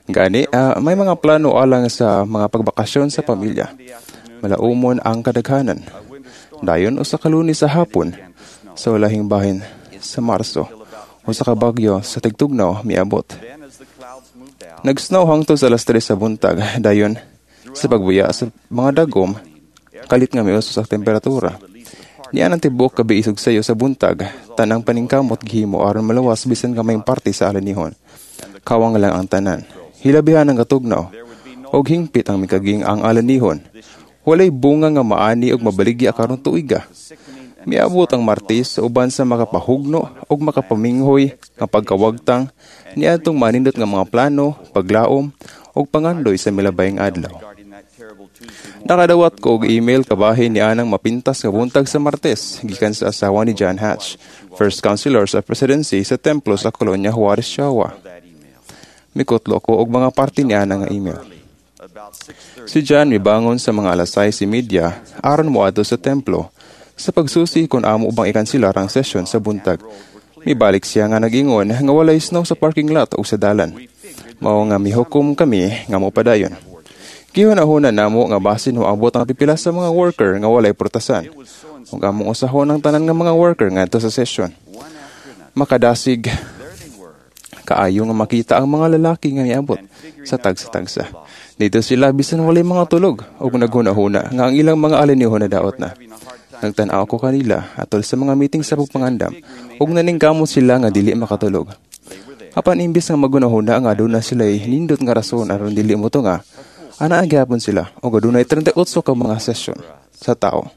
Gani, may mga plano alang sa mga pagbakasyon sa pamilya. Malaumon ang kadaghanan. Dayon usa ka Lunes sa hapon sa ulahing bahin sa Marso, usa ka bagyo sa tigtugnaw miabot. Nagsnow hangtod sa alas 3 sa buntag, dayon sa pagbuya sa mga dagom, kalit nga miuso sa temperatura. Niya ang tibuok gabi isog sayo sa buntag, tanang paningkamot gihimo aron malawas bisan gamayng parte sa alanihon. Kawang lang ang tanan. Hilabihan ang katugnaw, og hingpit ang mikaging ang alanihon. Walay bunga nga maani og mabaligya karon tuiga. Miabot ang Martes uban sa makapahugno og makapaminghoy nga pagkawagtang niadtong manindot nga mga plano, paglaom og pangandoy sa milabayng adlaw. Nakadawat ko og email kabahin ni anang mapintas nga buntag sa Martes gikan sa asawa ni John Hatch, First Counselor sa Presidency sa templo sa Colonia Juarez, Chihuahua. Mikutlo ko og mga parte ni anang nga email. Si John mibangon sa mga alas 6:30 aron moadto sa templo sa pagsusi kung amo bang ikanselar ang sesyon sa buntag. Mibalik siya nga nag-ingon nga walay snow sa parking lot o sa dalan. Mao nga mihukom kami nga mopadayon. Gihuna-huna namo nga basin moabot ang pipila sa mga worker nga walay prutasan. Ug among usahon ang tanan nga mga worker ngadto sa sesyon. Makadasig kaayo nga makita ang mga lalaki nga miabot sa tagsa-tagsa. Dito sila bisan walay mga tulog ug naghuna-huna nga ang ilang mga alinihon na daot na. Nagtan-aw ko kanila atol sa mga meeting sa pagpangandam ug naningkamot sila nga dili makatulog. Apan imbis nga maghuna-huna nga aduna sila nindot nga rason aron dili mo tunga, ana gyapon sila ug adunay 38 ka mga sesyon sa tao.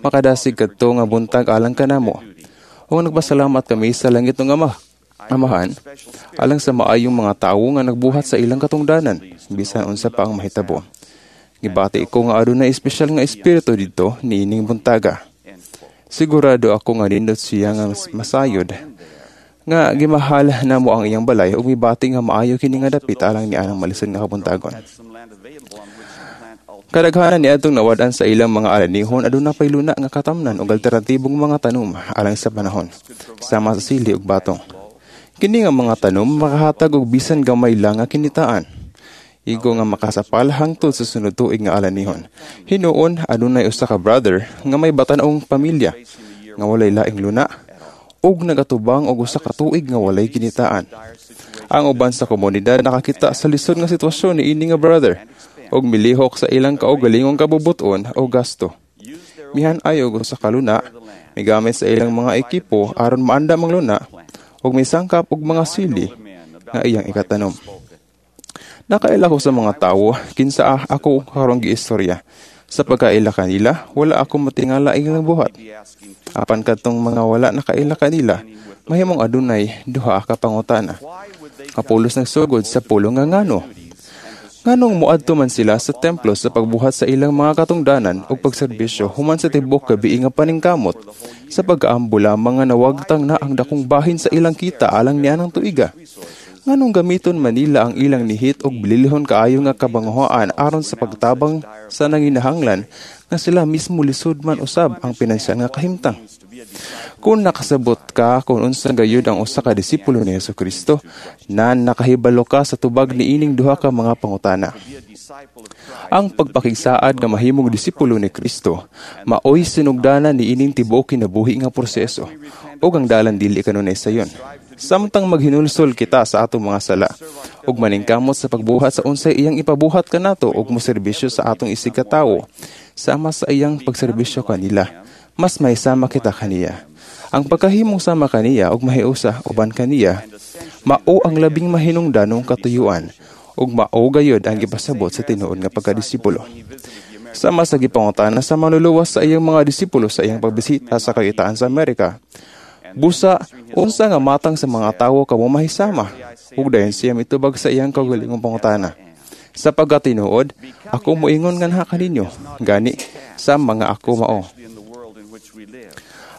Makadasig kadto nga buntag alang kanamo. Ug nagpasalamat kami sa langit ng Ama. Amahan, alang sa maayong mga tawo nga nagbuhat sa ilang katungdanan, bisan unsa pa ang mahitabo. Gibati ko nga adunay espesyal nga espiritu didto niining buntaga. Sigurado ako nga nindot siya nga masayod nga gimahal namo ang iyang balay ug mibati nga maayo kini nga dapit alang ni anang malisod nga kabuntagon. Kadaghanan niadtong nawad-an sa ilang mga alanihon aduna pay luna nga katamnan ug alternatibong mga tanom alang sa panahon, sama sa sili ug batong. Kini nga mga tanom makahatag og bisan gamay lang nga kinitaan. Igo nga makasapal hangtod sa sunod tuig nga alanihon. Hinuon adunay usa ka brother nga may batan-ong pamilya nga walay laing luna ug nagatubang og usa ka tuig nga walay kinitaan. Ang uban sa komunidad nakakita sa lisod nga sitwasyon ni ini nga brother ug milihok sa ilang kaugalingong kabubuton o gasto. Mihan-ay og usa ka luna, migamit sa ilang mga ekipo aron maandam ang luna ug misangkap og mga sili nga iyang ikatanom. Nakaila ko sa mga tawo kinsa ako karong giistorya. Sa pagkaila kanila, wala ako matingala ilang buhat. Apan kadtong mga wala nakaila kanila, mahimong adunay duha ka pangutana. Kapulos nagsugod sa pulong nga ngano. Nganong moadto man sila sa templo sa pagbuhat sa ilang mga katungdanan ug pagserbisyo human sa tibuok gabii nga paningkamot sa pag-aambo lamang nga nawagtang na ang dakong bahin sa ilang kita alang nianang tuiga? Nganong gamiton man nila ang ilang nihit og bililhon kaayo nga kabanguhaan aron sa pagtabang sa nanginahanglan nga sila mismo lisod man usab ang pinansyal nga kahimtang? Kung nakasabot ka kung unsa gayud ang usa ka disipulo ni Hesukristo, nan nakahibalo ka sa tubag niining duha ka mga pangutana. Ang pagpakigsaad nga mahimong disipulo ni Kristo maoy sinugdanan niining tibuok kinabuhi nga proseso ug ang dalan dili kanunay sayon. Samtang maghinulsol kita sa atong mga sala ug maningkamot sa pagbuhat sa unsay iyang ipabuhat kanato ug moserbisyo sa atong isig katawo sama sa iyang pagserbisyo kanila, mas mahisama kita kaniya. Ang pagkahimong sama kaniya ug mahiusa uban kaniya mao ang labing mahinungdanong katuyuan ug mao gayod ang gipasabot sa tinuod nga pagkadisipulo. Sama sa gipangutana sa manluluwas sa iyang mga disipulo sa iyang pagbisita sa kagitaan sa Amerika, busa unsa nga matang sa mga tawo kamo mahisama? Ug dayon siya mitubag sa iyang kaugalingong pangutana. Sa pagkatinuod, ako moingon nganha kaninyo, gani sa mga ako mao.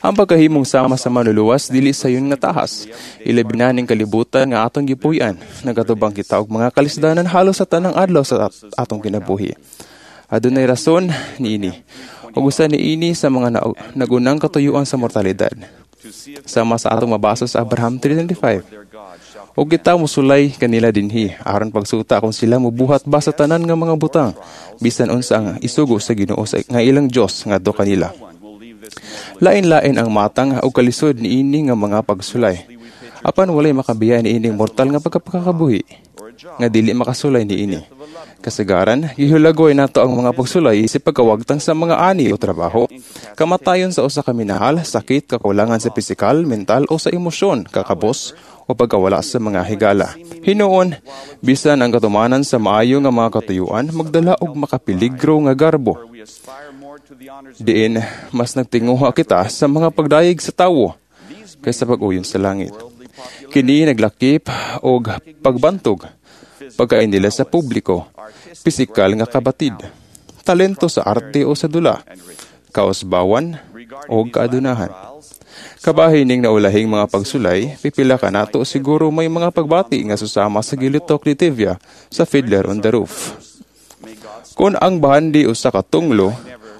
Ang pagkahimong sama sa manluluwas dili sayon nga tahas. Ilabi na ning kalibutan nga atong gipuy-an. Nagatubang kita og mga kalisdanan halos sa tanang adlaw sa atong kinabuhi. Adunay rason niini. Ug usa niini sa mga nagunang katuyuan sa mortalidad. Sama sa atong mabasa sa Abraham 3:25. Ug kita mosulay kanila dinhi aron pagsuta kung sila mobuhat ba sa tanan nga mga butang bisan unsa ang isugo sa Ginoo sa nga ilang Dios ngadto kanila. Lain-lain ang matang ug kalisod niini nga mga pagsulay. Apan walay makabiya niining mortal nga pagkakabuhi nga dili makasulay niini. Kasagaran, gihulagoy nato ang mga pagsulay isip pagkawagtang sa mga ani o trabaho, kamatayon sa usa ka minahal, sakit, kakulangan sa pisikal, mental o sa emosyon, kakabos o pagkawala sa mga higala. Hinuon, bisan ang katumanan sa maayo nga mga katuyuan, magdala og makapiligro nga garbo. Diin, mas nagtinguha kita sa mga pagdayeg sa tawo kaysa pag-uyon sa langit. Kini naglakip og pagbantog, pagkain nila sa publiko, pisikal nga kabatid, talento sa arte o sa dula, kausbawan o kaadunahan. Kabahin ning naulahing mga pagsulay, pipila ka nato siguro may mga pagbati nga susama sa gilitok ni Tevye sa Fiddler on the Roof. Kung ang bahandi usa ka tunglo,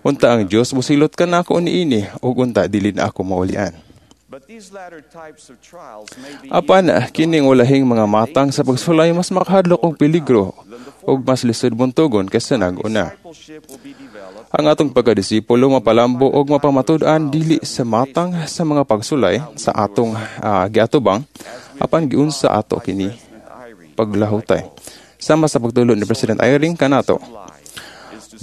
unta ang Dios mosilot kanako niini ug unta dili na ako maulian. Apan kining ulahing mga matang sa pagsulay mas makahadlok og peligro ug mas lisod buntugon kaysa nag-una. Ang atong pagkadisipulo mapalambo og mapamatud-an dili sa matang sa mga pagsulay sa atong giatubang apan giunsa ato kini paglahutay. Sama sa pagtulo ni President Eyring kanato,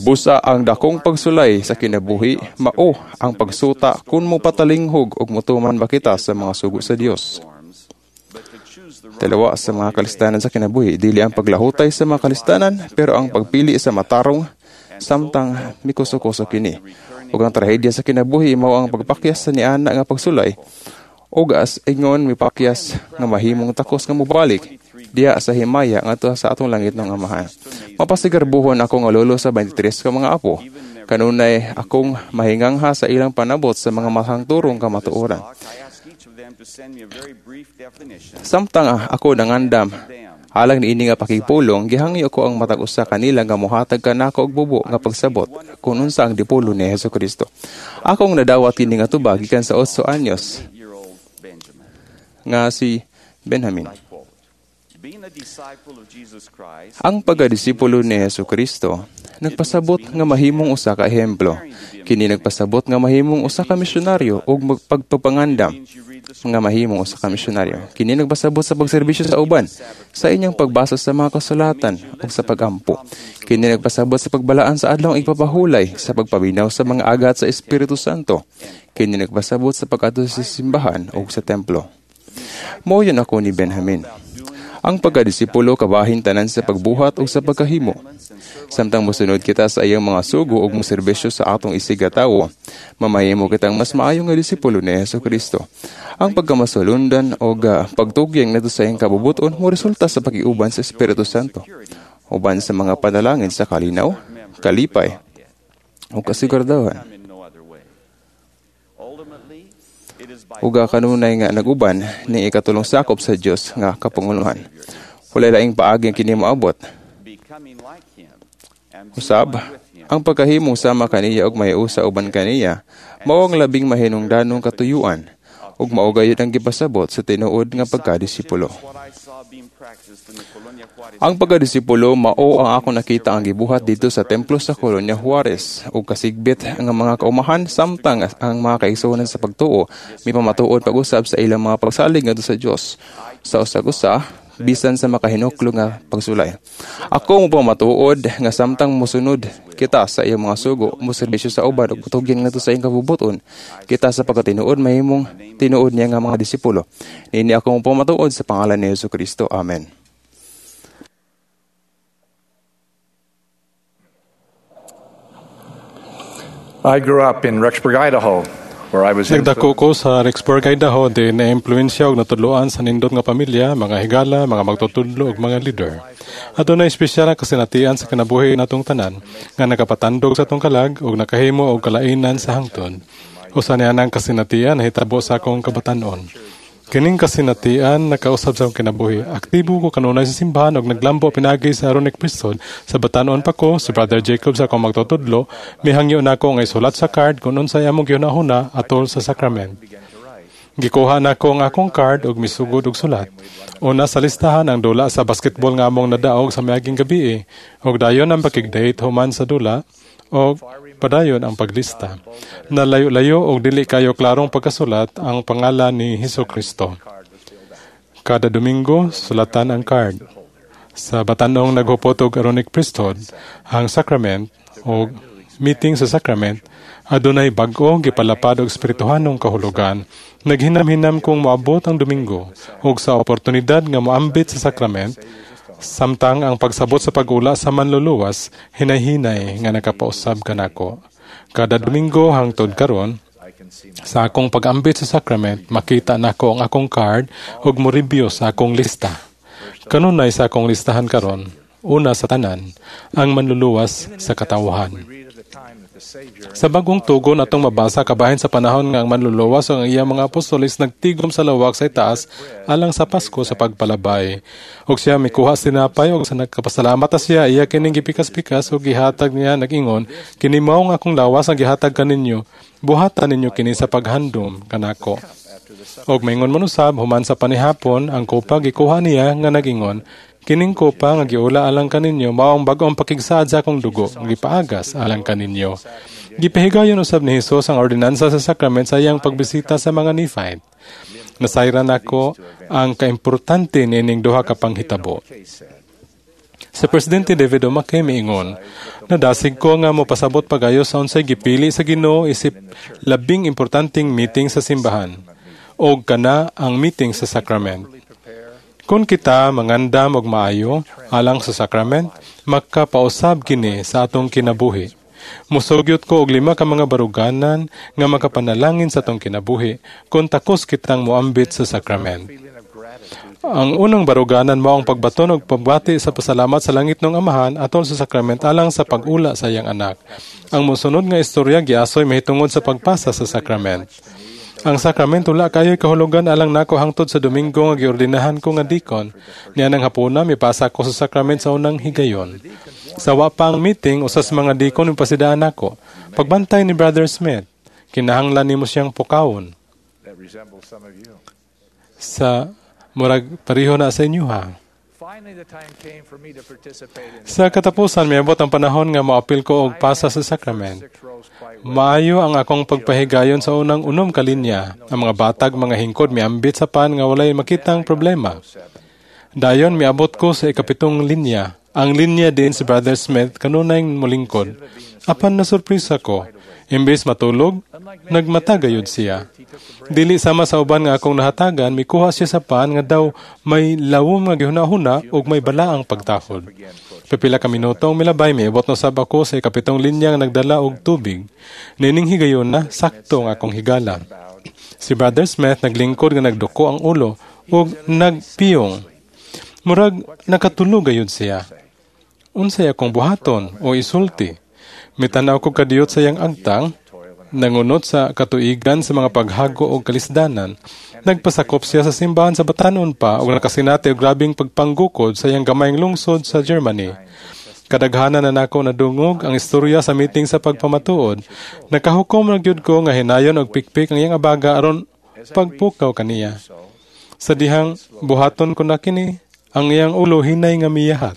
busa ang dakong pagsulay sa kinabuhi mao ang pagsuta kung mopatalinghog og motuman ba kita sa mga sugo sa Dios. Dalawa sa mga kalistanan sa kinabuhi, dili ang paglahutay sa mga kalistanan, pero ang pagpili sa matarong samtang mikuso-kuso kini. Ug ang trahedya sa kinabuhi mao ang pagpakyas sa niana nga pagsulay ug as ingon mipakyas nga mahimong takos nga mobalik diha sa himaya ngadto sa atong langit ng Amahan. Mapasigarbuhon ako nga lolo sa 23 ka mga apo. Kanunay akong mahingangha sa ilang panabot sa mga mahangturong kamatuoran. Samtang ako nangandam alang niini nga pakigpulong, gihangyo ko ang matag usa kanila nga mohatag kanako og bubo nga pagsabot kung unsa ang dipulo ni Hesukristo. Akong nadawat kini nga tubag gikan sa 8 anyos nga si Benjamin. Ang pagkadisipulo ni Hesukristo nagpasabot nga mahimong usa ka ehemplo. Kini nagpasabot nga mahimong usa ka misyonaryo og pagpapangandam. nga mahimong usa ka misyonaryo. Kini nagpasabot sa pagserbisyo sa uban, sa inyong pagbasa sa mga kasulatan ug sa pagampo. Kini nagpasabot sa pagbalaan sa adlawng igpapahulay, sa pagpabinaw sa mga agat sa Espiritu Santo. Kini nagpasabot sa pag-adto sa simbahan ug sa templo. Mao yun ako ni Benjamin. Ang pagkadisipulo kabahin tanan sa pagbuhat o sa pagkahimo. Samtang mosunod kita sa iyang mga sugo ug moserbisyo sa atong isigatawo, mamahimo kitang mas maayo nga disipulo ni Hesus Kristo. Ang pagkamasulundan o pagtugyang nato sa iyang kabubuton mo resulta sa pakiuban sa Espiritu Santo, uban sa mga panalangin sa kalinaw, kalipay, o kasiguradahan. Uga kanunay nga naguban ni ikatulong sakop sa Dios nga kapanguluhan. Walay laing paagi ang kini moabot. Usab, ang pagkahimong sama kaniya og mahiusa uban kaniya, mao ang labing mahinungdanong katuyuan ug mao gayud ang gipasabot sa tinuod nga pagkadisipulo. Ang pagkadisipulo mao ang ako nakita ang gibuhat dito sa templo sa Colonia Juarez ug kasigbit ang mga kaumahan samtang ang mga kaigsuonan sa pagtuo mipamatuod pag-usab sa ilang mga pagsalig ngadto sa Dios sa usag-usa bisan sa makahinuklo nga pagsulay. Ako mopamatuod nga samtang mosunod kita sa iyang mga sugo, moserbisyo sa uban ug tugyan ngadto sa iyang kabubuton, kita sa pagkatinuod mahimong tinuod niya nga mga disipulo. Niini ako mopamatuod sa pangalan ni Hesus Kristo. Amen. I grew up in Rexburg, Idaho, where I was Nagdako ko sa Rexburg, Idaho, di na-impluwensya og natudloan sa nindot nga pamilya, mga higala, mga magtutudlo ug mga leader. Adunay espesyal ang kasinatian sa kinabuhi natong tanan nga nakapatandog sa atong kalag ug nakahimo og kalainan sa hangtod. Usa niya ang kasinatian nahitabo sa akong kabatan-on. Kining kasinatian nakausab sa akong kinabuhi. Aktibo ko kanunay sa simbahan ug naglambo pinaagi sa Aaronic Priesthood. Sa batan-on pa ko, si Brother Jacob sa akong magtutudlo, mihangyo nako nga isulat sa card kung unsay among gihunahuna atol sa sacrament. Gikuha nako ang akong card ug misugod og sulat. Una sa listahan ang dula sa basketball nga among nadaog sa miaging gabi ug dayon ang pakig-date human sa dula og padayon ang paglista. Nalayo-layo og dili kayo klarong pagkasulat ang pangalan ni Hesus Kristo. Kada Domingo, sulatan ang card. Sa batanong naghupot og Aaronic Priesthood, ang sacrament o meeting sa sacrament, adunay bag-o gipalapad og espirituhanong kahulugan. Naghinam-hinam kong moabot ang Domingo ug sa oportunidad nga moambit sa sacrament, samtang ang pagsabot sa pag-ula sa manluluwas, hinay-hinay nga nakapausab kanako. Kada Domingo hangtod karon, sa akong pag-ambit sa sacrament, makita nako ang akong card ug mo-review sa akong lista. Kanunay sa akong listahan karon, una sa tanan, ang manluluwas sa katawhan. Sa bagong tugon atong mabasa kabahin sa panahon nga ang manluluwas o ang iyang mga apostoles nagtigom sa lawak sa itaas alang sa Pasko sa pagpalabay. Og siya mikuha sinapay og sa nagkapasalamat siya iya kining gipikas-pikas og gihatag niya nag-ingon, kini mao ang akong lawas ang gihatag kaninyo, buhatan ninyo kini sa paghandom kanako. Og maingon man usab human sa panihapon ang kopa gikuha niya nga nag-ingon, kining kopa nga giula alang kaninyo mao ang bag-ong pakigsaad sa akong dugo nga gipaagas alang kaninyo. Gipahigayon usab ni Hesus ang ordinansa sa sakrament sa iyang pagbisita sa mga Nephite. Nasayran nako ang kaimportante niining duha ka panghitabo. Sa Presidente David O. McKay miingon, nadasig ko nga mopasabot pagayo sa unsay gipili sa Ginoo isip labing importanteng meeting sa simbahan og kana ang meeting sa sakrament. Kung kita mangandam og maayo alang sa sakrament, makapausab kini sa atong kinabuhi. Musugyot ko og 5 ka mga baruganan nga makapanalangin sa atong kinabuhi kung takos kitang moambit sa sakrament. Ang unang baruganan mao ang pagbaton og pagbati sa pasalamat sa langit ng Amahan atol sa sakrament alang sa pag-ula sa iyang anak. Ang mosunod nga istorya giasoy mahitungod sa pagpasa sa sakrament. Ang sakrament wala kayo'y kahulugan alang nako hangtod sa Domingo nga giordinahan ko nga dikon. Niya nang hapuna mipasa ko sa sakrament sa unang higayon. Sa wa pa ang meeting usas mga dikon mipasidaan nako. Pagbantay ni Brother Smith, kinahanglan nimo siyang pukawon. Sa murag pareho na sa inyo ha. Sa katapusan, miabot ang panahon nga moapil ko og pasa sa sakrament. Maayo ang akong pagpahigayon sa unang 6 ka linya. Ang mga batag, mga hingkod, miambit sa pan nga walay makitang problema. Dayon, miabot ko sa 7 linya. Ang linya din si Brother Smith kanunay molingkod. Apan nasurpresa ko. Imbes matulog, nagmata gayud siya. Dili sama sa uban nga akong nahatagan, mikuha siya sa pan nga daw may lawom nga gihuna-huna ug may balaang pagtahod. Pipila ka minuto ang milabay, miabot na sab ako sa 7 linya nga nagdala og tubig. Nining higayon na, sakto ang akong higala. Si Brother Smith naglingkod nga nagduko ang ulo ug nagpiyong. Murag nakatulog gayud siya. Unsay akong buhaton o isulti? Mitanaw ko kadiyot sa iyang agtang, nangunot sa katuigan sa mga paghago o kalisdanan. Nagpasakop siya sa simbahan sa Batanon pa ug nakasinati og grabing pagpanggukod sa iyang gamayng lungsod sa Germany. Kadaghanan na nako nadungog ang istorya sa meeting sa pagpamatuod. Nakahukom na gyud ko nga hinayon og pikpik ang iyang abaga aron pagpukaw kaniya. Sa dihang buhaton ko na kini, ang iyang ulo hinay nga miyahat.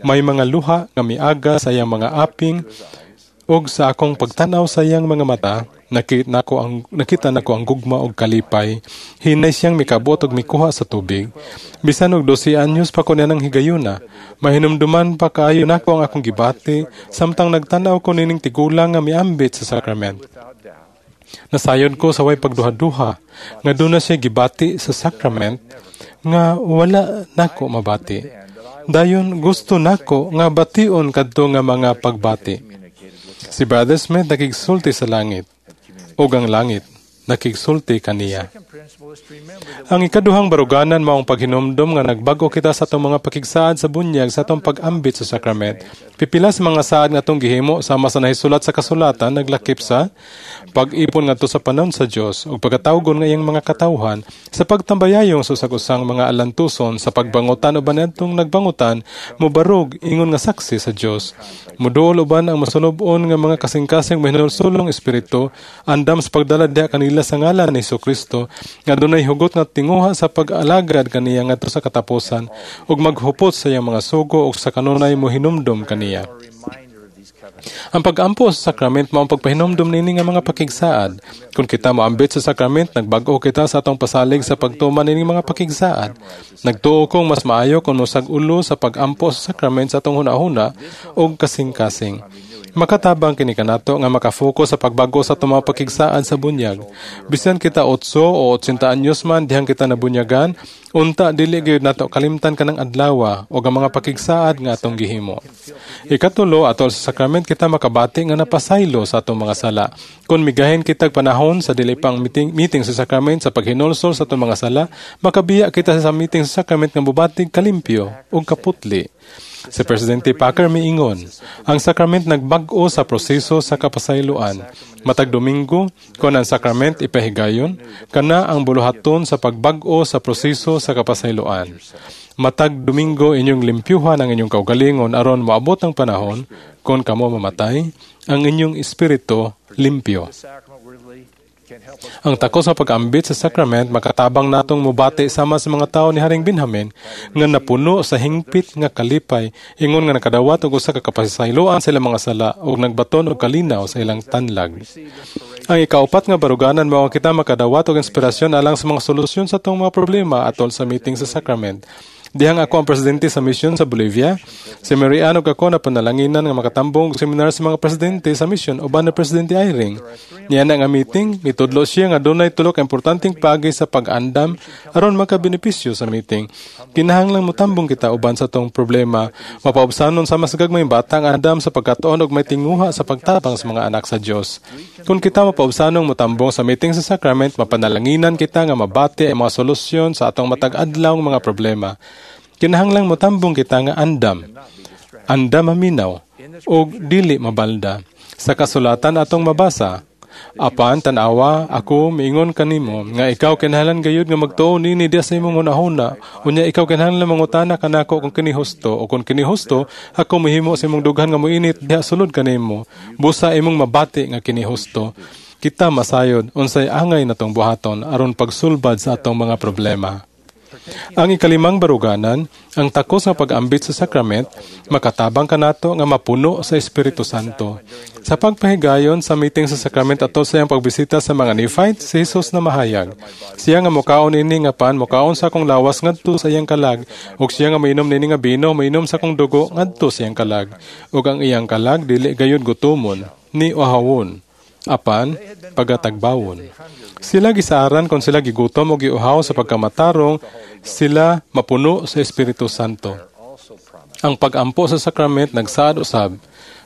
May mga luha nga miaga sa iyang mga aping ug sa akong pagtan-aw sa iyang mga mata, nakita nako ang gugma og kalipay. Hinay siyang mikabot og mikuha sa tubig. Bisan og 12 anyos pa ko niya nang higayuna, mahinumduman pa kaayo nako ang akong gibati samtang nagtan-aw ko nining tigulang nga miambit sa sakrament. Nasayod ko sa way pagduha-duha nga duna siya gibati sa sakrament nga wala nako mabati. Dayon gusto nako nga bation kadto nga mga pagbati. Si Brother Smith nakigsulti sa langit, ug ang langit nakigsulti kaniya. Ang ikaduhang baruganan maong paghinumdom nga nagbag-o kita sa atong mga pakigsaad sa bunyag sa atong pag-ambit sa sakrament. Pipila sa mga saad nga atong gihimo sama sa nahisulat sa kasulatan naglakip sa pag-ipon ngadto sa panon sa Dios ug pagkatawgon nga iyang mga katawhan sa pagtambayayong sa usag-usang mga alantuson sa pagbangutan uban adtong nagbangutan mobarog ingon nga saksi sa Dios. Moduol uban ang masulub-on nga mga kasing-kasing mahinulsulong espiritu andam sa pagdala diha kanila sa ngalan ni Jesucristo nga dunay hugot nga tinguha sa pag-alagad kaniya ngadto sa katapusan ug maghupot sa iyang mga sugo ug sa kanunay mohinumdom kaniya. Ang pag-ampo sa sakrament mao ang pagpahinumdom niini nga mga pakigsaad. Kung kita moambit sa sakrament, nagbag-o kita sa atong pasalig sa pagtuman nining mga pakigsaad. Nagtuo kong mas maayo kung mosag-ulo sa pag-ampo sa sakrament sa atong hunahuna ug kasing-kasing. Makatabang kini kanato nga makafocus sa pagbago sa atong mga pakigsaad sa bunyag. Bisan kita 8 o 80 anyos man dihang kita nabunyagan, unta dili gyud nato kalimtan kanang adlawa o ang mga pakigsaad nga atong gihimo. Ikatulo, atol sa sakrament kita makabati nga napasaylo sa atong mga sala. Kung migahin kitag panahon sa dili pang meeting sa sakrament sa paghinulsol sa atong mga sala, makabiya kita sa meeting sa sakrament nga mubatig kalimpyo ug kaputli. Si Presidente Packer miingon, ang sakrament nagbag-o sa proseso sa kapasayloan. Matag Domingo, kon ang sakrament ipahigayon, kana ang buluhaton sa pagbag-o sa proseso sa kapasayloan. Matag Domingo inyong limpyuhan ang inyong kaugalingon aron moabot ang panahon kon kamo mamatay, ang inyong espiritu limpyo. Ang takos sa pag-ambit sa sakrament makatabang natong mubati sama sa mga tawo ni Haring Benjamin nga napuno sa hingpit nga kalipay ingon nga nakadawat og usa ka kapasayloan sa ilang mga sala ug nagbaton og kalinaw sa ilang tanlag. Ang ikaupat nga baruganan mao kita makadawat og inspirasyon alang sa mga solusyon sa atong mga problema atol sa meeting sa sakrament. Dihang ako ang presidente sa misyon sa Bolivia. Si Mary Ann ug ako na panalanginan nga makatambong og seminar sa mga presidente sa misyon uban na Presidente Eyring. Niya na nga meeting, mitudlo siya nga dunay tulo ka importanteng paagi sa pag-andam aron makabenepisyo sa meeting. Kinahanglang motambong kita uban sa tong problema, mapaubsanon sa mas gagmayng bata ang andam sa pagkatuon og may tinguha sa pagtabang sa mga anak sa Dios. Kung kita mapaubsanong motambong sa meeting sa sacrament, mapanalanginan kita nga mabati ang mga solusyon sa atong matag adlaw mga problema. Kinahanglang motambong kita nga andam. Andam maminaw og dili mabalda. Sa kasulatan atong mabasa, apan tan-awa ako miingon kanimo nga ikaw kinahanglan gayud nga magtuo nini diha sa imong hunahuna, unya ikaw kinahanglan mangutana kanako kung kini husto o kung kini husto ako mohimo sa imong dughan nga moinit diha sulod kanimo, busa imong mabati nga kini husto. Kita masayod unsay angay natong buhaton aron pagsulbad sa atong mga problema. Ang ikalimang baruganan, ang takos nga pag-ambit sa sakrament, makatabang kanato nga mapuno sa Espiritu Santo. Sa pagpahigayon sa meeting sa sakrament ato sa iyang pagbisita sa mga Nephite, si Jesus na mahayag. Siya nga mukaon ini nga pan, mukaon sa akong lawas ngadto sa iyang kalag, ug siya nga mainom nini nga bino, mainom sa akong dugo ngadto sa iyang kalag. Ug ang iyang kalag dili gayud gutomon ni uhawon, apan pagatagbawon. Sila gisaaran kon sila gigutom o giuhaw sa pagkamatarong, sila mapuno sa Espiritu Santo. Ang pag-ampo sa sakrament nagsaad usab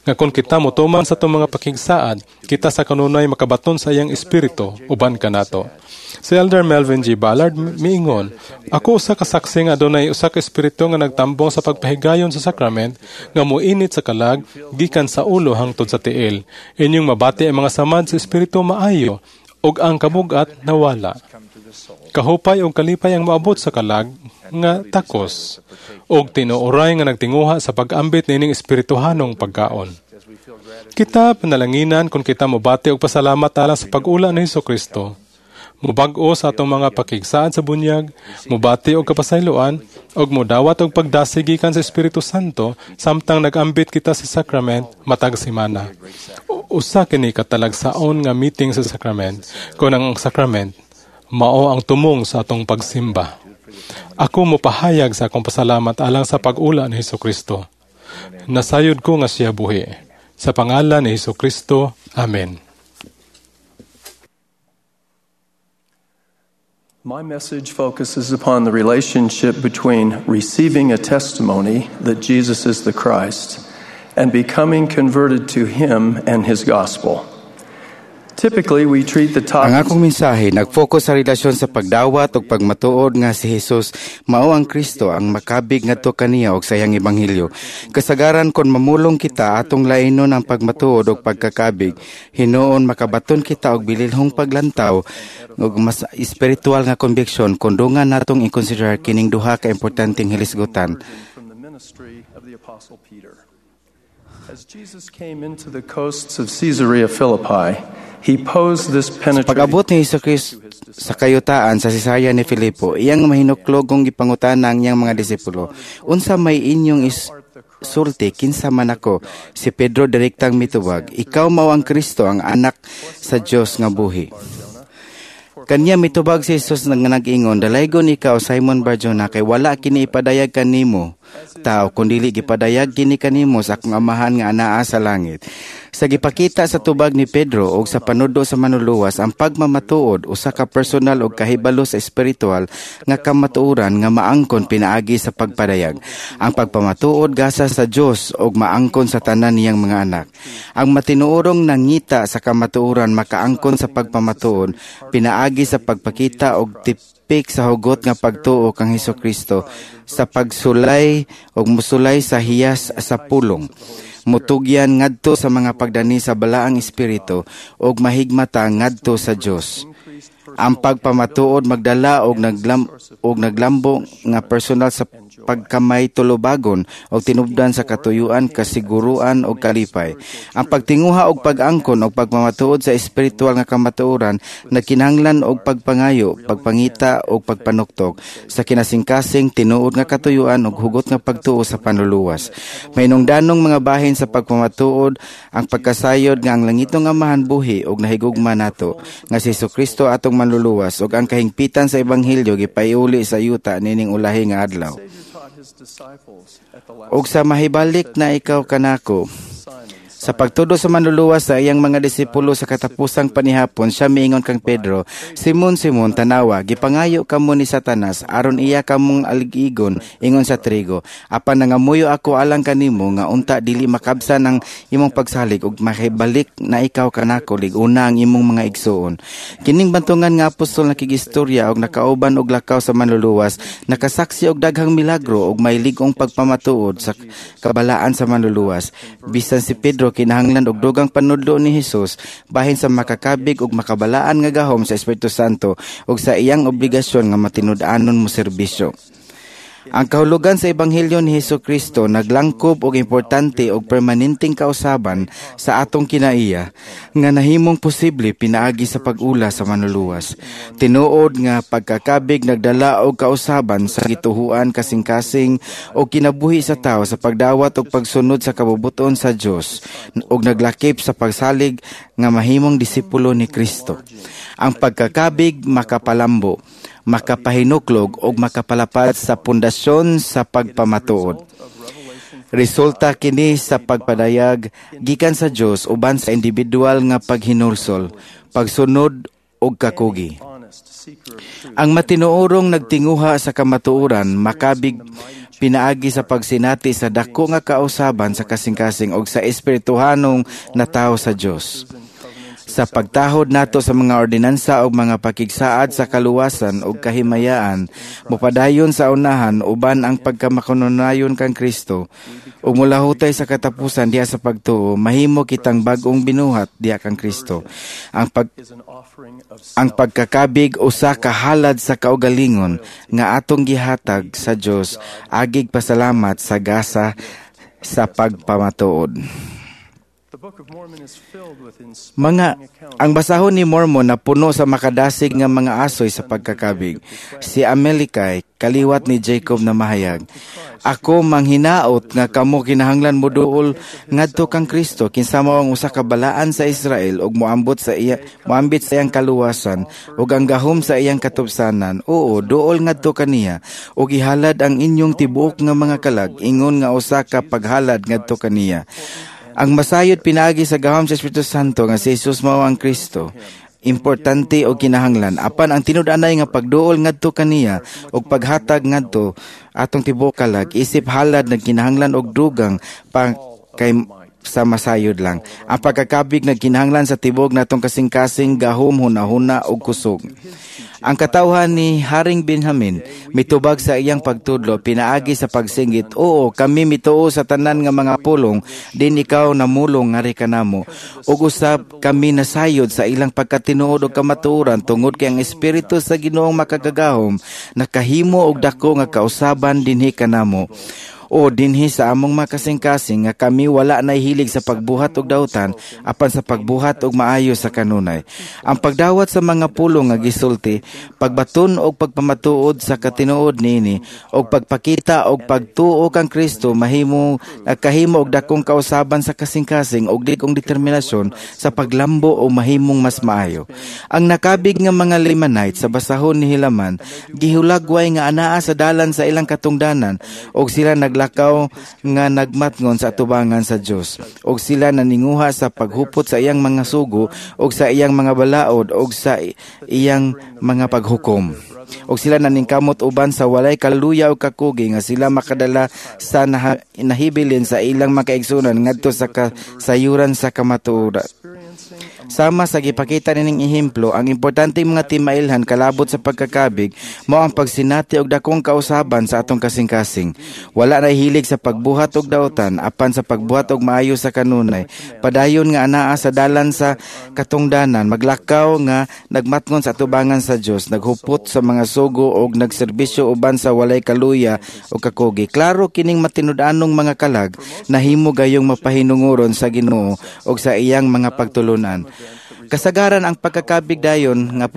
nga kung kita motuman sa itong mga pakigsaad, kita sa kanunay makabaton sa iyang espiritu uban kanato. Si Elder Melvin G. Ballard miingon, "Ako usa ka saksi nga adunay usa ka espiritu nga nagtambong sa pagpahigayon sa sakrament nga moinit sa kalag gikan sa ulo hangtod sa tiil. Inyong mabati ang mga samad sa espiritu maayo ug ang kabugat nawala. Kahupay og kalipay ang moabot sa kalag nga takos ug tinuoray nga nagtinguha sa pag-ambit nining espirituhanong pagkaon. Kita panalanginan kung kita mobati og pasalamat alang sa pag-ula ni Hesukristo. Mubag-o sa atong mga pakigsaad sa bunyag, mobati og kapasayloan, ug modawat og pagdasig gikan sa Espiritu Santo samtang nag-ambit kita sa sakrament matag semana. Usa kini katalagsaon nga meeting sa sakrament, kon ang sakrament mao ang tumong sa atong pagsimba. Ako mopahayag sa akong pasalamat alang sa pag-ula ni Hesukristo. Nasayod ko nga siya buhi. Sa pangalan ni Hesukristo. Amen. My message focuses upon the relationship between receiving a testimony that Jesus is the Christ and becoming converted to Him and His gospel. Typically, we treat the Ang topic akong mensahe nagfocus sa relasyon sa pagdawat ug pagmatuod nga si Hesus mao ang Kristo ang makabig ngadto kaniya ug sa iyang ebanghelyo. Kasagaran kon mamulong kita atong lainon ang pagmatuod ug pagkakabig, hinuon makabaton kita og bililhong paglantaw ug mas espiritual nga conviction kon dungan natong i-consider kining duha ka importanteng hilisgutan. From the ministry of the Apostle Peter. As Jesus came into the coasts of Caesarea Philippi, he posed this penetrating Pag-abot ni Hesus Kristo sa kayutaan sa Cesarea ni Filipo, iyang mahinuklogong gipangutana ang iyang mga disipulo, "Unsa may inyong sulti kinsa man ako?" Si Pedro direktang mitubag, "Ikaw mao ang Kristo, ang anak sa Dios nga buhi." Kanya mitubag si Jesus nga nag-ingon, "Dalaygon ikaw, Simon Barjona, kay wala kini ipadayag kanimo tao, kundili gipadayag kini kanimo sa akong Amahan nga anaa sa langit." Sa gipakita sa tubag ni Pedro og sa panudlo sa Manluluwas, ang pagmamatuod usa ka personal og kahibalo sa espiritual nga kamatuoran nga maangkon pinaagi sa pagpadayag. Ang pagpamatuod gasa sa Dios og maangkon sa tanan niyang mga anak. Ang matinuorong nangita sa kamatuoran makaangkon sa pagpamatuod pinaagi sa pagpakita og tipik sa hugot nga pagtuo kang Hesukristo sa pagsulay og musulay sa hiyas sa pulong, mutugyan ngadto sa mga pagdani sa Balaang Espiritu ug mahigmata ngadto sa Dios. Ang pagpamatuod magdala og naglambo nga personal sa pagkamay tulubagon og tinubdan sa katuyuan, kasiguruan og kalipay. Ang pagtinguha og pag-angkon og pagpamatuod sa espiritual nga kamatuoran nagkinahanglan og pagpangayo, pagpangita og pagpanuktok sa kinasingkasing tinuod nga katuyuan og hugot nga pagtuo sa Panluluwas. Mahinungdanong mga bahin sa pagpamatuod ang pagkasayod nga ang langitong Amahan buhi og nahigugma nato nga si Hesukristo atong Manluluwas ug ang kahingpitan sa ebanghelyo gipaiuli sa yuta nining ulahi nga adlaw. Og sa mahibalik na ikaw kanako. Sa pagtudo sa Manluluwas sa iyang mga disipulo sa katapusang panihapon, siya miingon kang Pedro, "Simon, Simon, tanawa, gipangayo kamo ni Satanas, aron iya kamong aligigon, ingon sa trigo. Apan nangamuyo ako alang kanimo, nga unta dili makabsan ang imong pagsalig, ug makibalik na ikaw kanako, lig-una ang imong mga igsuon." Kining bantungan nga apostol nakigistorya og nakauban og lakaw sa Manluluwas, nakasaksi og daghang milagro og may lig-ong pagpamatuod sa kabalaan sa Manluluwas. Bisan si Pedro kinahanglan og dugang panudlo ni Hesus bahin sa makakabig og makabalaan nga gahom sa Espiritu Santo ug sa iyang obligasyon nga matinud-anon mo serbisyo. Ang kahulugan sa Ebanghelyo ni Hesus Kristo naglangkob og importante og permanenteng kausaban sa atong kinaiya nga nahimong posible pinaagi sa pag-ula sa manluluwas. Tinuod nga pagkakabig nagdala og kausaban sa gituhuan, kasing-kasing o kinabuhi sa tawo sa pagdawat og pagsunod sa kabubuton sa Dios ug naglakip sa pagsalig nga mahimong disipulo ni Kristo. Ang pagkakabig makapalambo, makapahinuklog o makapalapad sa pundasyon sa pagpamatuod. Resulta kini sa pagpadayag gikan sa Dios uban sa individual nga paghinulsol, pagsunod ug kakugi. Ang matinuorong nagtinguha sa kamatuoran makabig pinaagi sa pagsinati sa dako nga kausaban sa kasing-kasing og sa espirituhanong natawo sa Dios. Sa pagtahod nato sa mga ordinansa og mga pakigsaad sa kaluwasan ug kahimayaan, mopadayon sa unahan uban ang pagkamakununayon kang Kristo ug mulahutay sa katapusan diha sa pagtuo, mahimo kitang bag-ong binuhat diha kang Kristo. Ang pagkakabig usa ka halad sa kaugalingon nga atong gihatag sa Dios agig pasalamat sa gasa sa pagpamatuod. Ang basahon ni Mormon na puno sa makadasig nga mga asoy sa pagkakabig. Si Amalekite, kaliwat ni Jacob na mahayag, "Ako manghinaot nga kamo kinahanglan moduol ngadto kang Kristo, kinsa mao ang usa ka balaan sa Israel ug moambot sa iya, moambit sa iyang kaluwasan ug ang gahom sa iyang katubsanan. Oo, duol ngadto kaniya ug ihalad ang inyong tibuok nga mga kalag ingon nga usa ka paghalad ngadto kaniya." Ang masayod pinaagi sa gahom sa Espiritu Santo nga si Jesus mao ang Kristo, importante o kinahanglan apan ang tinud-anay nga pagduol ngadto kaniya ug paghatag ngadto atong tibuok kalag isip halad nagkinahanglan og dugang pa kay sa masayod lang. Ang pagkakabig nagkinahanglan sa tibok natong kasing-kasing, gahom, hunahuna ug kusog. Ang katawhan ni Haring Benjamin mitubag sa iyang pagtudlo pinaagi sa pagsinggit, "Oo, kami mituo sa tanan nga mga pulong din ikaw namulong ngari kanamo. Ug usab kami nasayod sa ilang pagkatinuod og kamatuoran tungod kay ang espiritu sa Ginoong makagagahom nakahimo og dako nga kausaban dinhi kanamo. O dinhi sa among makasing-kasing nga kami wala nahilig sa pagbuhat og dautan apan sa pagbuhat og maayo sa kanunay. Ang pagdawat sa mga pulong nga gisulti, pagbaton og pagpamatuod sa katinuod niini og pagpakita og pagtuo kang Kristo mahimo nagkahimo og dakong kausaban sa kasing-kasing og ligong determinasyon sa paglambo o mahimong mas maayo. Ang nakabig nga mga Lamanite sa basahon ni Helaman gihulagway nga anaa sa dalan sa ilang katungdanan og sila naglakaw nga nagmatngon sa atubangan sa Dios og sila naninguha sa paghupot sa iyang mga sugo og sa iyang mga balaod og sa iyang mga paghukom. Og sila naningkamot uban sa walay kaluya o kakugi nga sila makadala sa nahibilin sa ilang makaigsunan ngadto sa kasayuran sa kamatuoran. Sama sa gipakita nining ehemplo, ang importante mga timailhan kalabot sa pagkakabig mao ang pagsinati og dakong kausaban sa atong kasing-kasing. Wala na hilig sa pagbuhat og dautan apan sa pagbuhat og maayo sa kanunay. Padayon nga anaa sa dalan sa katungdanan, maglakaw nga nagmatngon sa atubangan sa Dios, naghupot sa mga sugo og nagserbisyo uban sa walay kaluya o kakugi. Klaro kining matinud-anong mga kalag nahimo gayong mapahinunguron sa Ginoo og sa iyang mga pagtulunan. Kasagaran ang pagkakabig dayon nga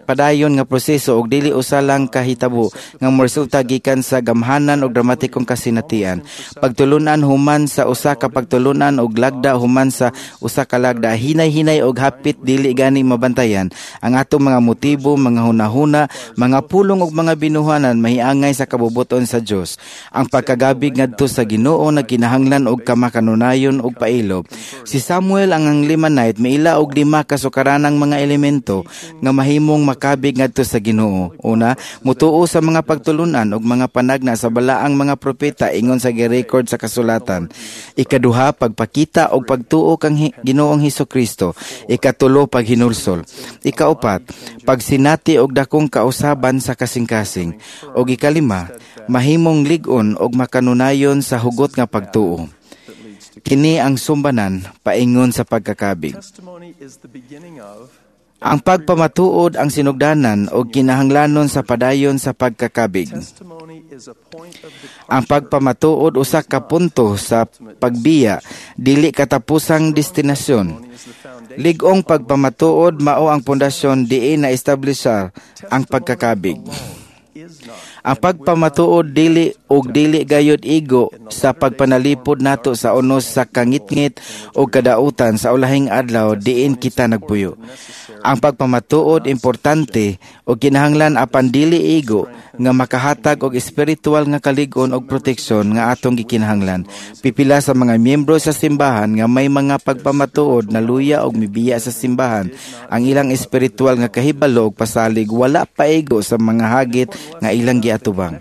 padayon nga proseso og dili usa lang kahitabo nga moresulta gikan sa gamhanan og dramatikong kasinatian. Pagtulunan human sa usa ka pagtulunan og lagda human sa usa ka lagda, hinay-hinay og hapit dili gani mabantayan ang atong mga motibo, mga hunahuna, mga pulong og mga binuhanan mahiangay sa kabubuton sa Dios. Ang pagkagabig ngadto sa Ginoo nagkinahanglan og kamakanunayon og pailob. Si Samuel ang Lamanite miila og 5 kasukaranang mga elemento nga mahimong makabig ngadto sa Ginoo. Una, mutuo sa mga pagtulunan ug mga panagna sa balaang mga propeta ingon sa girecord sa kasulatan. Ikaduha, pagpakita og pagtuo kang Ginoong Hesukristo. Ikatulo, paghinulsol. Ikaupat, pagsinati og dakong kausaban sa kasing-kasing. Og ikalima, mahimong lig-on og makanunayon sa hugot nga pagtuo. Kini ang sumbanan paingon sa pagkakabig. Ang pagpamatuod ang sinugdanan o kinahanglanon sa padayon sa pagkakabig. Ang pagpamatuod usa ka punto sa pagbiya, dili katapusang destinasyon. Lig-ong pagpamatuod mao ang pundasyon diin na-establishar ang pagkakabig. Ang pagpamatuod dili og dili gayud igo sa pagpanalipod nato sa unos sa kangitngit o kadautan sa ulahing adlaw diin kita nagpuyo. Ang pagpamatuod importante og kinahanglan apan dili igo nga makahatag og espiritual nga kalig-on og proteksyon nga atong gikinahanglan. Pipila sa mga miyembro sa simbahan nga may mga pagpamatuod na luya og mibiya sa simbahan, ang ilang espiritual nga kahibalo og pasalig wala paigo sa mga hagit nga ilang giatubang.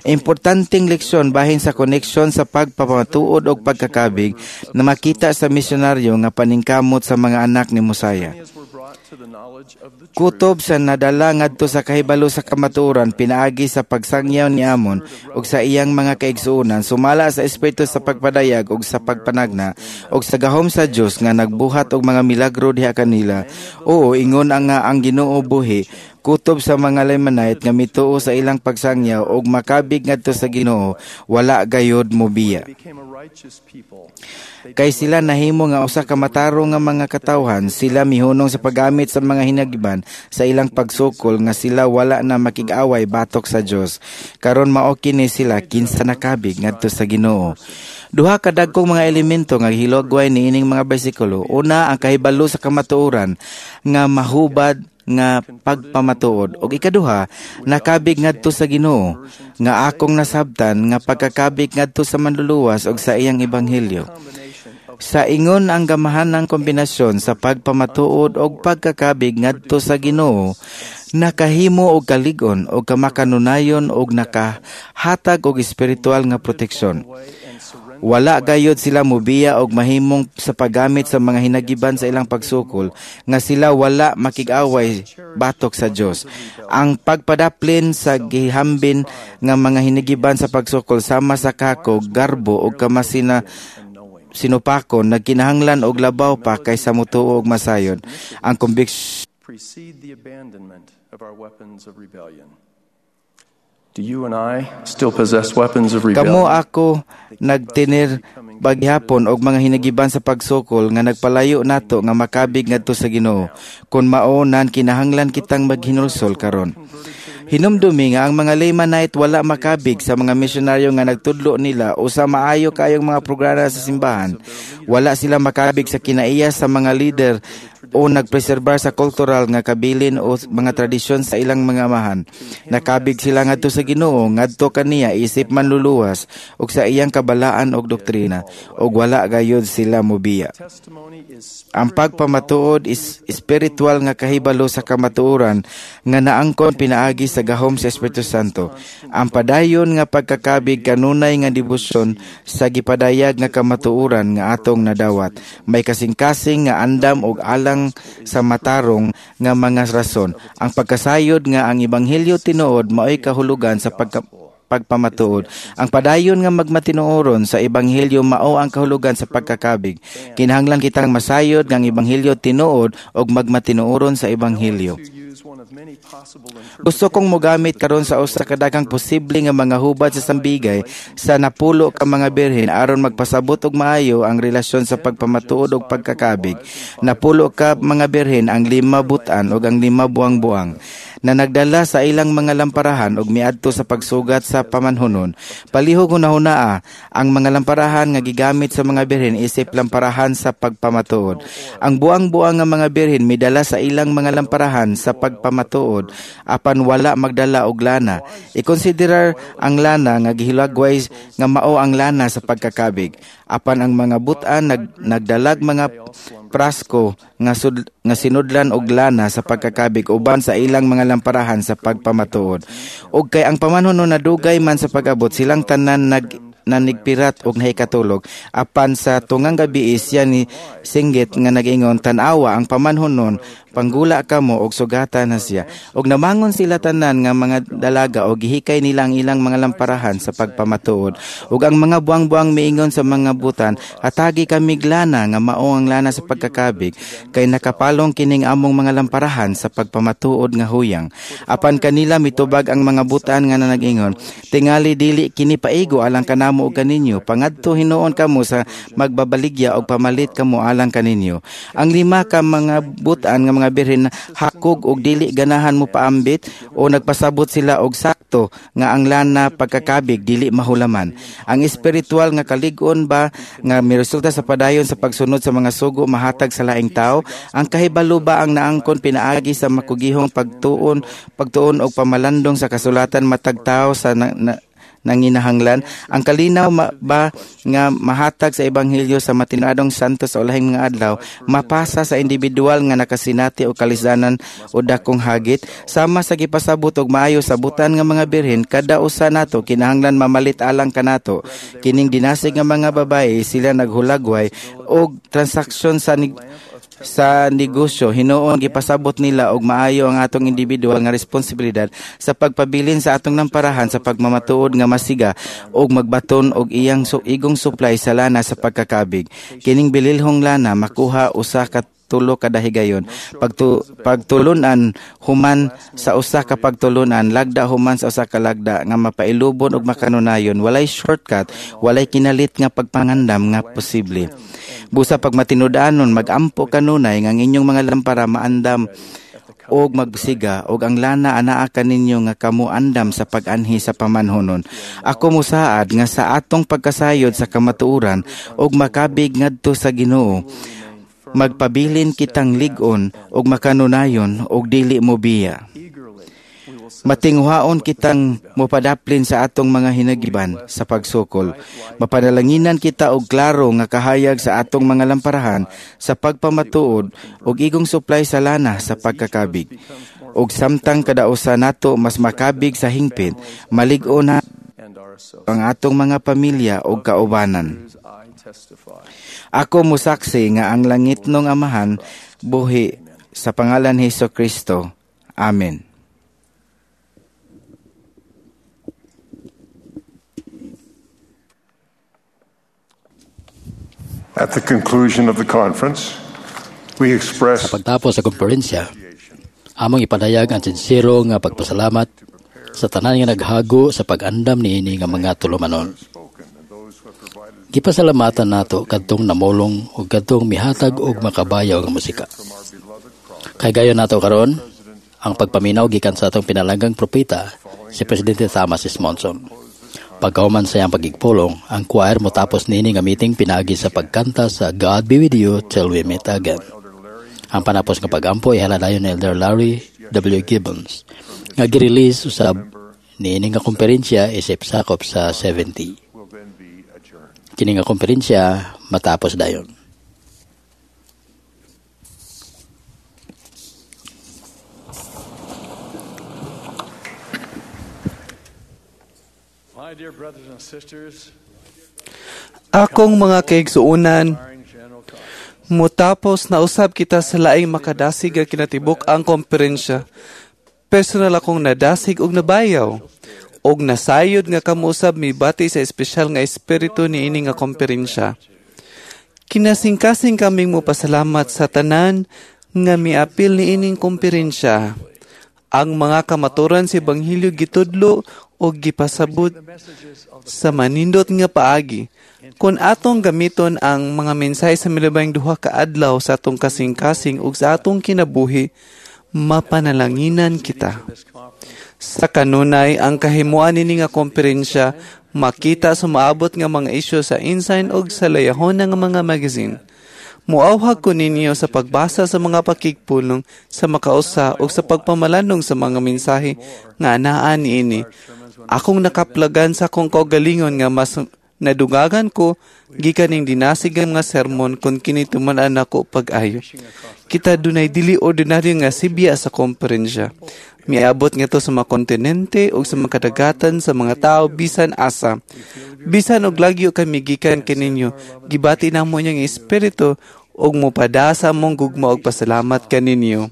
Importanteng leksyon bahin sa koneksyon sa pagpamatuod og pagkakabig na makita sa misyonaryo nga paningkamot sa mga anak ni Mosaya. Kutob sa nadala ngadto sa kahibalo sa kamatuoran pinaagi sa pagsangyaw ni Amon ug sa iyang mga kaigsuonan sumala sa espiritu sa pagpadayag ug sa pagpanagna ug sa gahom sa Dios nga nagbuhat og mga milagro diha kanila. Oo, ingon ang nga ang Ginoo buhi kutob sa mga Lamanite nga mituo sa ilang pagsangyaw ug makabig ngadto sa Ginoo, wala gayod mobiya. Kay sila nahimo nga usa ka matarong nga mga katawhan, sila mihunong sa paggamit sa mga hinagiban sa ilang pagsukol nga sila wala na makig-away batok sa Dios. Karon mao kini sila kinsa nakabig ngadto sa Ginoo. Duha ka dagkong mga elemento nga gihilagway niining mga bersikulo. Una, ang kahibalo sa kamatuoran nga mahubad nga pagpamatuod, ug ikaduha, nakabig ngadto sa Ginoo nga akong nasabtan nga pagkakabig ngadto sa manluluwas ug sa iyang ebanghelyo. Sa ingon ang gamahanang kombinasyon sa pagpamatuod og pagkakabig ngadto sa Ginoo nakahimo og kalig-on og kamakanunayon og nakahatag og espiritual nga proteksyon. Wala gayod sila mobiya og mahimong sa paggamit sa mga hinagiban sa ilang pagsukol nga sila wala makig-away batok sa Dios. Ang pagpadaplin sa gihambin nga mga hinagiban sa pagsukol sama sa kako, garbo og kamasina sinupakon nagkinahanglan og labaw pa kaysa motuo og masayon. Ang conviction precede the abandonment of our weapons of rebellion. Do you and I still possess weapons of rebellion? Kamo ako nagtinir baghapon og mga hinagiban sa pagsukol nga nagpalayo nato nga makabig ngadto sa Ginoo. Kun mao nan kinahanglan kitang maghinulsol karon. Hinumdumi nga ang mga Lamanite wala makabig sa mga misyonaryo nga nagtudlo nila o sa maayo kayong mga programa sa simbahan. Wala sila makabig sa kinaiya sa mga leader o nagpreserbar sa kultural nga kabilin o mga tradisyon sa ilang mga amahan. Nakabig sila ngadto sa Ginoo, ngadto kaniya isip manluluwas ug sa iyang kabalaan og doktrina, ug wala gayud sila mobiya. Ang pagpamatuod is espiritual nga kahibalo sa kamatuoran nga naangkon pinaagi sa gahom sa Espiritu Santo. Ang padayon nga pagkakabig kanunay nga debosyon sa gipadayag nga kamatuoran nga atong nadawat. May kasing-kasing nga andam og alang sa matarong nga mga rason. Ang pagkasayod nga ang ebanghelyo tinuod maoy kahulugan sa pagpamatuod. Ang padayon nga magmatinuoron sa ebanghelyo mao ang kahulugan sa pagkakabig. Kinahanglan kitang masayod nga ang ebanghelyo tinuod og magmatinuoron sa ebanghelyo. Gusto kong mogamit karon sa usa ka daghang posible nga mga hubad sa sambigay sa napulo ka mga birhen aron magpasabot og maayo ang relasyon sa pagpamatuod og pagkakabig. Napulo ka mga birhen, ang 5 butan ug ang 5 buang-buang na nagdala sa ilang mga lamparahan og miadto sa pagsugat sa pamanhunon. Palihog hunahunaa ang mga lamparahan nga gigamit sa mga birhen isip lamparahan sa pagpamatuod. Ang buang-buang nga mga birhen midala sa ilang mga lamparahan sa pagpamatuod apan wala magdala og lana. Ikonsiderar ang lana nga gihilagway nga mao ang lana sa pagkakabig. Apan ang mga butan nagdalag mga prasko nga sinudlan og lana sa pagkakabig uban sa ilang mga lamparahan sa pagpamatuod. Og kay ang pamanhunon nadugay man sa pag-abot, silang tanan nanigpirat og nahikatulog. Apan sa tungang gabi siya ni singgit nga nag-ingon, tan-awa ang pamanhonon, panggula kamo og sugata na siya. Og namangon sila tanan nga mga dalaga og gihikay nila ang ilang mga lamparahan sa pagpamatuod. Og ang mga buang-buang miingon sa mga butan, hatagi kami lana nga mao ang lana sa pagkakabig, kay nakapalong kining among mga lamparahan sa pagpamatuod nga huyang. Apan kanila mitubag ang mga butan nga nanagingon, tingali dili kini paigo alang kanamo og kaninyo, pangadto hinuon kamo sa magbabaligya og pamalit kamo alang kaninyo. Ang lima ka mga butan nga mga birhen hakog og dili ganahan mo paambit o nagpasabot sila og sakto nga ang lana pagkakabig dili mahulaman. Ang espiritual nga kalig-on ba nga miresulta sa padayon sa pagsunod sa mga sugo mahatag sa laing tao? Ang kahibalo ba ang naangkon pinaagi sa makugihong pagtuon og pamalandong sa kasulatan matag tao sa nanginahanglan? Ang kalinaw ba nga mahatag sa ebanghelyo sa matinadong santo sa ulahing mga adlaw mapasa sa individual nga nakasinati o kalisanan o dakong hagit? Sama sa gipasabot og maayo sa butan nga mga birhen, kada usa nato kinahanglan mamalit alang kanato. Kining dinasig nga mga babae sila naghulagway og transaksyon sa negosyo. Hinuon gipasabot nila og maayo ang atong individual nga responsibilidad sa pagpabilin sa atong lamparahan sa pagmamatuod nga masiga og magbaton og iyang igong supply sa lana sa pagkakabig. Kining bililhong lana makuha usa ka tulo kada higayon. Pagtulunan human sa usa ka pagtulunan, lagda human sa usa ka lagda nga mapailubon og makanunayon. Walay shortcut, walay kinalit nga pagpangandam nga posible. Busa pag matinud-anon, magampo kanunay nga ang inyong mga lampara maandam og magsiga og ang lana anaa kaninyo nga kamo andam sa pag-anhi sa pamanhonon. Ako musaad nga sa atong pagkasayod sa kamatuoran og makabig ngadto sa Ginoo, magpabilin kitang lig-on og makanunayon og dili mo biya. Matinghuaon kitang mopadaplin sa atong mga hinagiban sa pagsukol. Mapanalanginan kita og klaro nga kahayag sa atong mga lamparahan sa pagpamatuod og igong supply sa lana sa pagkakabig. Og samtang kadausa nato mas makabig sa hingpit, malig-on na ang atong mga pamilya og kaubanan. Ako musaksi nga ang langit nung Amahan buhi sa pangalan ni Hesus Kristo. Amen. At the conclusion of the conference, we express sa pagtapos sa konferensya, among ipadayag ang sinsero nga pagpasalamat sa tanan nga naghago sa pag-andam niini nga mga tulumanon. Gipasalamatan nato kadtong namulong ug kadtong mihatag og makabayaw nga musika. Kay gayon nato karon ang pagpaminaw gikan sa atong pinalanggang propeta si Presidente Thomas S. Monson. Pagkahuman sa iyang pagigpulong, ang choir motapos niini nga meeting pinaagi sa pagkanta sa God Be With You Till We Meet Again. Ang panapos nga pagampo ihaladayon ni Elder Larry W. Gibbons nga gi-release usab niini nga konferensya isip sakop sa 70. Kini nga konferensya matapos dayon. Akong mga kaigsuonan, mutapos na usab kita sa laing makadasig nga kinatibuk ang konferensya. Personal akong nadasig og nabayaw og nasayod nga kamo usab mibati sa espesyal nga espiritu niini nga konferensya. Kinasingkasing kaming mopasalamat sa tanan nga miapil niining konferensya. Ang mga kamaturan sa Ebanghelyo gitudlo og gipasabot sa manindot nga paagi. Kung atong gamiton ang mga mensahe sa milabang duha ka adlaw sa atong kasing-kasing ug sa atong kinabuhi, mapanalanginan kita. Sa kanunay, ang kahimuan nini nga konferensya makita sa maabot nga mga isyu sa Ensign ug sa Layahon nga mga magazine. Muawhag ko ninyo sa pagbasa sa mga pakigpulong sa makausa o sa pagpamalandong sa mga mensahe nga anaa niini. Akong nakaplagan sa akong kaugalingon nga mas Nadungagan ko gikan ning dinasig nga mga sermon kon kini tuman-an nako pag-ayo. Kita dunay dili ordinaryo nga sibya sa komperensya. Miabot ngadto sa mga kontinente ug sa mga kadagatan sa mga tawo bisan asa. Bisan og lagyo kami gikan kaninyo, gibati namo inyong espiritu ug mopadasa mong gugma og pasalamat kaninyo.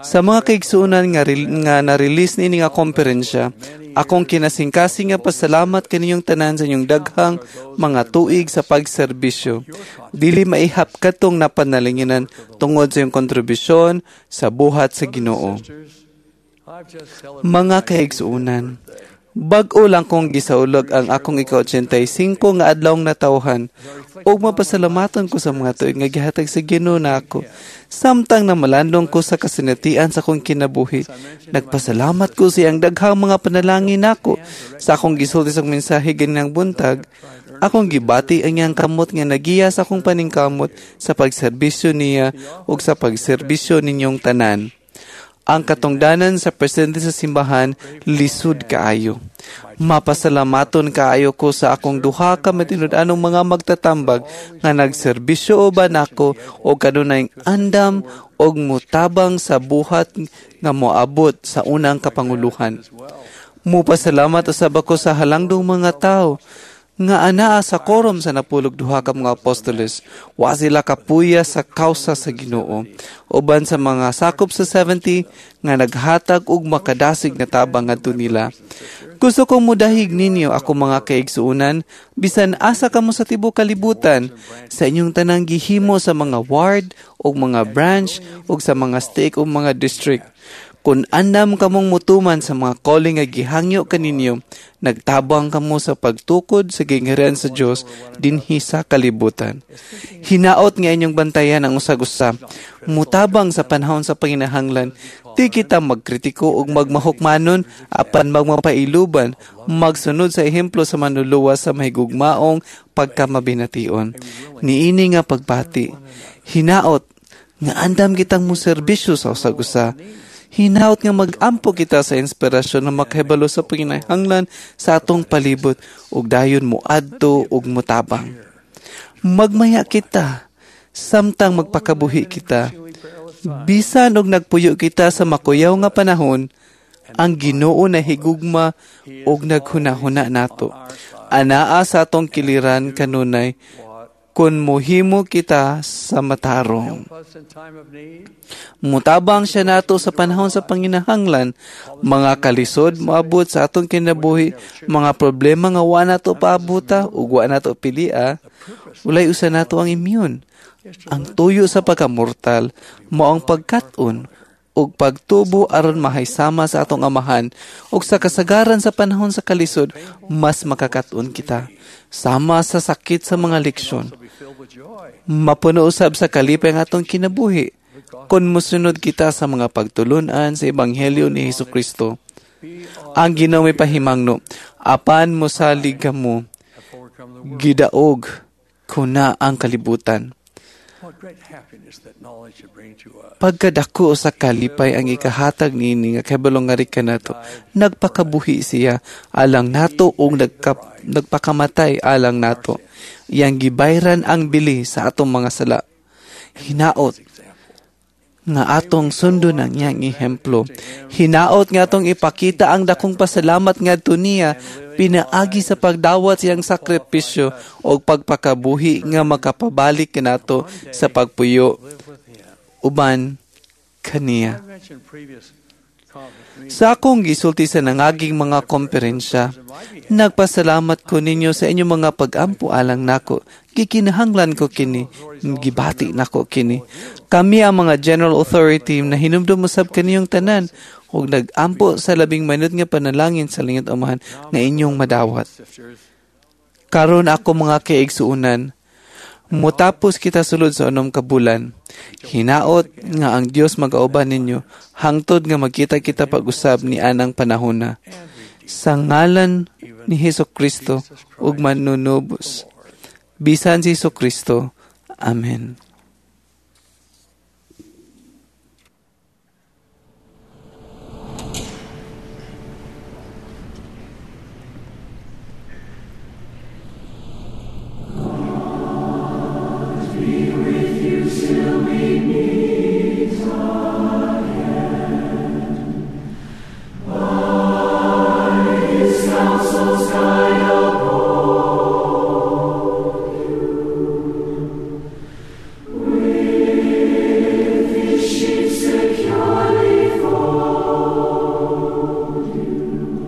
Sa mga kaigsuonan nga na-release niini nga komperensya, akong kinasingkasing nga pasalamat kaninyong tanan sa inyong daghang mga tuig sa pagserbisyo. Dili maihap katong napanalinginan tungod sa iyong kontribusyon sa buhat sa Ginoo. Mga kaigsuonan, bag-o lang kong gisaulog ang akong ika-85 nga adlawng natawhan ug mapasalamatan ko sa mga tuig nga gihatag sa Ginoo nako. Samtang namalandong ko sa kasinatian sa akong kinabuhi, nagpasalamat ko sa iyang daghang mga panalangin nako. Sa akong gisulti sa mensahe ganinang buntag, akong gibati ang iyang kamot nga nagiya sa akong paningkamot sa pagserbisyo niya ug sa pagserbisyo ninyong tanan. Ang katungdanan sa presidente sa simbahan lisod kaayo. Mapasalamaton kaayo ko sa akong duha ka matinud-anong mga magtatambag nga nagserbisyo uban nako o kanunay andam og mutabang sa buhat nga moabot sa unang kapanguluhan. Mupasalamat usab ako sa halangdong mga tawo nga anaa sa korom sa 12 ka mga apostoles. Wa sila kapuya sa kausa sa Ginoo. Uban sa mga sakop sa 70 nga naghatag og makadasig nga tabang ngadto nila. Gusto kong mudahig ninyo ako mga kaigsuonan, bisan asa kamo sa tibuok kalibutan, sa inyong tanang gihimo sa mga ward ug mga branch ug sa mga stake ug mga district. Kung andam kamong mutuman sa mga calling nga gihangyo kaninyo, nagtabang kamo sa pagtukod sa gingharian sa Dios dinhi sa kalibutan. Hinaot nga inyong bantayan ang usag-usa. Mutabang sa panahon sa panginahanglan, di kita magkritiko ug magmahukmanon apan magmapailuban, magsunod sa ehemplo sa manluluwas sa mahigugmaong pagkamabination. Niini nga pagbati, hinaot nga andam kitang moserbisyo sa usag-usa. Hinaot nga mag-ampo kita sa inspirasyon na makahibalo sa panginahanglan sa atong palibot ug dayon moadto ug motabang. Magmaya kita samtang magpakabuhi kita. Bisan og nagpuyo kita sa makuyaw nga panahon, ang Ginoo na higugma ug naghunahuna nato. Anaa sa atong kiliran kanunay kun mohimo kita sa matarong. Mutabang siya nato sa panahon sa panginahanglan, mga kalisod moabot sa atong kinabuhi, mga problema nga wa nato paabuta ug wa nato pilia, walay usa nato ang immune. Ang tuyo sa pagkamortal mao ang pagkat-on ug pagtubo aron mahaysama sa atong amahan ug sa kasagaran sa panahon sa kalisod mas makakaton kita sama sa sakit sa mga leksyon. Mapuno usab sa kalipay ang atong kinabuhi kung mosunod kita sa mga pagtulun-an sa ebanghelyo ni Hesukristo. Ang Ginoo may pahimangno, apan mosalig kamo, gidaog ko na ang kalibutan. Pagkadako sa kalipay ang ikahatag niini nga kahibalo nga ri kanato, nagpakabuhi siya alang nato ug nagpakamatay alang nato. Iyang gibayran ang bili sa atong mga sala. Hinaot nga atong sundon ang iyang ehemplo. Hinaot nga atong ipakita ang dakong pasalamat ngadto niya pinaagi sa pagdawat siyang sakripisyo o pagpakabuhi nga makapabalik kanato sa pagpuyo uban kaniya. Sa akong gisulti sa nangaging mga komperensya, nagpasalamat ko ninyo sa inyong mga pag-ampo alang nako. Gikinahanglan ko kini, gibati nako kini. Kami ang mga general authority na hinumdum usab kaniyong tanan ug nag-ampo sa labing manut nga panalangin sa langit amahan nga inyong madawat. Karon ako mga kaigsuonan, mutapos kita sulod sa 6 ka bulan. Hinaot nga ang Dios magauban ninyo hangtod nga magkita kita pag-usab ni anang panahona. Sa ngalan ni Hesukristo ug manunubos. Bisan si Hesukristo. Amen. Be with you till we meet again. By His counsel's guide uphold you. With His sheep securely fold you.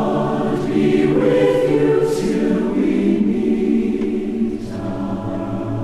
God be with you till we meet God be with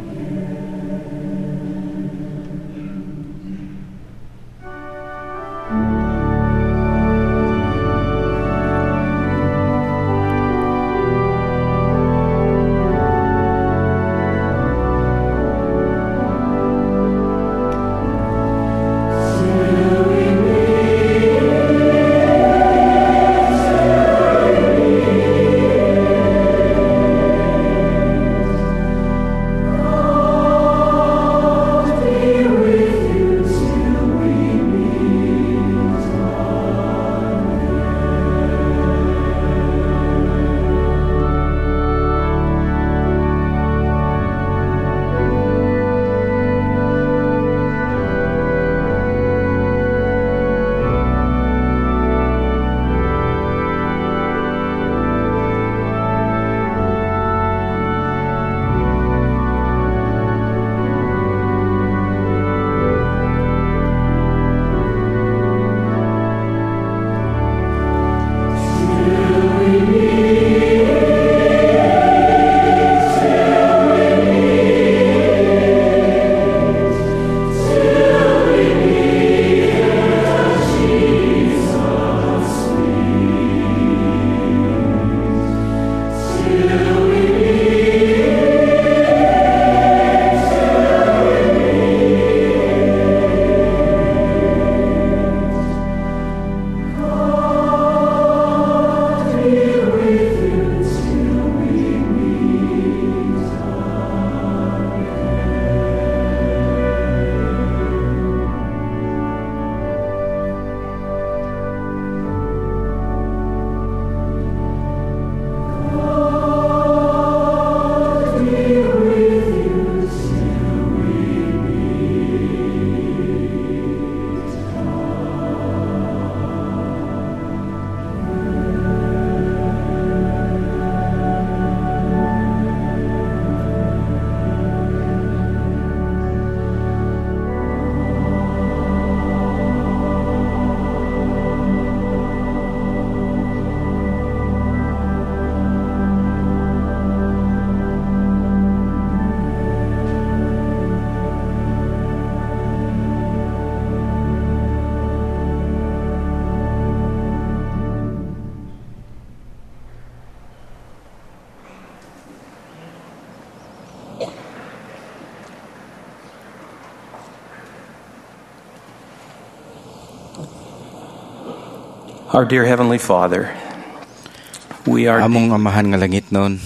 you till we meet God be with you till we meet God be with you till we meet Our dear Heavenly Father, we are Among amahan nga langit noon,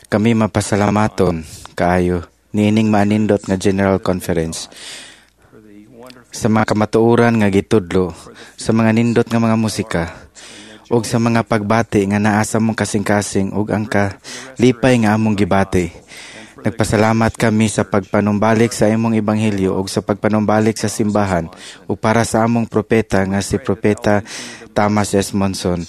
kami mapasalamaton kaayo niining maanindot nga General Conference sa mga kamatuoran nga gitudlo, sa mga nindot nga mga musika, ug sa mga pagbati nga naa sa among kasing-kasing ug ang kalipay nga among gibati. Nagpasalamat kami sa pagpanumbalik sa imong ebanghelyo ug sa pagpanumbalik sa simbahan ug para sa among propeta nga si Propeta Thomas S. Monson.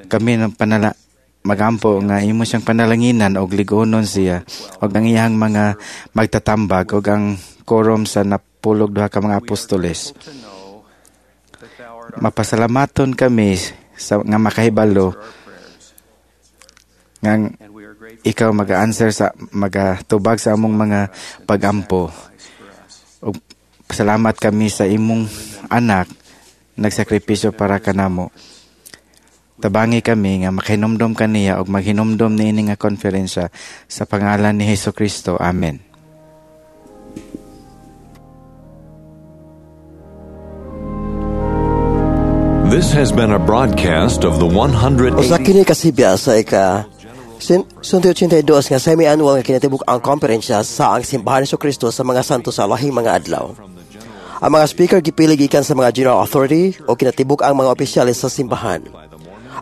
Kami ng panala magampo nga imo siyang panalanginan og ligonon siya ug ang iyang mga magtatambag ug ang korom sa napulog duha ka mga apostoles. Mapasalamaton kami sa nga makahibalo nga ikaw maga-answer sa magatubag sa among mga pagampo. Ug salamat kami sa imong anak nagsakripisyo para kanamo. Tabangi kami nga makahinumdom kaniya ug maghinumdom niini nga konferensya sa pangalan ni Hesus Kristo. Amen. This has been a broadcast of the 180 Usa kini kasibya sa ika 182 nga semi-annual nga kinatibuk ang konferensya sa ang Simbahan ni Kristo sa mga santo sa lahing mga adlaw. Ang mga speaker gipili gikan sa mga general authority o kinatibuk ang mga opisyales sa simbahan.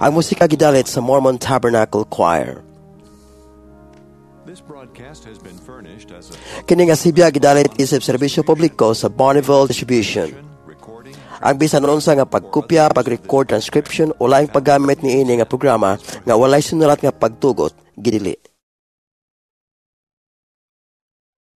Ang musika gidalit sa Mormon Tabernacle Choir. This broadcast has been furnished as a Kini nga sibya gidalit isip serbisyo publiko sa Bonneville Distribution. Ang bisan unsa nga pagkopya, pag-record, transcription o laing paggamit niini nga programa nga walay sinulat nga pagtugot, gidili.